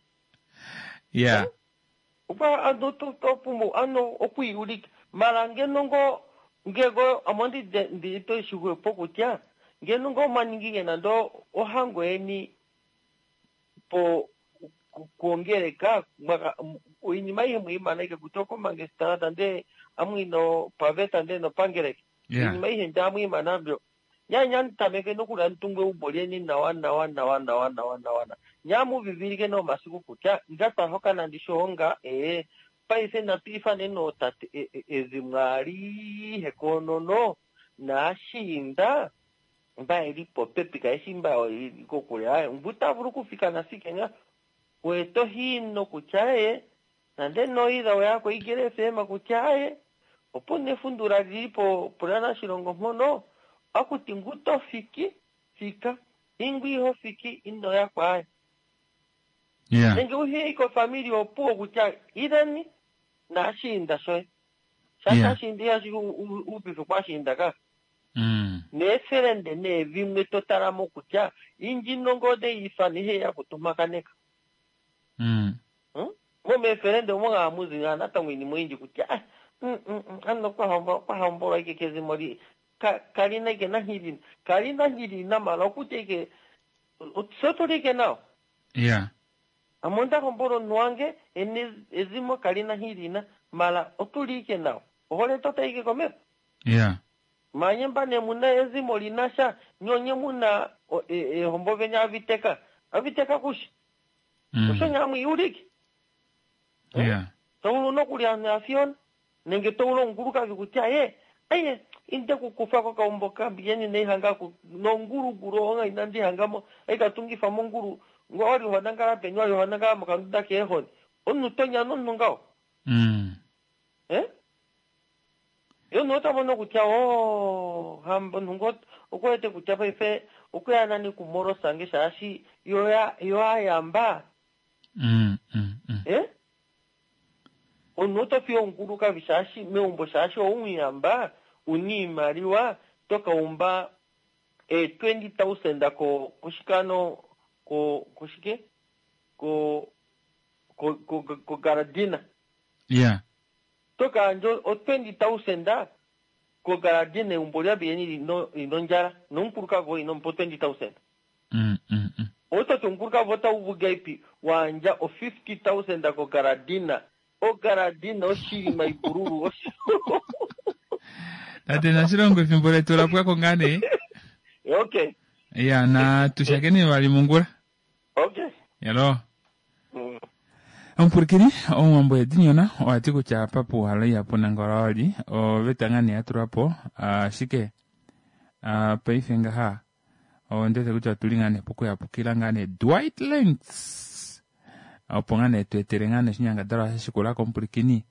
ya okwa ano topumbwa ano okwiiyulika mala ngeno ngo ngego amo ndito shixwepo kutya ngeno ngo mwaningike nande ohango yeni po kuongeleka oinima aihe mwiimana ike kutya okomangestalata ndee amwiino paveta ndee nopangeleka oinima aihe nde amwiimana mbyo nyanya ntameke nokuli amutungu eumbo lyeni nawa nawa nawa nawa nawa nawa nyamuvivilike nomasiku kutya nga twahokana ndishoonga ee paife natu ifane nootate ezimo alihe konono naashiinda Mba eli popepi kaeshi mba ili kokule aye ngu ta vulu okufika nafike nga weto hino kutya aye nande noila oya koigele fm kutya aye opo nefundula lili po pulana shilongo mpono akuti ngu to fiki fika ingu iho fiki ino ya kwaye Yeah. nenge uhiye kofamili opuwo kutya ilani nashinda shoye Yeah. shasha ihashi upife kwashinda ka Mm. neefelende neevimwe totalamo kutya indjino ngode ifana ihe yakutumakaneka Mm. momeefelende omo ngaamuzi natango iinima oyindji kutya ah, mm, mm, mm, ano kwahombolwa ike kezimo li ka- kalina ike nanhilina kalina nhilina mala okutya ike sotoli ike nawa Yeah. amo ndahombola omunhu wange ene ezimo kalina nhilina mala otuli ike nawa ohole tota ike komeho Yeah. manye mbane muna ezimo linasha nyonye muna o- e- ehombo venya aviteka aviteka kushi Mm. osho nyamwe iulike Yeah. tovulu nokulya nafiona nenge tovulu ongulukavi kutya ye aye inde kukufa kokaumbo kambiyeni neihanga nongulugulu onga inandihangamo aikatungifa mongulu ngo wali wanangala peni wali wanangala mokanduda keehoni omunhu tonyana omunhu ngaho Mm. eh yo omunhu otamono kutya o hamba omunhu ngo okuwete kutya paife okuya nani kumorosange shaashi yo yo ayamba Mm. Mm. Mm. eh omunhu oto fiya omukulukavi shaashi meumbo shaashi oumuyamba una iimaliwa tokaumba e twenty thousand ko koshikano ko koshike ko ko ko ko garadina Yeah. tokaandja o twenty thousand ko garadina eumbo lyabiyeni lino lino ndjala nomukulukadhi woye inomupa o twenty thousand Mm. Mm. Mm. ototi omukulukadhi otauvu gaipi waandja o fifty thousand ko garadina o garadina oshilima ipululu oshi- Tate Nashilongo efimbo letu ola pwako ngaa nee. okay Ya na tushakeni vali mongula. okay Yalo. mm. Omupulakeni omuwambo edinyona owa ti kutya apa puuhala ihapu nangala wali oveta ngaa nee ya tulwa po ashike ah, paife ngaha ondiwete kutya otuli ngaa nee pokuyapukila ngaa nee Dwight Lentz opo ngaa nee tu etele ngaa nee oshinyangadhalwa sha shikula komupulakeni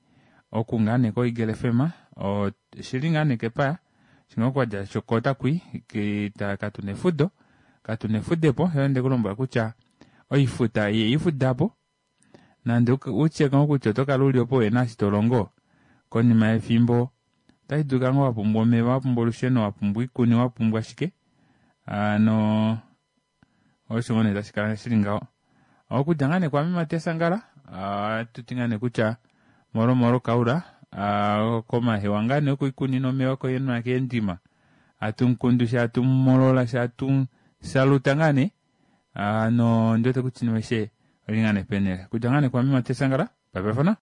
oku ngaa nee koEagle FM oshili ngaa nee kepaya shinga okwadja shokota kwi kita katuna efudo katuna efudepo yo nde kulombwela kutya oifuta ye ifudapo nande utye ngoo kutya oto kala uli opo wena eshi tolongo konima yefimbo otashi dulika ngoo wapumbwa omeva wapumbwa olusheno wapumbwa oikuni wapumbwa shike ano osho ngoo nee tashi kala shili ngaho okudja ngaa nee kwame Matesangala atuti ngaa nee kutya molomolo kaula ah, komahewa ngaa nee okoikunino omeva koyenwa keendima atumunkundu sha atumumolola sha atusaluta ngaa nee ano ndiwete kutya inima aishe oli ngaa nee penele kudja ngaa nee kwame Matesangala papafana.